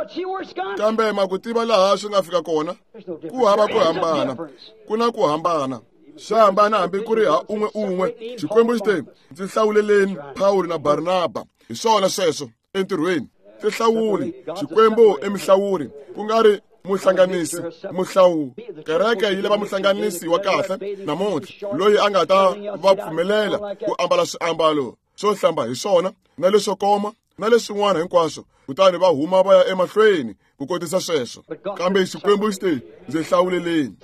Kambe ma ku tiva laha swi nga fika kona, ku hava ku hambana, ku na ku hambana. Xa hambana hambi ku ri ha un'we un'we. Xikwembu xi te, ndzi hlawuleleni Pawulo na Barnaba. Hi swona sweswo entirhweni. Tihlawuli. Xikwembu i mihlawuri, ku nga ri Muhlanganisi, muhlawu. Kereke yi lava muhlanganisi wa kahle namuntlha, loyi a nga ta va pfumelela ku ambala swiambalo swo hlamba hi swona na leswo koma na leswin'wana hinkwaswo, kutani va huma va ya emahlweni ku kotisa sweswo. Kambe Xikwembu xi te, ndzi hlawuleleni.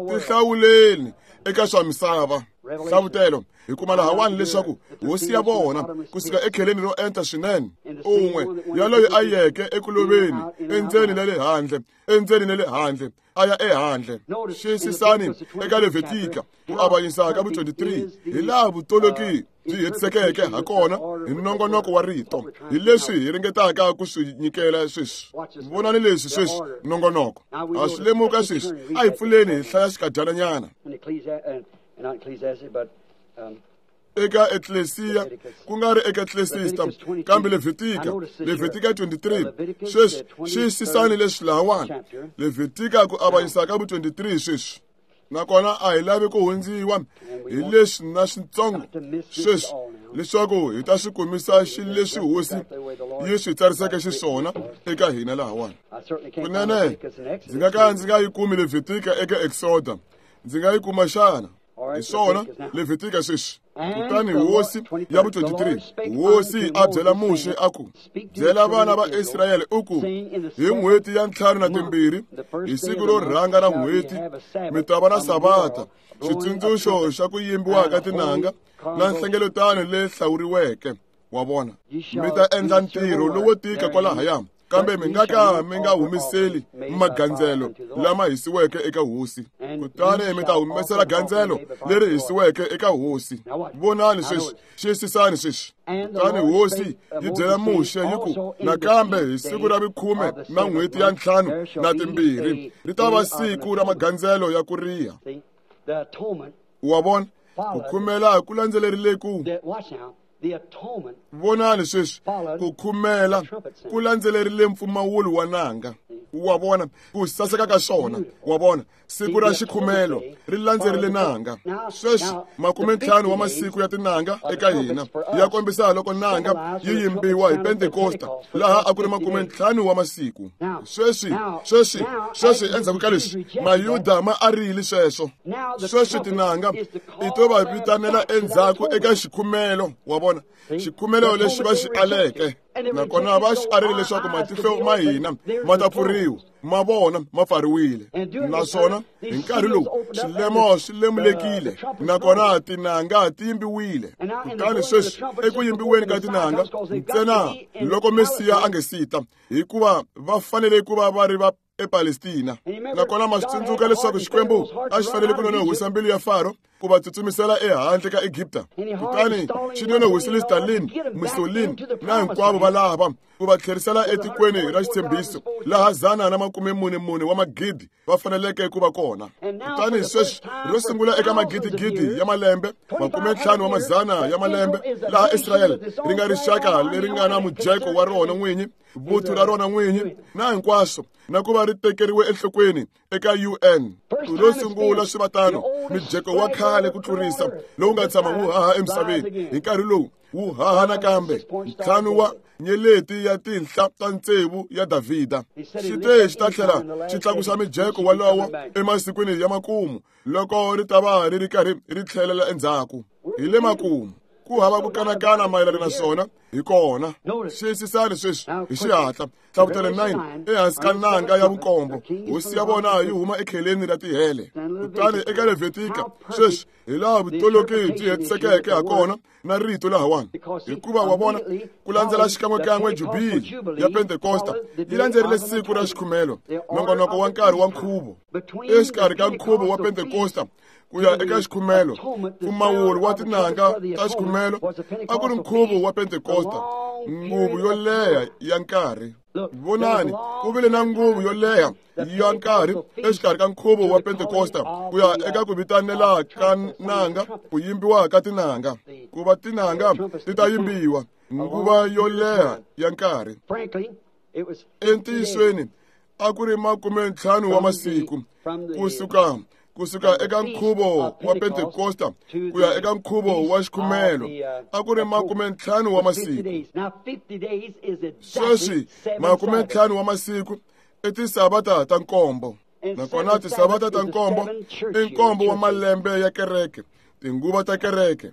Tihlawuleni eka swa misava. Hlavutelo hi kuma lahawani leswaku hosi ya vona kusuka ekheleni ro enta swinene, un'we yaloyi a yeke ekuloveni endzeni na le handle, endzeni na le handle, a ya ehandle. Xiyisisani eka Levitika ku avanyisa ka vu twenty-three, hi laha vutoloki byi hetisekeke ha kona hi nongonoko wa rito, hi leswi hi ringetaka ku swi nyikela sweswi. Vonani leswi sweswi nongonoko a swi lemuka sweswi. A hi pfuleni hi hlaya xikadyananyana eka Ecclesia, ku nga ri eka Ecclesiasta, kambe Levitika, Levitika twenty-three. Sweswi xiyisisani leswi lahawani, Levitika ku avanyisa ka vu twenty-three sweswi. Nakona a hi lavi ku hundziwa hi leswi na switsongo sweswi, leswaku hi ta swi kumisa xileswi hosi yi swi tsariseke xiswona eka hina lahawani. Kunene ndzi nga ka ndzi nga yi kumi Levitika eka Exoda, ndzi nga yi kuma xana? Hi swona Levitika sweswi. Kutani hosi ya vu twenty-three, hosi a byela Muxe a ku, byela vana va Israyele u ku, hi n'hweti ya ntlhanu na timbirhi, hi siku ro rhanga ra n'hweti, mi ta va na savata, xitsundzuxo xa ku yimbiwa ka tinanga na nhlengeletano leyi hlawuriweke wa vona. Mi ta endla ntirho lowo tika kwalahaya, kambe mi nga ka mi nga humiseli magandzelo lama hisiweke eka hosi. Kutani mi ta humesela gandzelo leri hisiweke eka hosi. Vonani sweswi, xiyisisani sweswi. Kutani hosi yi byela Muxe yi ku, nakambe hi siku ra vukhume na n'hweti ya ntlhanu na timbirhi ri ta va siku ra magandzelo ya ku riha. Wa vona, ku khumela ku landzelerile ku. Vonani sweswi, ku khumela ku landzelerile mpfumawulo wa nanga. Wa vona ku saseka ka swona. Wa vona siku ra xikhumelo ri landzerile nanga. Sweswi makume ntlhanu wa masiku ya tinanga eka hina ya kombisa loko nanga yi yimbiwa hi Pentekosta, laha a ku ri makume ntlhanu wa masiku. Sweswi sweswi sweswi endzhaku ka leswi Mayuda ma arile sweswo. Sweswi tinanga i to va vitanela endzhaku eka xikhumelo. Wa vona xikhumelo lexi va xi aleke, nakona va xi arile leswaku matihlo ma hina ma ta pfuriwa, ma vona ma pfariwile. Naswona hi nkarhi lowu swilemo swi lemulekile, nakona tinanga ti yimbiwile. Kutani sweswi eku yimbiweni ka tinanga ntsena loko Mesiya a nge sita, hikuva va fanele ku va va ri va ePalestina. Nakona ma swi tsundzuka leswaku Xikwembu a xi fanele ku nonohisa mbilu ya Faro ku va tsutsumisela ehandle ka Egipta. Kutani xi nonohisile Stalin, Mussolini na hinkwavo va lava ku va tlherisela etikweni ra xitshembiso, laha zana na makume mune mune wa magidi va faneleke ku va kona. Kutani sweswi ro sungula eka magidigidi ya malembe, makume ntlhanu wa mazana ya malembe, laha Israyele ri nga rixaka leri nga na mujeko wa rona n'winyi, vuthu ra rona n'winyi na hinkwaswo, na ku va ri tekeriwe enhlokweni eka U N. Ro sungula swi va tano, mijeko wa khale ku tlurisa lowu nga tshama wu haha emisaveni hi nkarhi lowu wu haha nakambe, ntlhanu wa nyeleti ya tinhla ta tsevu ya Davhida. Xi te xi ta tlhela xi tlakusa mijeko walowo emasikwini ya makumu, loko ri ta va ri ri karhi ri tlhelela endzhaku. Hi le makumu, ku hava ku kanakana mayelana na swona, hi kona. Xiyisisani sweswi hi xihatla. Hlavutelo nine, ehansi ka nanga ya vunkombo, hosi ya vona yi huma ekheleni ra tihele. Kutani eka Levitika sweswi hi laha vutoloki byi hetisekeke ha kona na rito lahawani, hikuva wa vona ku landzela xikan'wekan'we jubili ya Pentekosta yi landzerile siku ra xikhumelo, nongonoko wa nkarhi wa nkhuvo. Exikarhi ka nkhuvo wa Pentekosta ku ya eka xikhumelo, mpfumawulo wa tinanga ta xikhumelo a ku ri nkhuvo wa Pentekosta, nguvu yo leha ya nkarhi. Vonani, ku vile na nguvu yo leha ya nkarhi exikarhi ka nkhuvo wa Pentekosta ku ya eka ku vitanela ka nanga, ku yimbiwa ka tinanga, ku va tinanga ti ta yimbiwa, nguva yo leha ya nkarhi. Entiyisweni a ku ri makume ntlhanu wa masiku kusuka kusuka eka nkhuvo wa Pentekosta ku ya eka nkhuvo wa xikhumelo, a ku ri makume ntlhanu wa masiku. Sweswi makume ntlhanu wa masiku I tisavata ta nkombo. Nakona tisavata ta nkombo i nkombo wa malembe ya kereke, tinguva ta kereke.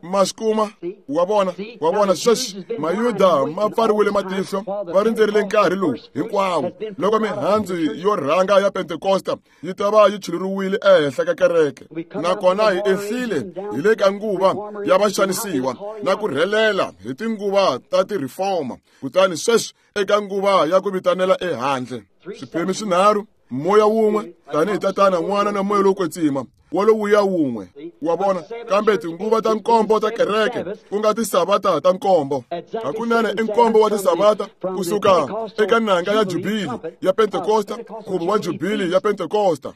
Maskuma wa vona, wa vona sweswi Mayuda ma pfariwile matihlo, va rindzerile nkarhi lowu hinkwawo loko mihandzu yo rhanga ya Pentekosta yi ta va yi chuluriwile ehenhla ka kereke. Nakona hi ehlile hi le ka nguva ya vaxanisiwa na ku rhelela hi tinguva ta ti-reformer, kutani sweswi eka nguva ya ku vitanela ehandle. Swiphemu swinharhu, moya wun'we, tanihi Tatana, N'wana na Moya lowo Kwetsima, walowuya wun'we. Wa vona, kambe tinguva ta nkombo ta kereke ku nga tisavata ta nkombo. Hakunene i nkombo wa tisavata kusuka eka nanga ya jubili ya Pentekosta, nkhuvo wa jubili ya Pentekosta,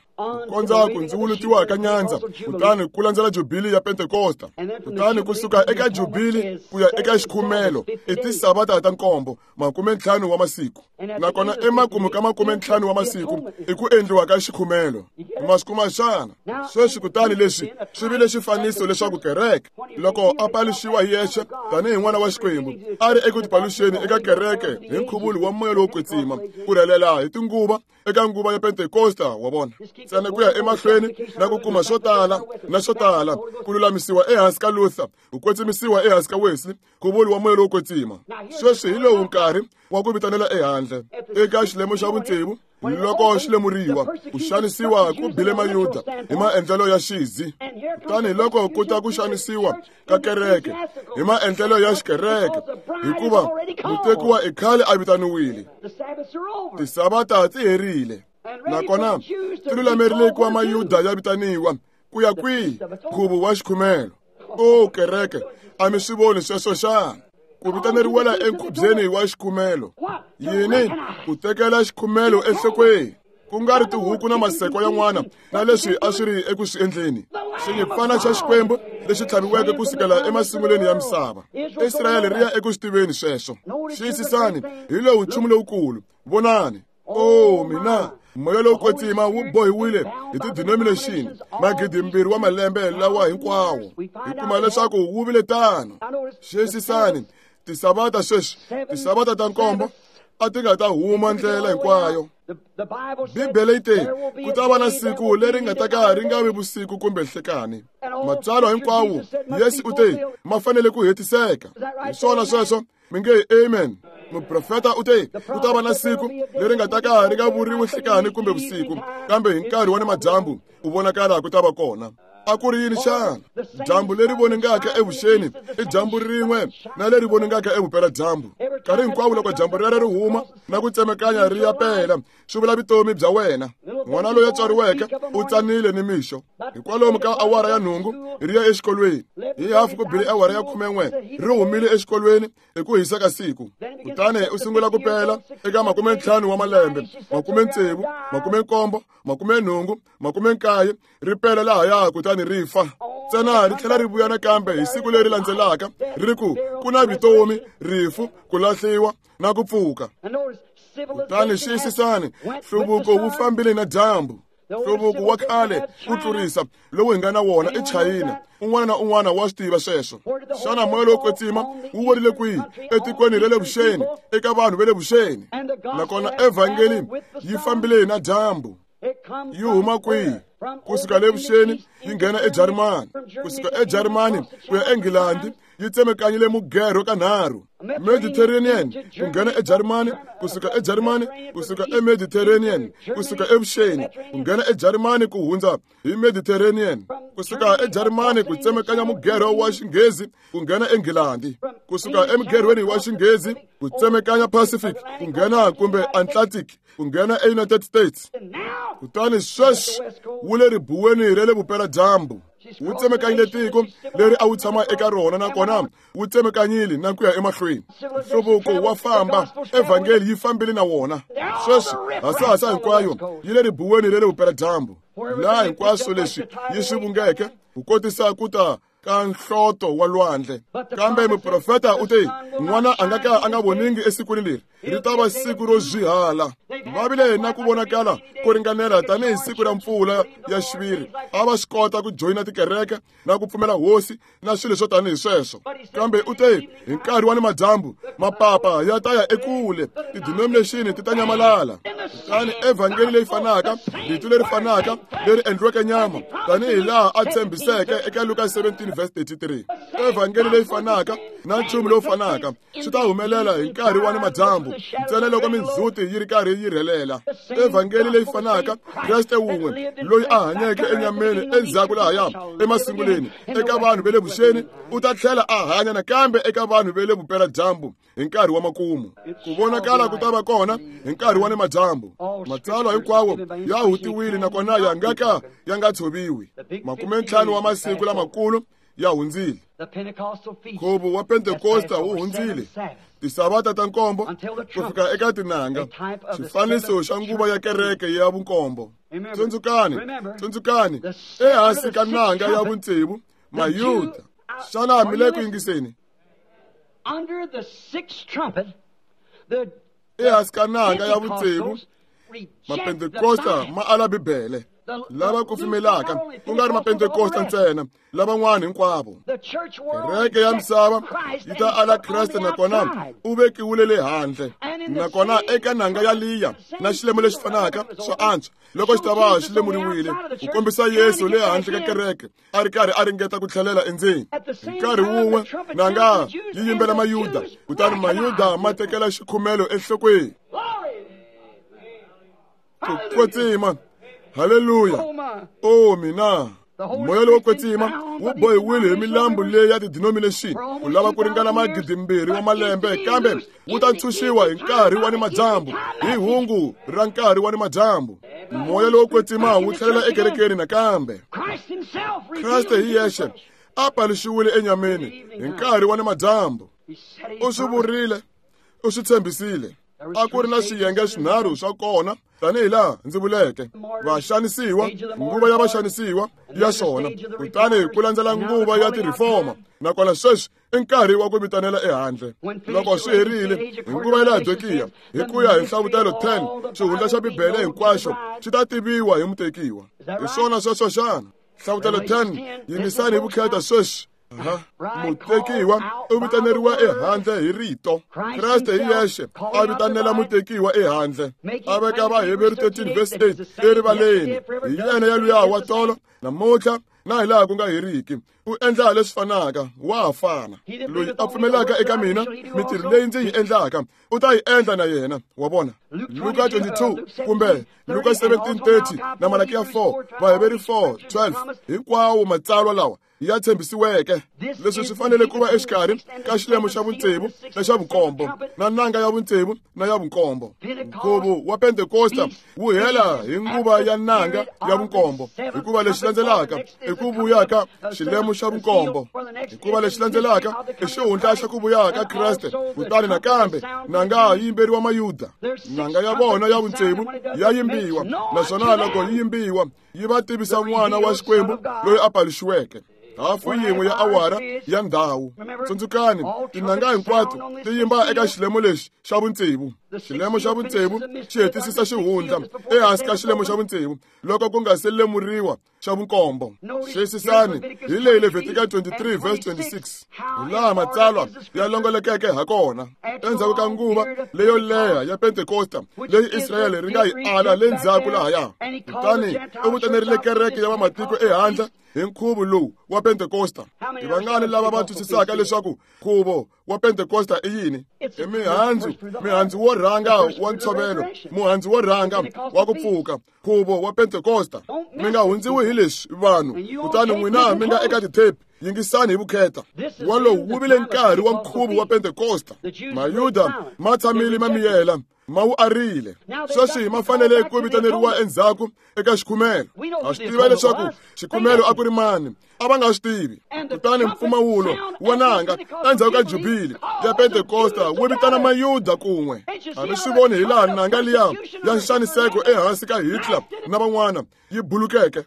kondza ku ndziwulutiwa ka nyandza, kutani ku landzela jubili ya Pentekosta, kutani kusuka eka jubili ku ya eka xikhumelo i tisavata ta nkombo, makume ntlhanu wa masiku. Nakona emakumu ka makume ntlhanu wa masiku i ku endliwa ka xikhumelo. Masiku xana sweswi kutani leswi swi vile xifaniso leswaku kereke loko a paluxiwa hi yexe tanihi n'wana wa Xikwembu a ri eku tipaluxeni eka kereke hi nkhuvulo wa Moya lowo Kwetsima, ku rhelela hi tinguva eka nguva ya Pentekosta. Wa vona, ntsena ku ya emahlweni na ku kuma swo tala na swo tala, ku lulamisiwa ehansi ka Luther, ku kwetsimisiwa ehansi ka Wesley, nkhuvulo wa Moya lowo Kwetsima. Sweswi hi lowu nkarhi wa ku vitanela ehandle eka xilemo xa vutsevu. Loko xi lemuriwa, ku xanisiwa ku bile Mayuda hi maendlelo ya xizi, kutani loko ku ta ku xanisiwa ka kereke hi maendlelo ya xikereke, hikuva mutekiwa i khale a vitaniwile. Tisavata ti herile, nakona ti lulamerile ku va Mayuda ya vitaniwa ku ya kwihi? Nkhuvo wa xikhumelo. O kereke, a mi swi voni sweswo xana? Ku vitaneriwela enkhubyeni wa xikhumelo. Yini? Ku tekela xikhumelo enhlokweni, ku nga ri tihuku na maseko yan'wana na leswi a swi ri eku swi endleni. Xinyimpfana xa Xikwembu lexi tlhaviweke kusukela emasungulweni ya misava. Israyele ri ya eku swi tiveni sweswo. Xiyisisani, hi lowu nchumu lowukulu. Vonani. O mina, Moya lowo Kwetsima wu bohiwile hi ti-denomination magidimbirhi wa malembe lawa hinkwawo. Hi kuma leswaku wu vile tano. Xiyisisani, tisavata sweswi, tisavata ta nkombo a ti nga ta huma ndlela hinkwayo. Bibele yi te ku ta va na siku leri nga ta ka ri nga vi vusiku kumbe nhlekani. Matsalwa hinkwawo Yesu u te ma fanele ku hetiseka. Hi swona sweswo, mi nge amen. Muprofeta u te ku ta va na siku leri nga ta ka ri nga vuriwi nhlekani kumbe vusiku, kambe hi nkarhi wa nimadyambu ku vonakala ku ta va kona. A ku ri yini xana? Dyambu leri voningaka evuxeni i dyambu rin'we na leri voningaka evupeladyambu. Nkarhi hinkwawo loko dyambu rero ri huma na ku tsemekanya ri ya pela, swi vula vutomi bya wena. N'wana loyi a tswariweke u tsanile nimixo. Hikwalomu ka awara ya nhungu ri ya exikolweni. Hi hafu ku bile awara ya khumen'we ri humile exikolweni hi ku hisa ka siku. Kutani u sungula ku pela eka makume ntlhanu wa malembe, makume tsevu, makume nkombo, makume nhungu, makume nkaye, ri pela lahaya kutani ri fa. Ntsena ri tlhela ri vuya nakambe hi siku leri landzelaka ri ku ku na vutomi, rifu, ku lahliwa na ku pfuka. Kutani xiyisisani, nhluvuko wu fambile na dyambu. Nhluvuko wa khale ku tlurisa lowu hi nga na wona i China. Un'wana na un'wana wa swi tiva sweswo. Xana Moya lowo Kwetsima wu werile kwihi? Etikweni ra le vuxeni, eka vanhu va le vuxeni. Nakona evhangeli yi fambile na dyambu. Yi huma kwihi? Kusuka le vuxeni yi nghena eJarimani, kusuka eJarimani ku ya eNgilandi yi tsemekanyile mugerho kanharhu. Mediterranean ku nghena eJarimani, kusuka eJarimani, kusuka eMediterranean, kusuka evuxeni ku nghena eJarimani ku hundza hi Mediterranean, kusuka eJarimani ku tsemekanya mugerho wa Xinghezi ku nghena eNgilandi, kusuka emugerhweni wa Xinghezi ku tsemekanya Pacific ku nghena kumbe Atlantic ku nghena eUnited States. Kutani sweswi wu le ribuweni ra le vupeladyambu. Wu tsemekanyile tiko leri a wu tshama eka rona, nakona wu tsemekanyile na ku ya emahlweni. Nhluvuko wa famba, evhangeli yi fambile na wona. Sweswi hasahasa hinkwayo yi le ribuweni ra le vupeladyambu, laha hinkwaswo leswi yi swi vungeke ku kotisa ku ta ka nhloto wa lwandle. Kambe muprofeta u te, n'wana a nga ka a nga voningi esikwini leri, ri ta va siku ro zwihala. Va vile na ku vonakala ko ringanela tanihi siku ra mpfula ya xiviri. A va swi kota ku joyina tikereke na ku pfumela hosi na swilo swo tanihi sweswo. Kambe u te, hi nkarhi wa nimadyambu mapapa ya ta ya ekule, tidenomination ti ta nyamalala. Kutani evhangeli leyi fanaka, rito leri fanaka leri endliweke nyama, tanihi laha a tshembiseke eka Luka seventeen verse thirty-three. Evhangeli leyi fanaka na nchumu lowu fanaka swi ta humelela hi nkarhi wa nimadyambu, ntsena loko mindzhuti yi ri karhi yi rhelela. Evhangeli leyi fanaka, Kreste wun'we loyi a hanyeke enyameni endzhaku lahaya emasunguleni eka vanhu va le vuxeni, u ta tlhela a hanya nakambe eka vanhu va le vupeladyambu hi nkarhi wa makumu. Ku vonakala ku ta va kona hi nkarhi wa nimadyambu. Matsalwa hinkwawo ya hutiwile nakona ya nga ka ya nga tshoviwi. Makume ntlhanu wa masiku lamakulu ya hundzile. Nkhuvo wa Pentekosta wu hundzile. Tisavata ta nkombo ku fika eka tinanga, xifaniso xa nguva ya kereke ya vunkombo. Tsundzukani, tsundzukani, ehansi ka nanga ya vutsevu, Mayuda. Xana mi le ku yingiseni? Ehansi ka nanga ya vutsevu, Mapentekosta ma ala Bibele. Lava kufumelaka ku nga ri Mapentekosta ntsena, lavan'wana hinkwavo. Kereke ya misava yi ta ala Kreste nakona u vekiwile le handle. Nakona eka nanga ya liya na xilemo lexi fanaka swa antswa loko xi ta va xi lemuriwile ku kombisa Yesu le handle ka kereke a ri karhi a ringeta ku tlhelela endzeni. Hi nkarhi wun'we nanga yi yimbela Mayuda, kutani Mayuda ma tekela xikhumelo enhlokweni. Ku kwetsima. Haleluya. O mina, moya lowo kwetsima wu bohiwile hi milambu leyi ya tidenomination ku lava ku ringana magidi mbirhi wa malembe, kambe wu ta ntshunxiwa hi nkarhi wa nimadyambu, hi hungu ra nkarhi wa nimadyambu. Moya lowo kwetsima wu tlhelela ekerekeni nakambe. Kreste hi yexe a paluxiwile enyameni hi nkarhi wa nimadyambu. U swi vurile, u swi tshembisile. A ku ri na swiyenge swinharhu swa kona tanihi laha ndzi vuleke: vaxanisiwa, nguva ya vaxanisiwa ya xona, kutani ku landzela nguva ya tirifoma, nakona sweswi i nkarhi wa ku vitanela ehandle. Loko swi herile hi nguva ya Laodikiya, hi ku ya hi Nhlavutelo ten, xihundla xa Bibele hinkwaxo xi ta tiviwa hi mutekiwa. Hi swona sweswo xana? Nhlavutelo ten, yingisani hi vukheta sweswi. Mutekiwa u vitaneriwa ehandle hi rito. Kreste hi yexe a vitanela mutekiwa ehandle. A veka Vaheveru thirteen verse eight erivaleni. Hi yena yaluya wa tolo, namuntlha na hi laha ku nga heriki. U endla leswi fanaka, wa fana. Loyi a pfumelaka eka mina, mintirho leyi ndzi yi endlaka u ta yi endla na yena. Wa vona? Luka twenty-two kumbe Luka seventeen thirty na Malakiya four, Vaheveru four twelve, hinkwawo matsalwa lawa ya tshembisiweke. Leswi swi fanele ku va exikarhi ka xilemo xa vutsevu na xa vunkombo, na nanga ya vutsevu na ya vunkombo. Nkhuvo wa Pentekosta wu hela hi nguva ya nanga ya vunkombo, hikuva lexi landzelaka i ku vuya ka xilemo xa vunkombo, hikuva lexi landzelaka i xihundla xa ku vuya ka Kreste. Kutani nakambe nanga yi yimberiwa Mayuda. Nanga ya vona ya vutsevu ya yimbiwa, naswona loko yi yimbiwa yi va tivisa n'wana wa Xikwembu loyi a paluxiweke. Hafu yin'we ya awara ya ndhawu. Tsundzukani, tinanga hinkwato ti yimba eka xilemo lexi xa vutsevu. Xilemo xa vutsevu xi hetisisa xihundla ehansi ka xilemo xa vutsevu loko ku nga se lemuriwa xa vunkombo. Xiyisisani hi leyi Levitika twenty-three verse twenty-six, hi laha matsalwa ya longolokeke ha kona. Endzhaku ka nguva leyo leha ya Pentekosta leyi Israyele ri nga yi ala le ndzhaku lahaya, kutani u vutanerile kereke ya vamatiko ehandle hi nkhuvo lowu wa Pentekosta. I vangani lava va twisisaka leswaku nkhuvo wa Pentekosta i yini? I mihandzu, mihandzu wo rhanga wa ntshovelo, muhandzu wo rhanga wa ku pfuka, nkhuvo wa Pentekosta. Mi nga hundziwi hi leswi vanhu, kutani n'wina mi nga eka titepi, yingisani hi vukheta. Walowu wu vile nkarhi wa nkhuvo wa Pentekosta. Mayuda ma tshamile ma miyela, ma wu arile. Sweswi ma fanele ku vitaneriwa endzhaku eka xikhumelo. Ha swi tiva leswaku xikhumelo a ku ri mani. A va nga swi tivi. Kutani mpfumawulo wa nanga endzhaku ka jubili ya Pentekosta wu vitana Mayuda kun'we. A mi swi voni hi laha nanga liya ya nxaniseko ehansi ka Hitler na van'wana yi bulukeke.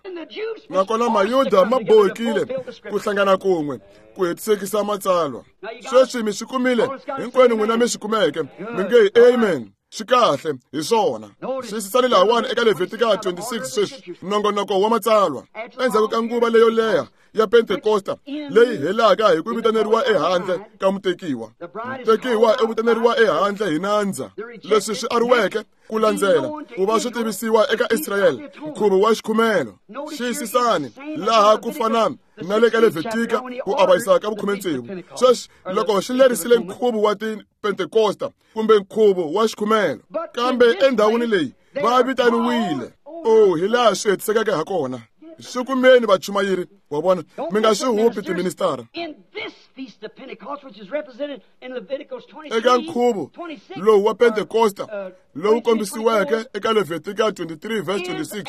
Nakona Mayuda ma bohekile ku hlangana kun'we ku hetisekisa matsalwa. Sweswi mi swi kumile hinkwenu n'wina mi swi kumeke. Mi nge amen. Swi kahle hi swona. Xiyisisani lahawani eka Levitika twenty-six sweswi, nongonoko wa matsalwa. Endzhaku ka nguva leyo leha ya Pentekosta leyi helaka hi ku vitaneriwa ehandle ka mutekiwa. Mutekiwa u vitaneriwa ehandle hi nandza. Leswi swi ariweke ku landzela ku va swi tivisiwa eka Israyele, nkhuvo wa xikhumelo. Xiyisisani laha ku fana na le ka Levitika ku avanyisa ka vukhume tsevu. Sweswi loko xi lerisile nkhuvo wa Pentekosta kumbe nkhuvo wa xikhumelo, kambe endhawini leyi va vitaniwile. Oh, hi laha swi hetisekeke ha kona. Swi kumeni vachumayeri wa vona, mi nga swi hupi tiministara. Eka nkhuvo lowu wa Pentekosta lowu kombisiweke eka Levitika twenty-three verse twenty-six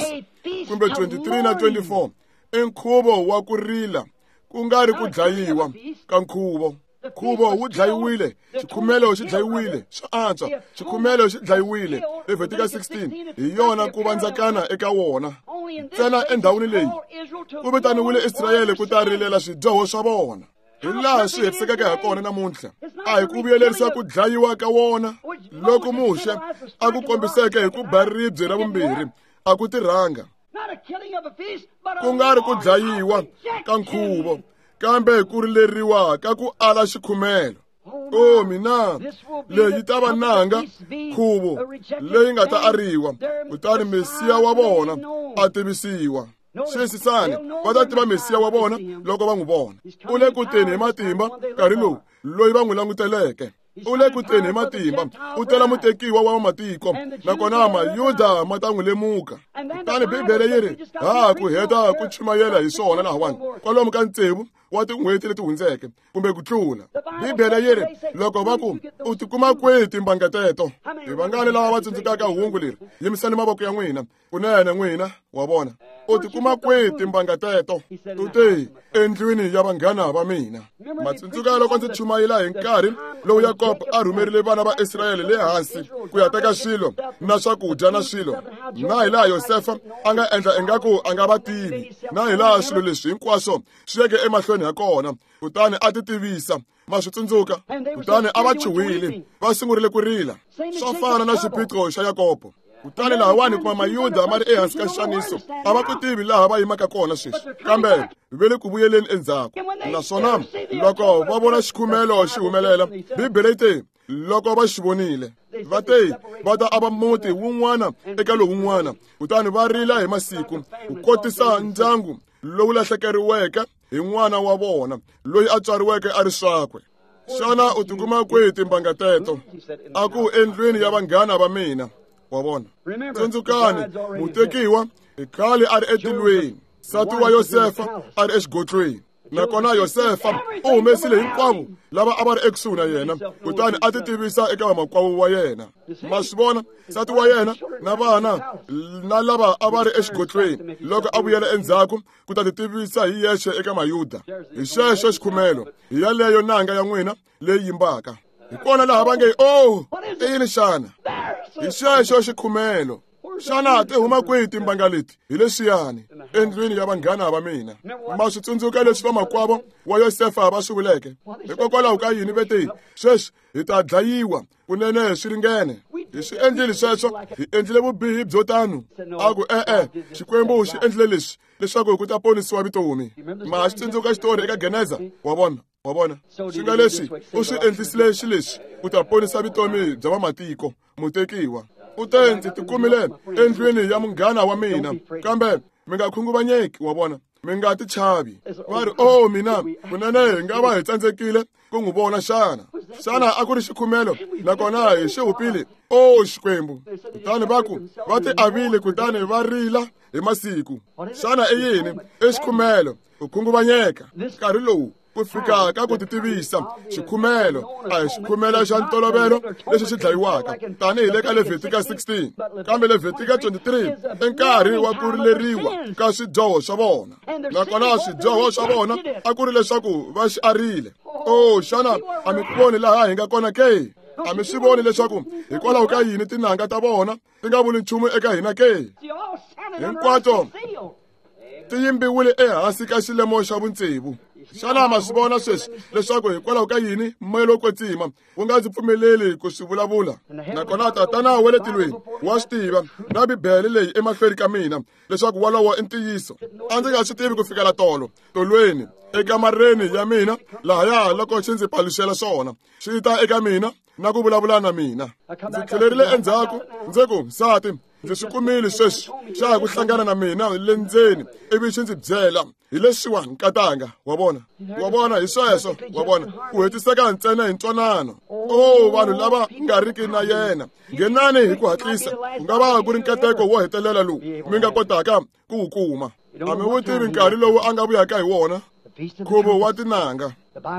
kumbe twenty-three na twenty-four, i nkhuvo wa ku rila, ku nga ri ku dlayiwa ka nkhuvo. Nkhuvo wu dlayiwile, xikhumelo xi dlayiwile, swa antswa, xikhumelo xi dlayiwile. Levitika sixteen hi yona ku vandzakana eka wona. Ntsena endhawini leyi ku vitaniwile Israyele ku ta rilela swidyoho swa vona. Hi laha swi hetisekeke ha kona namuntlha. A hi ku vuyelerisa ku dlayiwa ka wona loko Muxe a ku kombiseke hi ku ba ribye ra vumbirhi, a ku tirhanga. Ku nga ri ku dlayiwa ka nkhuvo, kambe ku rileriwa ka ku ala xikhumelo. Oh mina, leyi ta va nanga nkhuvo leyi nga ta ariwa, kutani Mesiya wa vona a tivisiwa. Xiyisisani, va ta tiva Mesiya wa vona loko va n'wi vona. U le ku teni hi matimba nkarhi lowu loyi va n'wi languteleke. U le ku teni hi matimba, u tela mutekiwa wa matiko, nakona Mayuda ma ta n'wi lemuka. Kutani Bibele yi ri ha ku heta ku chumayela hi swona lahawani kwalomu ka tsevu wa tin'hweti leti hundzeke kumbe ku tlula. Bibele yi ri loko va ku u tikuma kwihi timbanga teto? Hi vangani lava va tsundzukaka hungu leri? Yimisani mavoko ya n'wina. Kunene n'wina wa vona. U tikuma kwihi timbanga teto? U te endlwini ya vanghana va mina. Ma tsundzuka loko ndzi chumayela hi nkarhi lowu Yakobo a rhumerile vana va Israyele le hansi ku ya teka swilo na swakudya na swilo, na hi laha Yosefa a nga endla ingaku a nga va tivi, na hi laha swilo leswi hinkwaswo swi yeke emahlweni ha kona, kutani a ti tivisa. Ma swi tsundzuka? Kutani a va chuhile, va sungurile ku rila. Swo fana na xiphiqo xa Yakobo. Kutani lahawani kuma Mayuda ma ri ehansi ka xixaniso, a va ku tivi laha va yimaka kona sweswi, kambe va le ku vuyeleni endzhaku. Naswona loko va vona xikhumelo xi humelela, Bibele yi te loko va xi vonile, va te va ta ava muti wun'wana eka lowun'wana, kutani va rila hi masiku ku kotisa ndyangu lowu lahlekeriweke hi n'wana wa vona loyi a tswariweke a ri swakwe. Xana u tikuma kwihi timbanga teto? A ku endlwini ya vanghana va mina. Wa vona. Tsundzukani, mutekiwa i khale a ri etilweni, nsati wa Yosefa a ri exigodlweni. Nakona Yosefa u humesile hinkwavo lava a va ri ekusuhi na yena, kutani a ti tivisa eka vamakwavo wa yena. Ma swi vona, nsati wa yena na vana na lava a va ri exigodlweni loko a vuyela endzhaku ku ta ti tivisa hi yexe eka Mayuda. Hi xexo xikhumelo, hi yaleyo nanga ya n'wina leyi yimbaka. Hi kona laha va nge, oh, i yini xana? Hi xexo xikhumelo. Xana ti huma kwihi timbanga leti? Hi leswiyani, endlwini ya vanghana va mina. Ma swi tsundzuka leswi vamakwavo wa Yosefa va swi vuleke? Hikokwalaho ka yini ve te, sweswi hi ta dlayiwa, kunene swi ringene. Hi swi endlile sweswo, hi endlile vubihi byo tano. A ku e-e, Xikwembu xi endlile leswi leswaku ku ta ponisiwa vutomi. Ma swi tsundzuka xitori eka Geneza? Wa vona? Wa vona? Swi nga leswi u swi endlisile xileswi ku ta ponisa vutomi bya vamatiko, mutekiwa. U te ndzi tikumile endlwini ya munghana wa mina, kambe mi nga khunguvanyeki, wa vona, mi nga ti chavi. Va ri, oh mina, kunene hi nga va hi tsandzekile ku n'wi vona xana? Xana a ku ri xikhumelo nakona hi xi hupile? Oh Xikwembu! Kutani va ku va ti avile, kutani va rila hi masiku. Xana i yini? I xikhumelo, ku khunguvanyeka. Nkarhi lowu Ku fika ka ku titivisa xikhumelo a hi xikhumelo xa ntolovelo lexi xi dlayiwaka tanihi le ka Leviticus sixteen, kambe Leviticus twenty-three i nkarhi wa ku rileriwa ka swidyoho swa vona. Nakona swidyoho swa vona a ku ri leswaku va xi arile. O xana a mi voni laha hi nga kona ke? A mi swi voni leswaku hikwalaho ka yini tinanga ta vona ti nga vuli nchumu eka hina ke? Hinkwato ti yimbiwile ehansi ka xilemo xa vutsevu. Xana ma swi vona sweswi leswaku hikwalaho ka yini moya lowo kwetsima wu nga ndzi pfumeleli ku swi vulavula? Nakona Tatana wa le tilweni wa swi tiva na Bibele leyi emahlweni ka mina leswaku wolowo i ntiyiso. A ndzi nga swi tivi ku fikela tolo tolweni ekamareni ya mina lahaya loko xi ndzi paluxela swona, xi ta eka mina na ku vulavula na mina. Ndzi tlhelerile endzhaku ndzi ku, nsati, ndzi swi kumile sweswi, xa ha ku hlangana na mina le ndzeni ivi xi ndzi byela hi leswiwa nkatanga. Wa vona, wa vona, hi sweswo, wa vona, ku hetiseka ntsena hi ntwanano. O vanhu lava nga riki na yena, nghenani hi ku hatlisa, ku nga va ku ri nkateko wo hetelela lowu mi nga kotaka ku wu kuma. A mi wu tivi nkarhi lowu a nga vuyaka hi wona. Nkhuvo wa tinanga,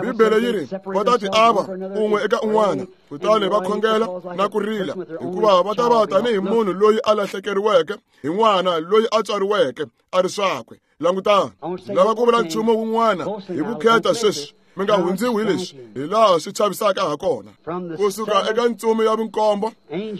Bibele yi ri va ta ti ava un'we eka un'wana, kutani va khongela na ku rila, hikuva va ta va tanihi munhu loyi a lahlekeriweke hi n'wana loyi a tswariweke a ri swakwe. Langutani, lava ku vula nchumu wun'wana hi vukheta sweswi, mi nga hundziwi hi leswi, hi laha swi chavisaka ha kona. Kusuka eka ntsumi ya vunkombo,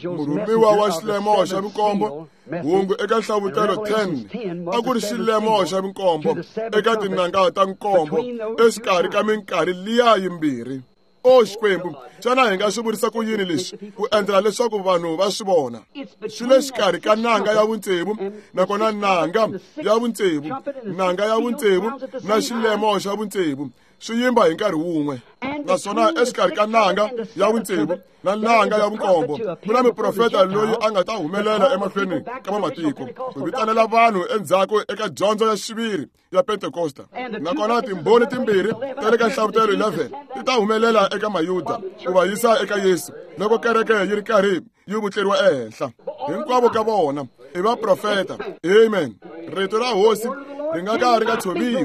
murhumiwa wa xilemo xa vunkombo, hungu eka Nhlavutelo ten, a ku ri xilemo xa vunkombo eka tinanga ta nkombo exikarhi ka minkarhi liya yimbirhi. O Xikwembu, xana hi nga swi vurisa ku yini leswi ku endlela leswaku vanhu va swi vona? Swi le xikarhi ka nanga ya vutsevu, nakona nanga ya vutsevu, nanga ya vutsevu na xilemo xa vutsevu swi yimba hi nkarhi wun'we. Naswona exikarhi ka nanga ya vutsevu na nanga ya vunkombo ku na muprofeta loyi a nga ta humelela emahlweni ka vamatiko ku vitanela vanhu endzhaku eka dyondzo ya xiviri ya Pentekosta. Nakona timbhoni timbirhi ta le ka Nhlavutelo eleven ti ta humelela eka Mayuda ku va yisa eka Yesu loko kereke yi ri karhi yi vutleriwa ehenhla. Hinkwavo ka vona i vaprofeta. Amen. Rito ra Hosi ri nga ka ri nga tshoviwi,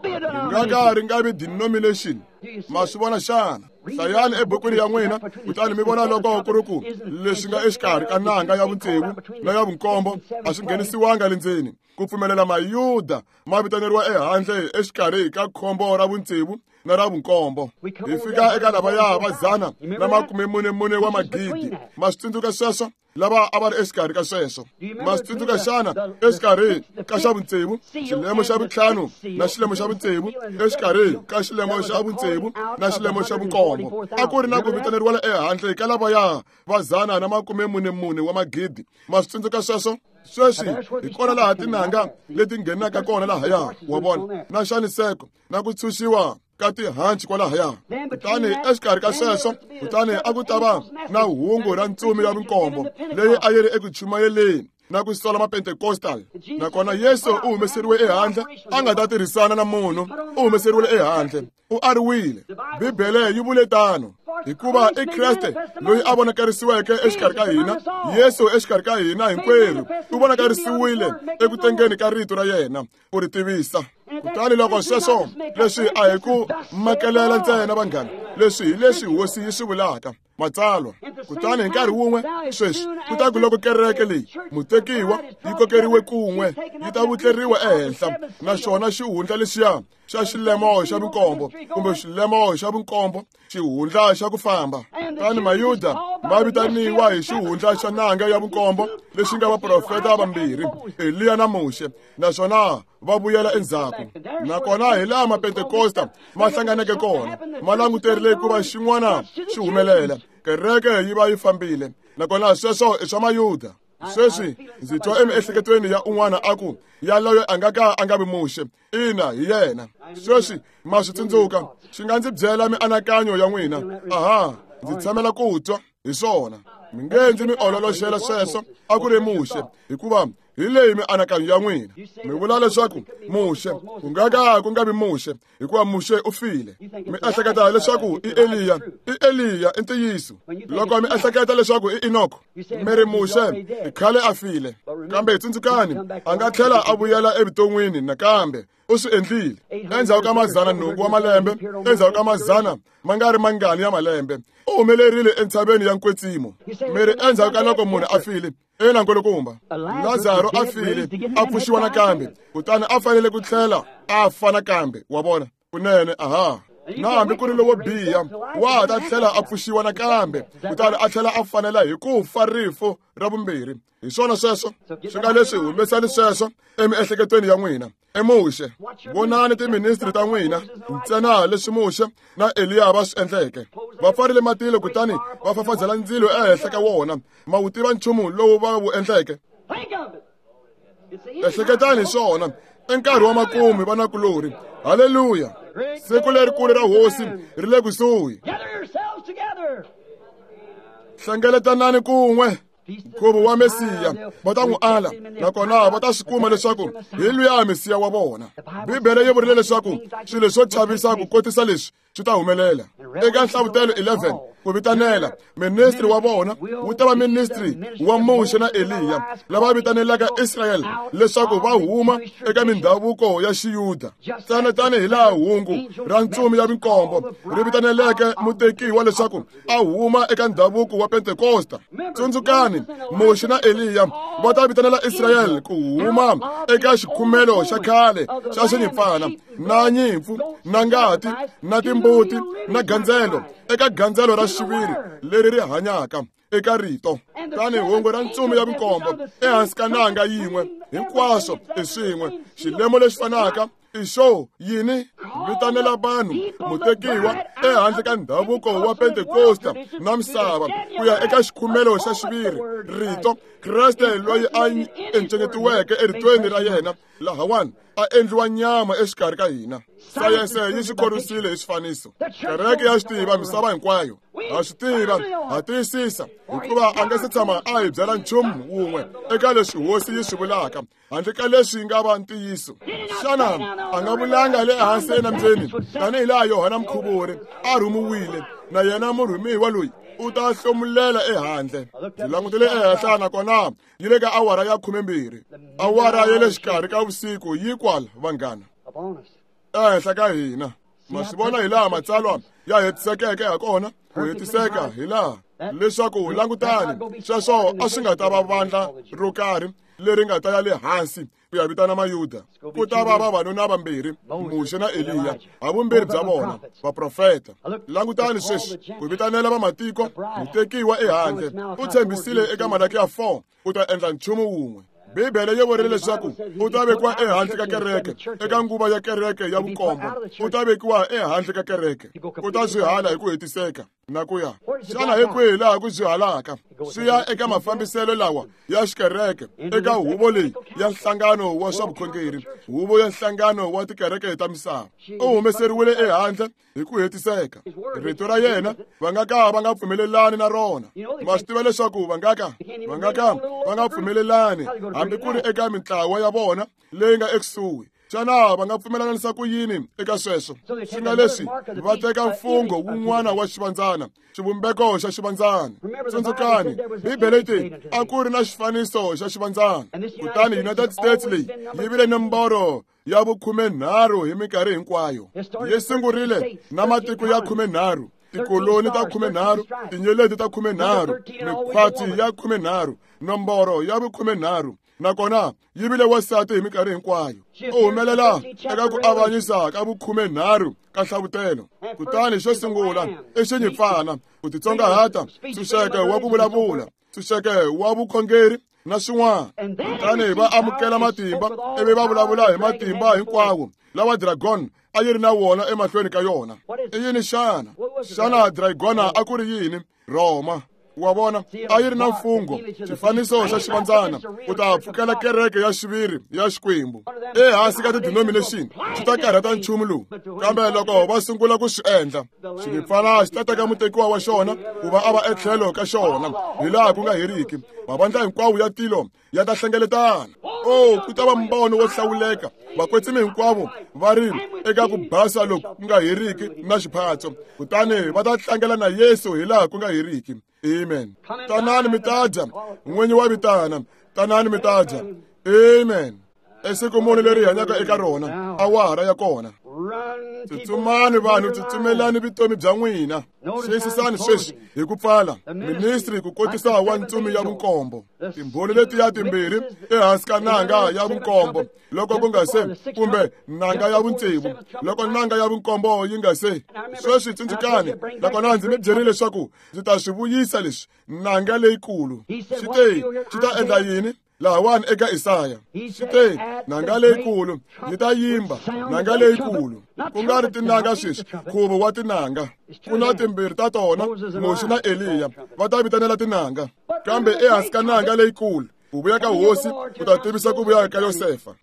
ri nga ka ri nga vi denomination. Ma swi vona xana? Hlayani ebukwini ya n'wina kutani mi vona loko ku ri ku leswi nga exikarhi ka nanga ya vutsevu na ya vunkombo a swi nghenisiwanga le ndzeni, ku pfumelela Mayuda ma vitaneriwa ehandle exikarhi ka khombo ra vutsevu na ra vunkombo. Hi fika eka lavaya va dzana na makume mune mune wa magidi. Ma swi tsundzuka sweswo? Lava a va ri exikarhi ka sweswo. Ma swi tsundzuka xana exikarhi ka xa vutsevu, xilemo xa vuntlhanu na xilemo xa vutsevu, exikarhi ka xilemo xa vutsevu na xilemo xa vunkombo, a ku ri na ku vitaneriwa ehandle ka lavaya va dzana na makume mune mune wa magidi. Ma swi tsundzuka sweswo? Sweswi hi kona laha tinanga leti nghenaka kona lahaya, wa vona, na xaniseko na ku tshunxiwa ka tihanci kwalahaya. Kutani exikarhi ka sweswo, kutani a ku ta va na hungu ra ntsumi ya vunkombo leyi a yi ri eku chumayeleni na ku sola Mapentecostal. Nakona Yesu u humeseriwe ehandle, a nga ta tirhisana na munhu, u humeseriwile ehandle, u ariwile. Bibele yi vule tano, hikuva i Kreste loyi a vonakarisiweke exikarhi ka hina, Yesu exikarhi ka hina hinkwerhu u vonakarisiwile eku tengeni ka rito ra yena ku ri tivisa. Kutani loko sweswo leswi a hi ku makelela ntsena vanghana, leswi hi leswi Hosi yi swi vulaka Matsalwa. Kutani hi nkarhi wun'we sweswi, kutaku loko kereke leyi mutekiwa yi kokeriwe kun'we, yi ta vutleriwa ehenhla, naswona xihundla lexiya xa xilemo xa vunkombo kumbe xilemo xa vunkombo, xihundla xa ku famba. Kutani Mayuda ma vitaniwa hi xihundla xa nanga ya vunkombo lexi nga vaprofeta vambirhi, Eliya na Muxe, naswona va vuyela endzhaku. Nakona hi laha Mapentekosta ma hlanganeke kona, ma languterile ku va xin'wana xi humelela, kereke yi va yi fambile. Nakona sweswo i swa Mayuda. Sweswi ndzi twa emiehleketweni ya un'wana a ku, yaloyo a nga ka a nga vi Muxe. Ina, hi yena. Sweswi ma swi tsundzuka, xi nga ndzi byela mianakanyo ya n'wina. Aha, ndzi tshamela ku twa hi swona. Mi nge ndzi mi ololoxela sweswo a ku ri Muxe, hikuva Hi leyi mianakanyo ya n'wina. Mi vula leswaku Muxe, ku nga ka ku nga vi Muxe, hikuva Muxe u file. Mi ehleketa leswaku i Eliya, i Eliya i ntiyiso. Loko mi ehleketa leswaku i Enoko, mi ri Muxe i khale a file. Kambe tsundzukani, a nga tlhela a vuyela evuton'wini nakambe. U swi endlile endzhaku ka mazana nhungu wa malembe, endzhaku ka mazana ma nga ri mangani ya malembe, u humelerile entshaveni ya nkwetsimo. Mi ri endzhaku ka loko munhu a file, ina nkulukumba, Lazaro a file, a pfuxiwa nakambe, kutani a fanele ku tlhela a fa nakambe. Wa vona? Kunene, aha. Na hambi ku ri lowo biha wa ta tlhela a pfuxiwa nakambe, kutani a tlhela a fanela hi ku fa rifu ra vumbirhi. Hi swona sweswo swi nga leswi humesani sweswo emiehleketweni ya n'wina. I Muxe, vonani tiministri ta n'wina ntsena leswi Muxe na Eliya va swi endleke. Va pfarile matilo kutani va fafazela ndzilo ehenhla ka wona. Ma wu tiva nchumu lowu va wu endleke? Ehleketani hi swona. I nkarhi wa makumu, vanakulorhi. Haleluya! Siku lerikulu ra Hosi ri le kusuhi. Hlengeletanani kun'we. Nkhuvo wa Mesiya va ta n'wi ala, nakona va ta swi kuma leswaku hi luya Mesiya wa vona. Bibele yi vurile leswaku swilo swo chavisa ku kotisa leswi swi ta humelela. Eka Nhlavutelo eleven, ku vitanela ministri wa vona wu ta va ministri wa Muxe na Eliya, lava vitanelaka Israyele leswaku va huma eka mindhavuko ya Xiyuda. Tsana tanihi laha hungu ra ntsumi ya minkombo ri vitaneleke mutekiwa leswaku a huma eka ndhavuko wa Pentekosta. Tsundzukani, Muxe na Eliya va ta vitanela Israyele ku huma eka xikhumelo xa khale xa xinyimpfana na nyimpfu na ngati na timbuti na gandzelo, eka gandzelo ra xiviri leri ri hanyaka eka rito. Tanihi hungu ra ntsumi ya minkombo ehansi ka nanga yin'we, hinkwaswo i swin'we. Xilemo lexi fanaka i xo yini? Vitanela vanhu mutekiwa ehandle ka ndhavuko wa Pentekosta na misava ku ya eka xikhumelo xa xiviri, rito, Kreste loyi a encenyetiweke eritweni ra yena lahawani a endliwa nyama exikarhi ka hina. Sayense yi swi khorwisile hi swifaniso. Kereke ya swi tiva, misava hinkwayo ha swi tiva, ha tiyisisa, hikuva a nga se tshama a hi byela nchumu wun'we eka leswi Hosi yi swi vulaka handle ka leswi nga va ntiyiso. Xana a nga vulanga le hansi enambyeni tanihi laha Yohana Mukhuvuri a rhumiwile, na yena murhumiwa loyi u ta hlomulela ehandle? Ndzi langutile ehenhla, nakona yi le ka awara ya khumembirhi, awara ya le xikarhi ka vusiku yi kwala, vanghana, ehenhla ka hina. Ma swi vona hi laha matsalwa ya hetisekeke ha kona, ku hetiseka hi laha leswaku langutani, sweswo a swi nga ta va vandla ro karhi leri nga ta ya le hansi ku ya vitana Mayuda. Ku ta va vavanuna vambirhi, Muxe na Eliya, havumbirhi bya vona vaprofeta. Langutani sweswi, ku vitanela vamatiko, mutekiwa ehandle. U tshembisile eka Malakiya four u ta endla nchumu wun'we. Bibele yi vurile leswaku u ta vekiwa ehandle ka kereke, eka nguva ya kereke ya vukombo. U ta vekiwa ehandle ka kereke, u ta swi hala hi ku hetiseka na ku ya. Xana hi kwihi laha ku swi halaka? Swi ya eka mafambiselo lawa ya xikereke, eka huvo leyi ya nhlangano wa swa vukhongeri, huvo ya nhlangano wa tikereke ta misava. U humeseriwile ehandle hi ku hetiseka. Rito ra yena va nga ka va nga pfumelelani na rona. Ma swi tiva leswaku va nga ka va nga ka va nga pfumelelani hambi ku ri eka mintlawa ya vona leyi nga ekusuhi. Xana va nga pfumelelanisa ku yini eka sweswo? Swi nga leswi va teka mfungho wun'wana wa xivandzana, xivumbeko xa xivandzana. Tsundzukani, Bibele yi te a ku ri na xifaniso xa xivandzana. Kutani United States leyi yi vile nomboro ya vukhumenharhu hi minkarhi hinkwayo. Yi sungurile na matiko ya khumenharhu, tikoloni ta khumenharhu, tinyeleti ta khumenharhu, mikhwati ya khumenharhu, nomboro ya vukhumenharhu. Nakona yi vile wansati hi minkarhi hinkwayo. U humelela eka ku avanyisa ka vukhumenharhu ka nhlavutelo. Kutani xo sungula i xinyimpfana, ku titsongahata, ntshunxeko wa ku vulavula, ntshunxeko wa vukhongeri na swin'wana. Kutani va amukela matimba ivi va vulavula hi matimba hinkwawo lawa dragon a yi ri na wona emahlweni ka yona. I yini xana? Xana dragona a ku ri yini? Roma. Wa vona, a yi ri na mfungho, xifaniso xa xivandzana, u ta pfukela kereke ya xiviri ya Xikwembu. Ehansi ka ti-denomination, swi ta karhata nchumu lowu. Kambe loko va sungula ku swi endla, xinyimpfana xi ta teka mutekiwa wa xona ku va a va etlhelo ka xona hilaha ku nga heriki. Mavandla hinkwawo ya tilo ya ta hlengeletana. Oh, ku ta va mbono wo hlawuleka. Vakwetsimi hinkwavo va ri eka ku basa loku ku nga heriki na xiphatso, kutani va ta tlangela na Yesu hilaha ku nga heriki. Amen. Tanani mi ta dya, n'winyi wa vitana. Tanani mi ta dya. Amen. Esiku muni leri hi hanyaka eka rona, awara ya kona. Tsutsumani vanhu, tsutsumelani vutomi bya n'wina. Xiyisisani sweswi hi ku pfala ministry ku kotisa wa ntsumi ya vunkombo. Timbhoni letiya timbirhi ehansi ka nanga ya vunkombo loko ku nga se, kumbe nanga ya vutsevu loko nanga ya vunkombo yi nga se. Sweswi tsundzukani, nakona ndzi mi byerile leswaku ndzi ta swi vuyisa leswi nanga leyikulu. Xi te xi ta endla yini? Lahawani eka Isaya xi te nanga leyikulu yi ta yimba, nanga leyikulu, ku nga ri tinanga sweswi, nkhuvo wa tinanga. Ku na timbirhi ta tona, Muxe na Eliya, va ta vitanela tinanga. Kambe ehansi ka nanga leyikulu, ku vuya ka hosi ku ta tivisa ku vuya ka Yosefa.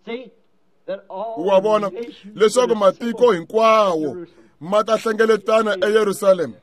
Wa vona leswaku matiko hinkwawo ma ta hlengeletana eYerusalema.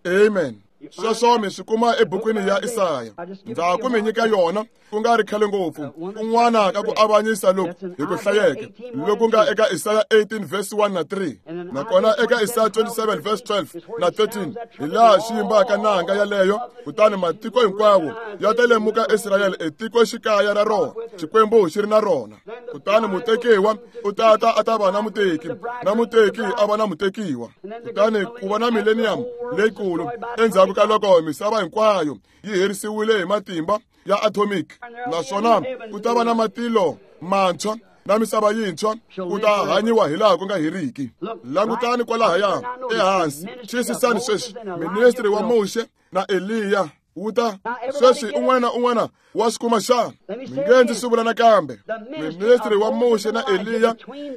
Amen. Sweswo mi swi kuma ebukwini ya Isaya. Ndza ku mi nyika yona ku nga ri khale ngopfu, kun'wana ka ku avanyisa loku hi ku hlayeke loku nga eka Isaya eighteen verse one na three, nakona eka Isaya twenty-seven verse twelve na thirteen, hi laha xi yimbaka nanga yaleyo. Kutani matiko hinkwawo ya ta lemuka Israyele etikoxikaya ra rona, Xikwembu xi ri na rona. Kutani mutekiwa u ta ta a ta va na muteki, na muteki a va na mutekiwa. Kutani ku va na millennium leyikulu endzhaku ka loko misava hinkwayo yi herisiwile hi matimba ya atomic, naswona ku ta va na matilo mantshwa na misava yintshwa, ku ta hanyiwa hilaha ku nga heriki. Langutani kwalahaya ehansi, xiyisisani sweswi ministry wa Muxe na Eliya wu ta sweswi. Un'wana na un'wana wa swi kuma xana? Mi nge ndzi swi vula nakambe. Ministry wa Muxe na Eliya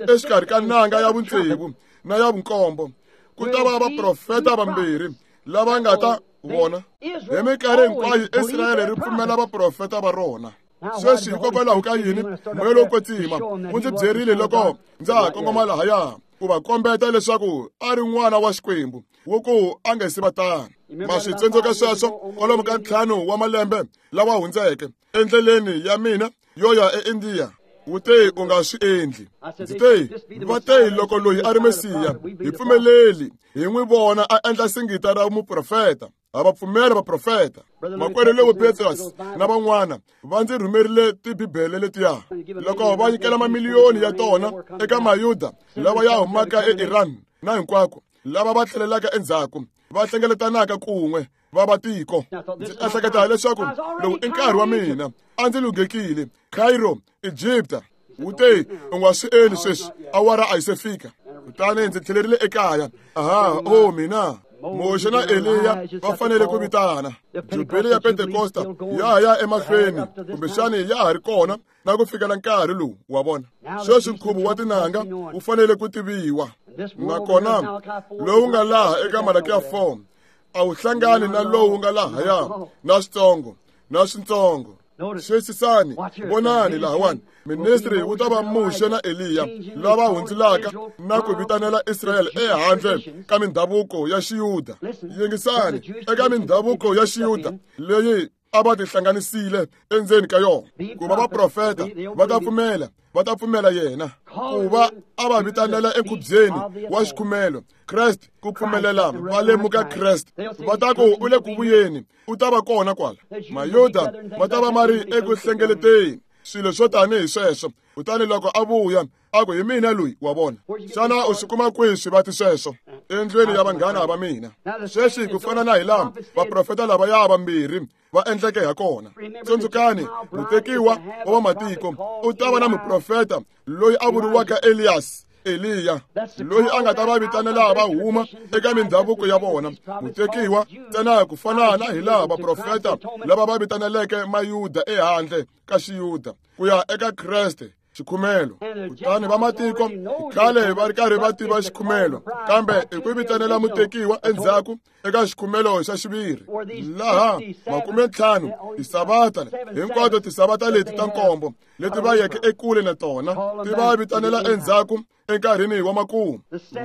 exikarhi ka nanga ya vutsevu na ya vunkombo, ku ta va vaprofeta vambirhi lava nga ta vona. Hi minkarhi hinkwayo Israyele ri pfumela vaprofeta va rona. Sweswi hikokwalaho ka yini Moya lowo Kwetsima wu ndzi byerile loko ndza ha kongoma lahaya ku va kombeta leswaku a ri n'wana wa Xikwembu wo ku a nga si va tano. Ma swi tsundzuka sweswo kwalomu ka ntlhanu wa malembe lawa hundzeke endleleni ya mina yo ya eIndiya. Wu te u nga swi endli. Ndzi te va te loko loyi a ri Mesiya hi pfumeleli hi n'wi vona a endla singita ra muprofeta. A va pfumela vaprofeta. Makwerhu Lewo Petrus na van'wana va ndzi rhumerile tibibele letiya. Loko va nyikela mamiliyoni ya tona eka Mayuda lava ya humaka eIran na hinkwako, lava va tlhelelaka endzhaku, va hlengeletanaka kun'we va va tiko. Ndzi ehleketa leswaku lowu i nkarhi wa mina, a ndzi lunghekile. Cairo, Egypta. Wu te u nga swi endli sweswi, awara a yi se fika. Kutani ndzi tlhelerile ekaya. Aha, oh mina. Muxe na Eliya va fanele ku vitana. Jubili ya Pentekosta ya ha ya emahlweni, kumbexani ya ha ri kona na ku fikela nkarhi lowu, wa vona. Sweswi nkhuvo wa tinanga wu fanele ku tiviwa. Nakona lowu nga laha eka Malakiya four a wu hlangani na lowu nga lahaya na switsongo na switsongo. Xiyisisani, vonani lahawani. Ministry wu ta va Muxe na Eliya lava hundzulaka na ku vitanela Israyele ehandle ka mindhavuko ya Xiyuda. Yingisani, eka mindhavuko ya Xiyuda leyi a va tihlanganisile endzeni ka yona, ku va vaprofeta va ta pfumela, va ta pfumela yena ku va a va vitanela enkhubyeni wa xikhumelo Kreste, ku pfumelela va lemuka Kreste. Va ta ku u le ku vuyeni, u ta va kona kwala. Mayuda va ta va ma ri eku hlengeleteni swilo swo tanihi sweswo. Kutani loko a vuya a ku hi mina loyi, wa vona. Xana u swi kuma kwihi swivati sweswo? Endlwini ya vanghana va mina. Sweswi ku fana na hi laha vaprofeta lavaya vambirhi va endleke ha kona. Tsundzukani, mutekiwa wa vamatiko u ta va na muprofeta loyi a vuriwaka Elias, Eliya, loyi a nga ta va vitanela va huma eka mindhavuko ya vona. Mutekiwa ntsena ku fana na hi laha vaprofeta lava va vitaneleke Mayuda ehandle ka Xiyuda ku ya eka Kreste. xikhumelo. Kutani vamatiko khale va ri karhi va tiva xikhumelo, kambe i ku vitanela mutekiwa endzhaku eka xikhumelo xa xiviri, laha makume ntlhanu tisavata hinkwato tisavata leti ta nkombo leti va yeke ekule na tona ti va vitanela endzhaku enkarhini wa makumu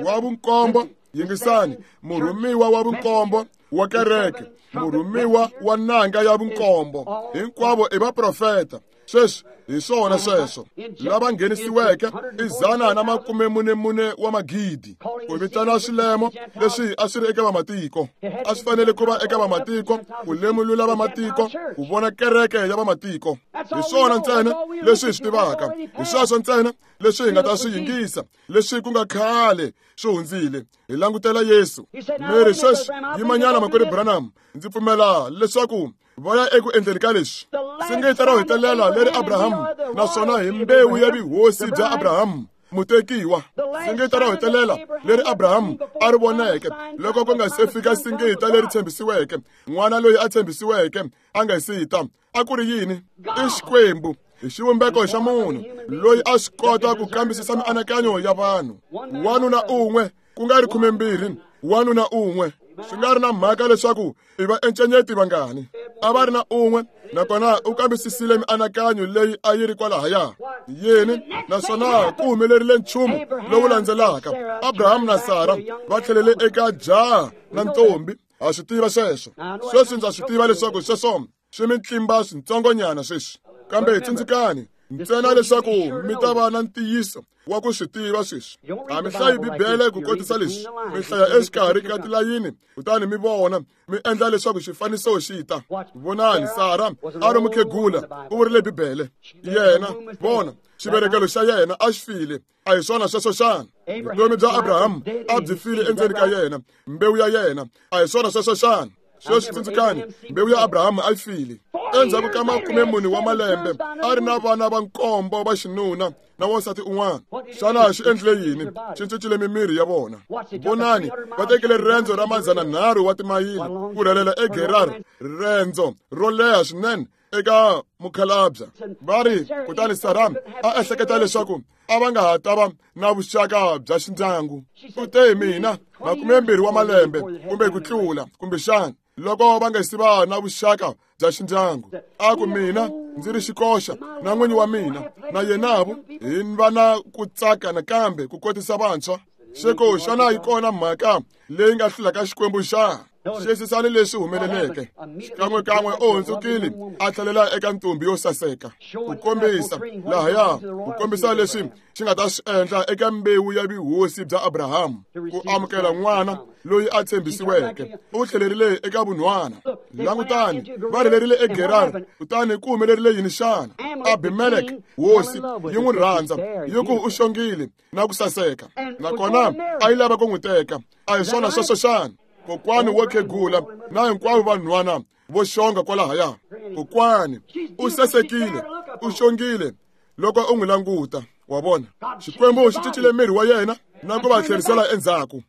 wa vunkombo. Yingisani, murhumiwa wa vunkombo wa kereke, murhumiwa wa nanga ya vunkombo, hinkwavo i vaprofeta. Sweswi hi swona sweswo lava nghenisiweke i dzana na makume mune mune wa magidi. Ku vitana swilemo leswi a swi ri eka vamatiko, a swi fanele ku va eka vamatiko, ku lemulula vamatiko, ku vona kereke ya vamatiko. Hi swona ntsena leswi hi swi tivaka, hi sweswo ntsena leswi hi nga ta swi yingisa, leswi ku nga khale swi hundzile. Hi langutela Yesu. Mary sweswi yimanyana makwerhu Branham, ndzi pfumela leswaku va ya eku endleni ka leswi singita ro hetelela leri Abraham, naswona hi mbewu ya vuhosi bya Abraham mutekiwa. Singita ro hetelela leri Abraham a ri voneke loko ku nga se fika singita leri tshembisiweke, n'wana loyi a tshembisiweke a nga si ta, a ku ri yini? I Xikwembu hi xivumbeko xa munhu loyi a swi kota ku kambisisa mianakanyo ya vanhu. Wanuna un'we, ku nga ri khumembirhi, wanuna un'we. Swi nga ri na mhaka leswaku i va encenyeti vangani, a va ri na un'we, nakona u kambisisile mianakanyo leyi a yi ri kwalahaya yini, naswona ku humelerile nchumu lowu landzelaka. Abraham na Sara va tlhelele eka jaha na ntombi. Ha swi tiva sweswo. Sweswi ndza swi tiva leswaku sweswo swi mi tlimba switsongonyana sweswi, kambe hi tsundzukani ntsena leswaku mi ta va na ntiyiso wa ku swi tiva sweswi. A mi hlayi Bibele ku kotisa leswi, mi hlaya exikarhi ka tilayini, kutani mi vona, mi endla leswaku xifaniso xi ta. Vonani, Sara a ri mukhegula, u vurile Bibele. Yena, vona, xivelekelo xa yena a xi file. A hi swona sweswo xana? Vutomi bya Abraham a byi file endzeni ka yena, mbewu ya yena. A hi swona sweswo xana? Sweswi tsundzukani, mbewu ya Abraham a yi file. Endzhaku ka makume mune wa malembe a ri na vana va nkombo va xinuna na wansati un'wana. Xana xi endlile yini? Xi cincile mimiri ya vona. Vonani, va tekile riendzo ra madzana nharhu wa timayili ku rhelela eGerar, riendzo ro leha swinene eka mukhalabya. Va ri, kutani Sara a ehleketa leswaku a va nga ha ta va na vuxaka bya xindyangu. U te, mina makume mbirhi wa malembe kumbe ku tlula, kumbexana loko va nga si va na vuxaka bya xindyangu. A ku, mina ndzi ri xikoxa na n'winyi wa mina na yenavo hi va na ku tsaka nakambe ku kotisa vantshwa. Xeko xana yi kona mhaka leyi nga hlulaka Xikwembu xa? Xiyisisani leswi humeleleke. Xikan'wekan'we u hundzukile a tlhelela eka ntombi yo saseka, ku kombisa lahaya, ku kombisa leswi xi nga ta swi endla eka mbewu ya vuhosi bya Abraham, ku amukela n'wana loyi a tshembisiweke. U tlhelerile eka vunhwana. Langutani, va rhelerile eGerar, kutani ku humelerile yini xana? Abimelek hosi yi n'wi rhandza, yi ku u xongile na ku saseka, nakona a yi lava ku n'wi teka. A hi swona sweswo xana? Kokwani wo khegula na hinkwavo vanhwana vo xonga kwalahaya. Kokwani u sasekile, u xongile loko u n'wi languta. Wa vona, Xikwembu xi cincile miri wa yena na ku va tlherisela endzhaku.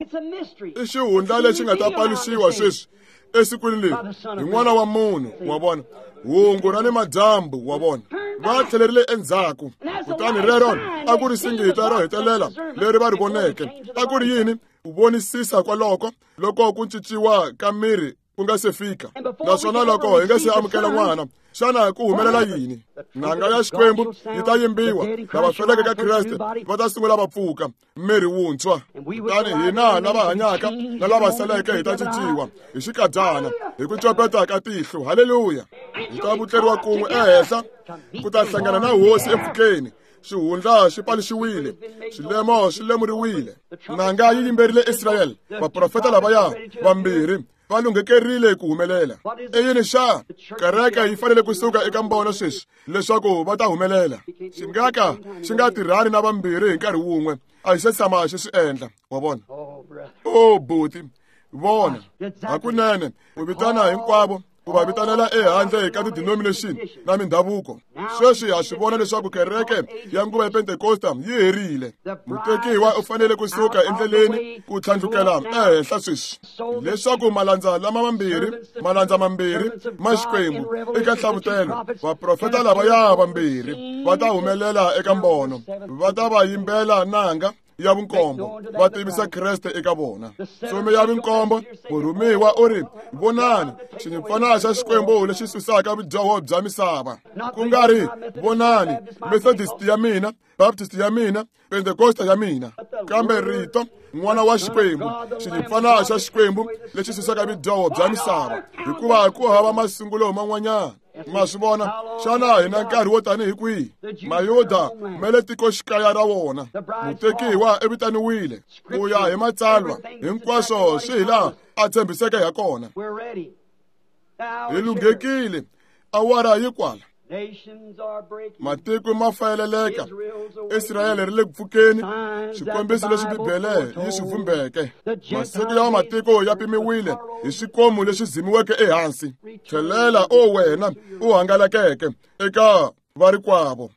I xihundla lexi nga ta paluxiwa sweswi esikwini leri hi n'wana wa munhu. Wa vona, hungu ra ni madyambu. Wa vona, va tlhelerile endzhaku. Kutani rero a ku ri singita ro hetelela leri va ri voneke. A ku ri yini? Ku vonisisa kwaloko loko ku cinciwa ka miri ku nga se fika, naswona loko hi nga se amukela n'wana, xana ku humelela yini? Nanga ya Xikwembu yi ta yimbiwa, lava feleke ka Kreste va ta sungula va pfuka miri wuntshwa. Kutani hina lava hanyaka na lava saleke hi ta cinciwa hi xikadyana, hi ku copeta ka tihlo. Haleluya! Hi ta vutleriwa kun'we ehenhla ku ta hlangana na Hosi empfhukeni. Xihundla xi paluxiwile, xilemo xi lemuriwile. Nanga yi yimberile Israyele. Vaprofeta lavaya vambirhi va lunghekerile ku humelela. I yini xa? Kereke yi fanele kusuka eka mbono sweswi leswaku va ta humelela. Xi nga ka xi nga tirhani na vambirhi hi nkarhi wun'we. A hi se tshama xi swi endla. Wa vona? O buti, vona hakunene u vitana hinkwavo ku va vitanela ehandle ka ti-denomination na mindhavuko. Sweswi ha swi vona leswaku kereke ya nguva ya Pentekosta yi herile. Mutekiwa u fanele ku suka endleleni ku tlhandlukela ehenhla sweswi, leswaku malandza lama mambirhi, malandza mambirhi ma Xikwembu eka nhlavutelo, vaprofeta lavaya vambirhi va ta humelela eka mbono, va ta va yimbela nanga ya vunkombo, va tivisa Kreste eka vona. Ntsumi ya vunkombo, murhumiwa u ri, vonani xinyimpfana xa Xikwembu lexi susaka vudyoho bya misava. Ku nga ri vonani Methodist ya mina, Baptist ya mina, Pentecosta ya mina, kambe rito n'wana wa Xikwembu, xinyimpfana xa Xikwembu lexi susaka vudyoho bya misava, hikuva ku hava masungulo man'wanyana. Ma swi vona xana hi na nkarhi wo tanihi kwihi? Mayuda ma le tikoxikaya ra wona. Mutekiwa i vitaniwile ku ya hi matsalwa, hinkwaswo swi hi laha a tshembiseke ha kona. Hi lunghekile, awara yi kwala. Matiko ma fayeleleka, Israyele ri le ku pfukeni, swikombiso leswi Bibele yi swi vhumbeke. Masiku ya matiko ya pimiwile hi swikomu leswi dzimiweke ehansi. Tlhelela o wena u hangalakeke eka varikwavo.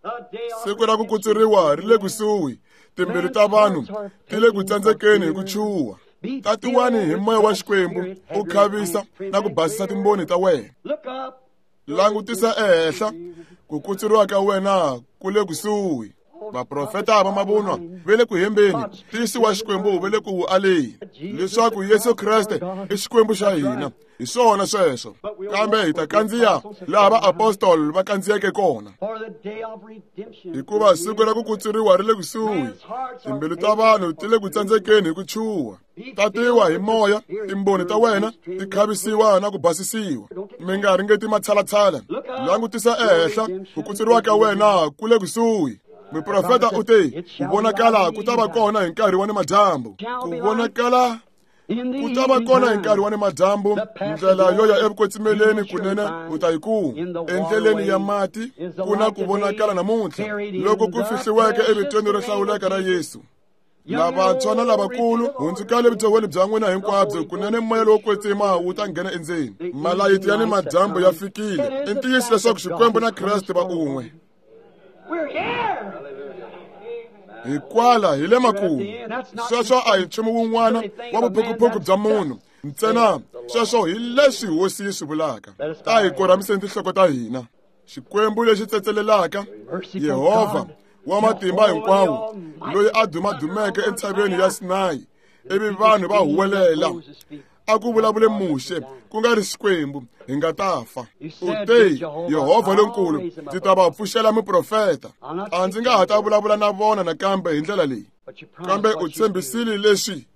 Siku ra ku kutsuriwa ri le kusuhi, timbilu ta vanhu ti le ku tsandzekeni hi ku chuha. Tatiwani hi moya wa Xikwembu u khavisa na ku basisa timboni ta wena. Langutisa ehenhla, ku kutsuriwa ka wena ku le kusuhi. Vaprofeta va mavunwa ve le ku hembeni, ntiyiso wa Xikwembu ve le ku wu aleni, leswaku Yesu Kreste i Xikwembu xa hina. Hi swona sweswo, kambe hi ta kandziya laha vaapostoli va kandziyeke kona, hikuva siku ra ku kutsuriwa ri le kusuhi. Timbilu ta vanhu ti le ku tsandzekeni hi ku chuha. Tatiwa hi moya, timboni ta wena ti khavisiwa na ku basisiwa. Mi nga ringeti matshalatshala. Langutisa ehenhla, ku kutsuriwa ka wena ku le kusuhi. Muprofeta u te, ku vonakala ku ta va kona hi nkarhi wa nimadyambu. Ku vonakala ku ta va kona hi nkarhi wa nimadyambu, ndlela yo ya evukwetsimeleni kunene u ta yi kuma. Endleleni ya mati ku na ku vonakala namuntlha, loko ku fihliweke evitweni ro hlawuleka ra Yesu. Lavantshwa na lavakulu, hundzukani evudyohweni bya n'wina hinkwabyo, kunene moya lowo kwetsima wu ta nghena endzeni. Malayiti ya nimadyambu ya fikile. I ntiyiso leswaku Xikwembu na Kreste va un'we. Hikwala hi le makumu. Sweswo a hi nchumu wun'wana wa vuphukuphuku bya munhu ntsena, sweswo hi leswi Hosi yi swi vulaka. Ta hi korhamiseni tinhloko ta hina. Xikwembu lexi tsetselelaka, Yehovha wa matimba hinkwawo, loyi a dumadumeke entshaveni ya Sinayi, ivi vanhu va huwelela, a ku vulavule Muxe, ku nga ri Xikwembu, hi nga ta fa. U te, Yehovha lonkulu, ndzi ta va pfuxela muprofeta. A ndzi nga ha ta vulavula na vona nakambe hi ndlela leyi, kambe u tshembisile leswi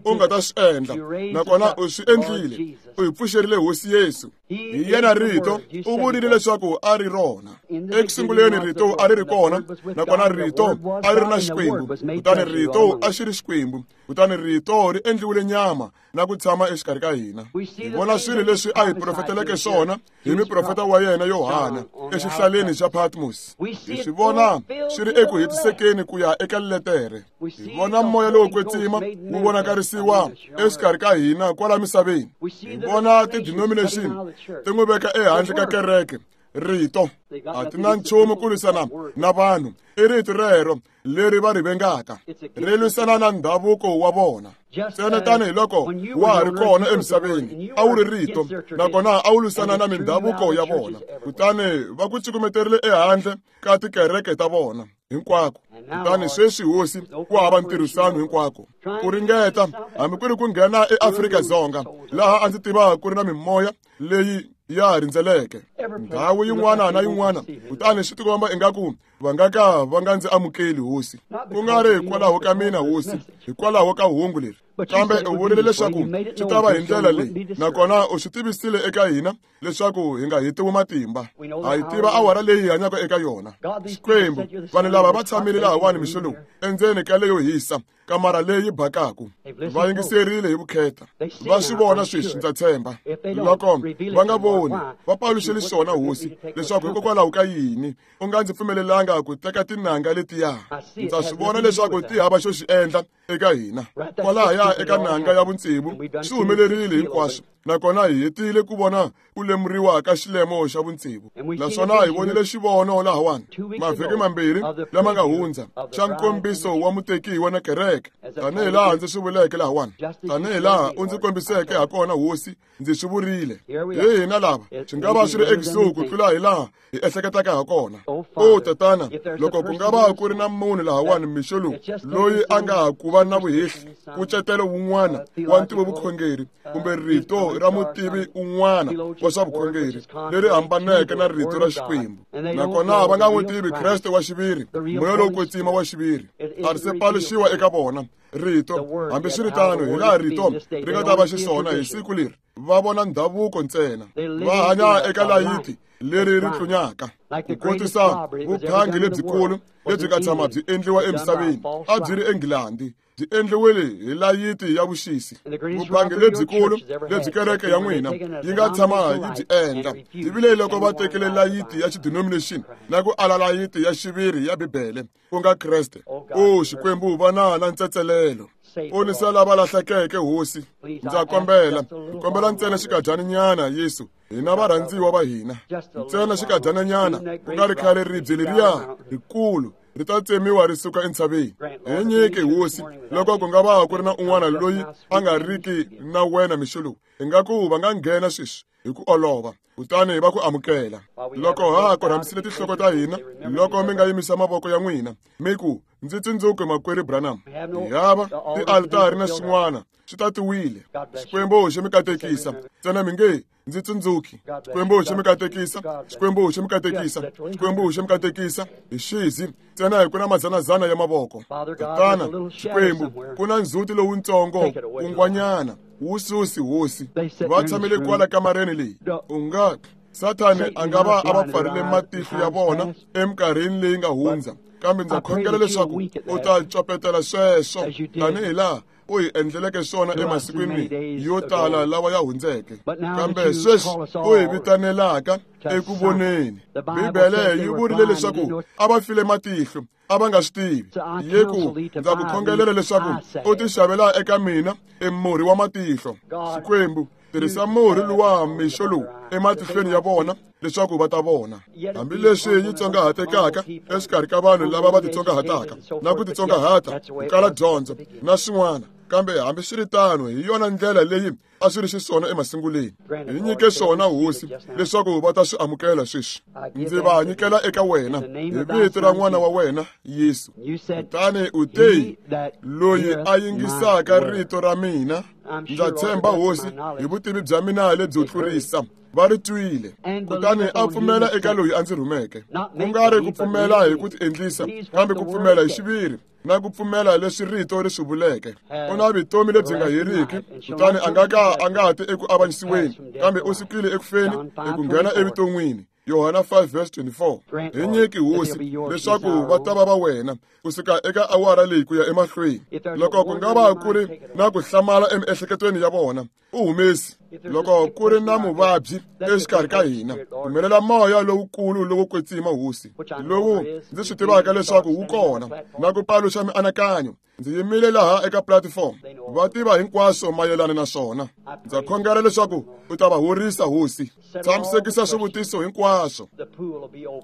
u nga ta swi endla, nakona u swi endlile. U hi pfuxerile Hosi Yesu. Hi yena rito, u vurile leswaku a ri rona. Eku sunguleni rito a ri ri kona, nakona rito a ri ri na Xikwembu, kutani rito a xi ri Xikwembu, kutani rito ri endliwile nyama na ku tshama exikarhi ka hina. Hi vona swilo leswi a hi profeteleke swona hi muprofeta wa yena Yohana exihlaleni xa Patmos. Hi swi vona swi ri eku hetisekeni ku ya eka letere. Hi vona moya lowo kwetsima wu vonakarisiwa exikarhi ka hina kwala misaveni. Hi vona ti-denomination ti n'wi veka ehandle ka kereke. Rito a ti na nchumu ku lwisana na vanhu, i rito rero leri va ri vengaka, ri lwisana na ndhavuko wa vona. Ntsena tanihiloko wa ha ri kona emisaveni, a wu ri rito, nakona a wu lwisana na mindhavuko ya vona, kutani va ku cukumeterile ehandle ka tikereke ta vona hinkwako. Kutani sweswi Hosi ku hava ntirhisano hinkwako. Ku ringeta hambi ku ri ku nghena eAfrika-Dzonga, laha a ndzi tiva ku ri na mimoya leyi ya rindzeleke ndhawu yin'wana na yin'wana, kutani swi tikomba ingaku va nga ka va nga ndzi amukeli Hosi, ku nga ri hikwalaho ka mina Hosi, hikwalaho ka hungu leri, kambe u vurile leswaku swi ta va hi ndlela leyi, nakona u swi tivisile eka hina leswaku hi nga hetiwi matimba. Ha yi tiva awara leyi hi hanyaka eka yona. Xikwembu, vanhu lava va tshamile lahawani mixo lowu endzeni ka leyo hisa, kamara leyi bakaku, va yingiserile hi vukheta, va swi vona sweswi, ndza tshemba. Loko va nga voni, va paluxeli swona Hosi, leswaku hikokwalaho ka yini u nga ndzi pfumelelanga ku teka tinanga letiya. Ndza swi vona leswaku ti hava xo xi endla eka hina. Kwalahaya eka nanga ya vutsevu swi humelerile hinkwaswo, Nakona hi hetile ku vona ku lemuriwa ka xilemo xa vutsevu. Naswona hi vonile xivono lahawani mavhiki mambirhi lama nga hundza xa nkombiso wa mutekiwa na kereke, tanihi laha ndzi swi vuleke lahawani, tanihi laha u ndzi kombiseke hakona hosi, ndzi swi vurile. Hi hina lava swi nga va swi ri ekusuhi ku tlula hi laha hi ehleketaka hakona. O tatana, loko ku nga va ku ri na munhu lahawani mixo lowu loyi a nga ha ku va na vuhehli, nkucetelo wun'wana wa ntivovukhongeri kumbe rito ra mutivi un'wana wa swa vukhongeri leri hambaneke na rito ra Xikwembu, nakona va nga n'wi tivi Kreste wa xiviri, moya lowo kwetsima wa xiviri, a ri se paluxiwa eka vona rito. Hambiswiritano, hi laha rito ri nga ta va xiswona hi siku leri, va vona ndhavuko ntsena, va hanya eka layiti leri ri tlunyaka. Ku kotisa vuphangi lebyikulu lebyi nga tshama byi endliwa emisaveni a byi ri eNgilandi, byi endliwile hi layiti ya vuxisi. Vuphangi lebyikulu lebyi kereke ya n'wina yi nga tshama yi byi endla byi vile loko va tekile layiti ya xidenomination na ku ala layiti ya xiviri ya Bibele, ku nga Kreste. O Xikwembu, va na na ntsetselelo. Ponisa lava lahlekeke hosi, ndza kombela, kombela ntsena xikadyaninyana Yesu, hina varhandziwa va hina, ntsena xikadyaninyana, ku nga ri khale ribye leriya rikulu ri ta tsemiwa ri suka entshaveni. Hi nyike hosi, loko ku nga va ku ri na un'wana loyi a nga riki na wena mixo lowu, ingaku va nga nghena sweswi hi ku olova, kutani va ku amukela. Loko ha korhamisile tinhloko ta hina, loko mi nga yimisa mavoko ya n'wina mi ku, ndzi tsundzuke makwerhu Branham, hi hava tialitari na swin'wana swi tatiwile. Xikwembu xi mi katekisa, ntsena mi nge ndzi tsundzuki. Xikwembu xi mi katekisa, Xikwembu xi mi katekisa, Xikwembu xi mi katekisa. Hi xizi ntsena hi ku na madzanadzana ya mavoko. Tatana Xikwembu, ku na ndzhuti lowutsongo kungwanyana wu susi hosi, va tshamile kwala kamareni leyi. U nga Sathane a nga va a va pfarile matihlo ya vona eminkarhini leyi nga hundza, kambe ndza khongela leswaku u ta copetela sweswo tanihi laha u hi endleleke swona emasikwini yo tala lawa ya hundzeke. Kambe sweswi u hi vitanelaka eku voneni. Bibele yi vurile leswaku a va file matihlo, a va nga swi tivi. Ye ku ndza ku khongelela leswaku u tixavela eka mina emurhi wa matihlo. Xikwembu, tirhisa murhi luwa mixo lowu ematihlweni ya vona leswaku va ta vona. Hambileswi yi tsongahatekaka exikarhi ka vanhu lava va titsongahataka na ku titsongahata ku kala dyondzo na swin'wana, kambe hambiswiritano hi yona ndlela leyi a swi ri xiswona emasunguleni. Hi nyike swona hosi leswaku va ta swi amukela sweswi. Ndzi va nyikela eka wena hi vito ra n'wana wa wena Yesu. Kutani u te, loyi a yingisaka rito ra mina, ndza tshemba hosi hi vutivi bya mina lebyo tlurisa, va ri twile, kutani a pfumela eka loyi a ndzi rhumeke. Ku nga ri ku pfumela hi ku tiendlisa, kambe ku pfumela hi xiviri na ku pfumela leswi rito ri swi vuleke. U na vutomi lebyi nga heriki, kutani a nga ka a nga ti eku avanyisiweni, kambe u sukile eku feni eku nghena evuton'wini. Yohana five verse twenty-four. Hi nyiki hosi leswaku va ta va va wena kusuka eka awara leyi ku ya emahlweni. Loko ku nga va ku ri na ku hlamala emiehleketweni ya vona, u humesi. Loko ku ri na muvabyi exikarhi ka hina, pfumelela moya lowukulu lowo kwetsima hosi, lowu ndzi swi tivaka leswaku wu kona, na ku paluxa mianakanyo. Ndzi yimile laha eka platform, va tiva hinkwaswo mayelana na swona. Ndza khongela leswaku u ta va horisa hosi. Tshamisekisa swivutiso hinkwaswo.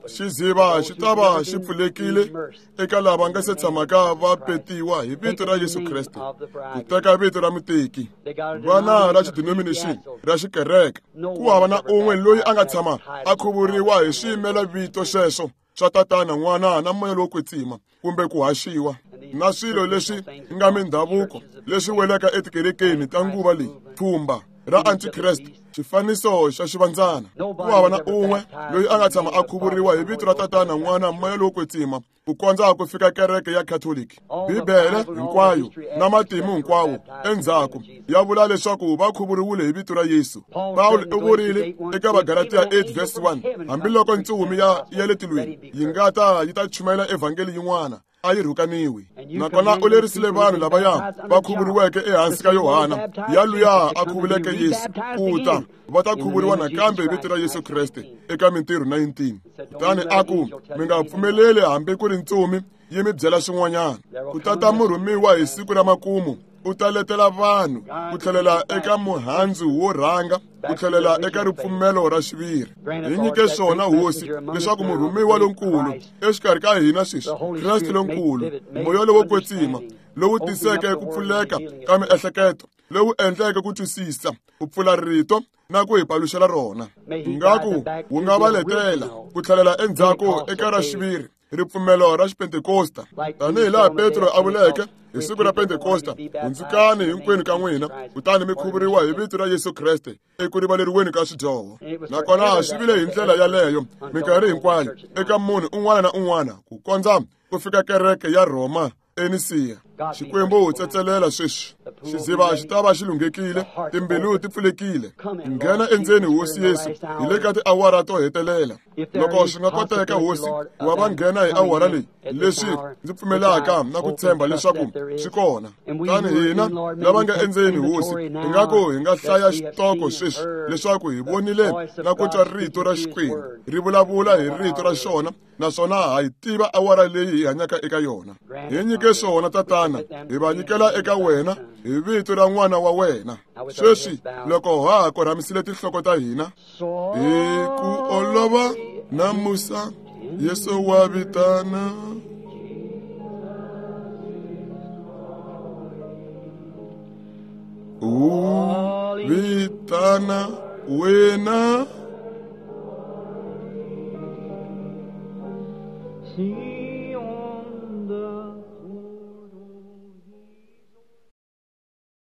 Xiziva xi ta va xi pfulekile eka lava nga se tshamaka va petiwa hi vito ra Yesu Kreste, ku teka vito ra muteki. Va na ra xidenomination ra xikereke, ku hava na un'we loyi a nga tshama a khuvuriwa hi swiyimela vito sweswo swa tatana, n'wana na moya lowo kwetsima, kumbe ku haxiwa na swilo leswi nga mindhavuko leswi welaka etikerekeni ta nguva leyi, pfhumba ra antikreste, xifaniso xa xivandzana. Ku hava na un'we loyi a nga tshama a khuvuriwa hi vito ra tatana, n'wana, moya lowo kwetsima, ku kondza ku fika kereke ya Catholic. Bibele hinkwayo na matimu hinkwawo endzhaku ya vula leswaku va khuvuriwile hi vito ra Yesu. Pawulo u vurile eka Vagalatiya eight verse one, hambiloko ntsumi ya ya le tilweni yi nga ta yi ta chumayela evhangeli yin'wana, a yi rhukaniwi. Nakona u lerisile vanhu lavaya va khuvuriweke ehansi ka Yohana, ya luya a khuvuleke Yesu, ku ta va ta khuvuriwa nakambe hi vito ra Yesu Kreste eka Mintirho nineteen. Kutani a ku, mi nga pfumeleli hambi ku ri ntsumi yi mi byela swin'wanyana. Ku tata murhumiwa hi siku ra makumu u ta letela vanhu ku tlhelela eka muhandzu wo rhanga ku tlhelela eka ripfumelo ra xiviri. Hi nyike swona Hosi leswaku murhumiwa lonkulu exikarhi ka hina sweswi, Kreste lonkulu, moya lowo kwetsima lowu tiseke ku pfuleka ka miehleketo, lowu endleke ku twisisa, ku pfula rito na ku hi paluxela rona. Ngaku wu nga va letela ku tlhelela endzhaku eka ra xiviri ripfumelo ra xipentekosta, tanihi laha Petro a vuleke hi siku ra Pentekosta, hundzukani hinkwenu ka n'wina kutani mi khuvuriwa hi vito ra Yesu Kreste eku rivaleriweni ka swidyoho. Nakona swi vile hi ndlela yaleyo minkarhi hinkwayo eka munhu un'wana na un'wana ku kondza ku fika kereke ya Rhoma eNisiya. Xikwembu tsetselela sweswi, xidziva xi ta va xi lunghekile, timbilu ti pfulekile. Nghena endzeni Hosi Yesu hi le ka tiawara to hetelela. Loko swi nga koteka Hosi, wa va nghena hi awara leyi, leswi ndzi pfumelaka na ku tshemba leswaku swi kona. Tani hina lava nga endzeni Hosi, hi nga ku hi nga hlaya xitoko sweswi leswaku hi vonile na ku twa rito ra Xikwembu ri vulavula hi rito ra xona, naswona ha yi tiva awara leyi hi hanyaka eka yona. Hi nyike swona Tatana, hi va nyikela eka wena hi vito ra n'wana wa wena. Sweswi loko ha ha korhamisile tinhloko ta hina, hi ku olova na musa Yesu wa vitana. U vitana wena.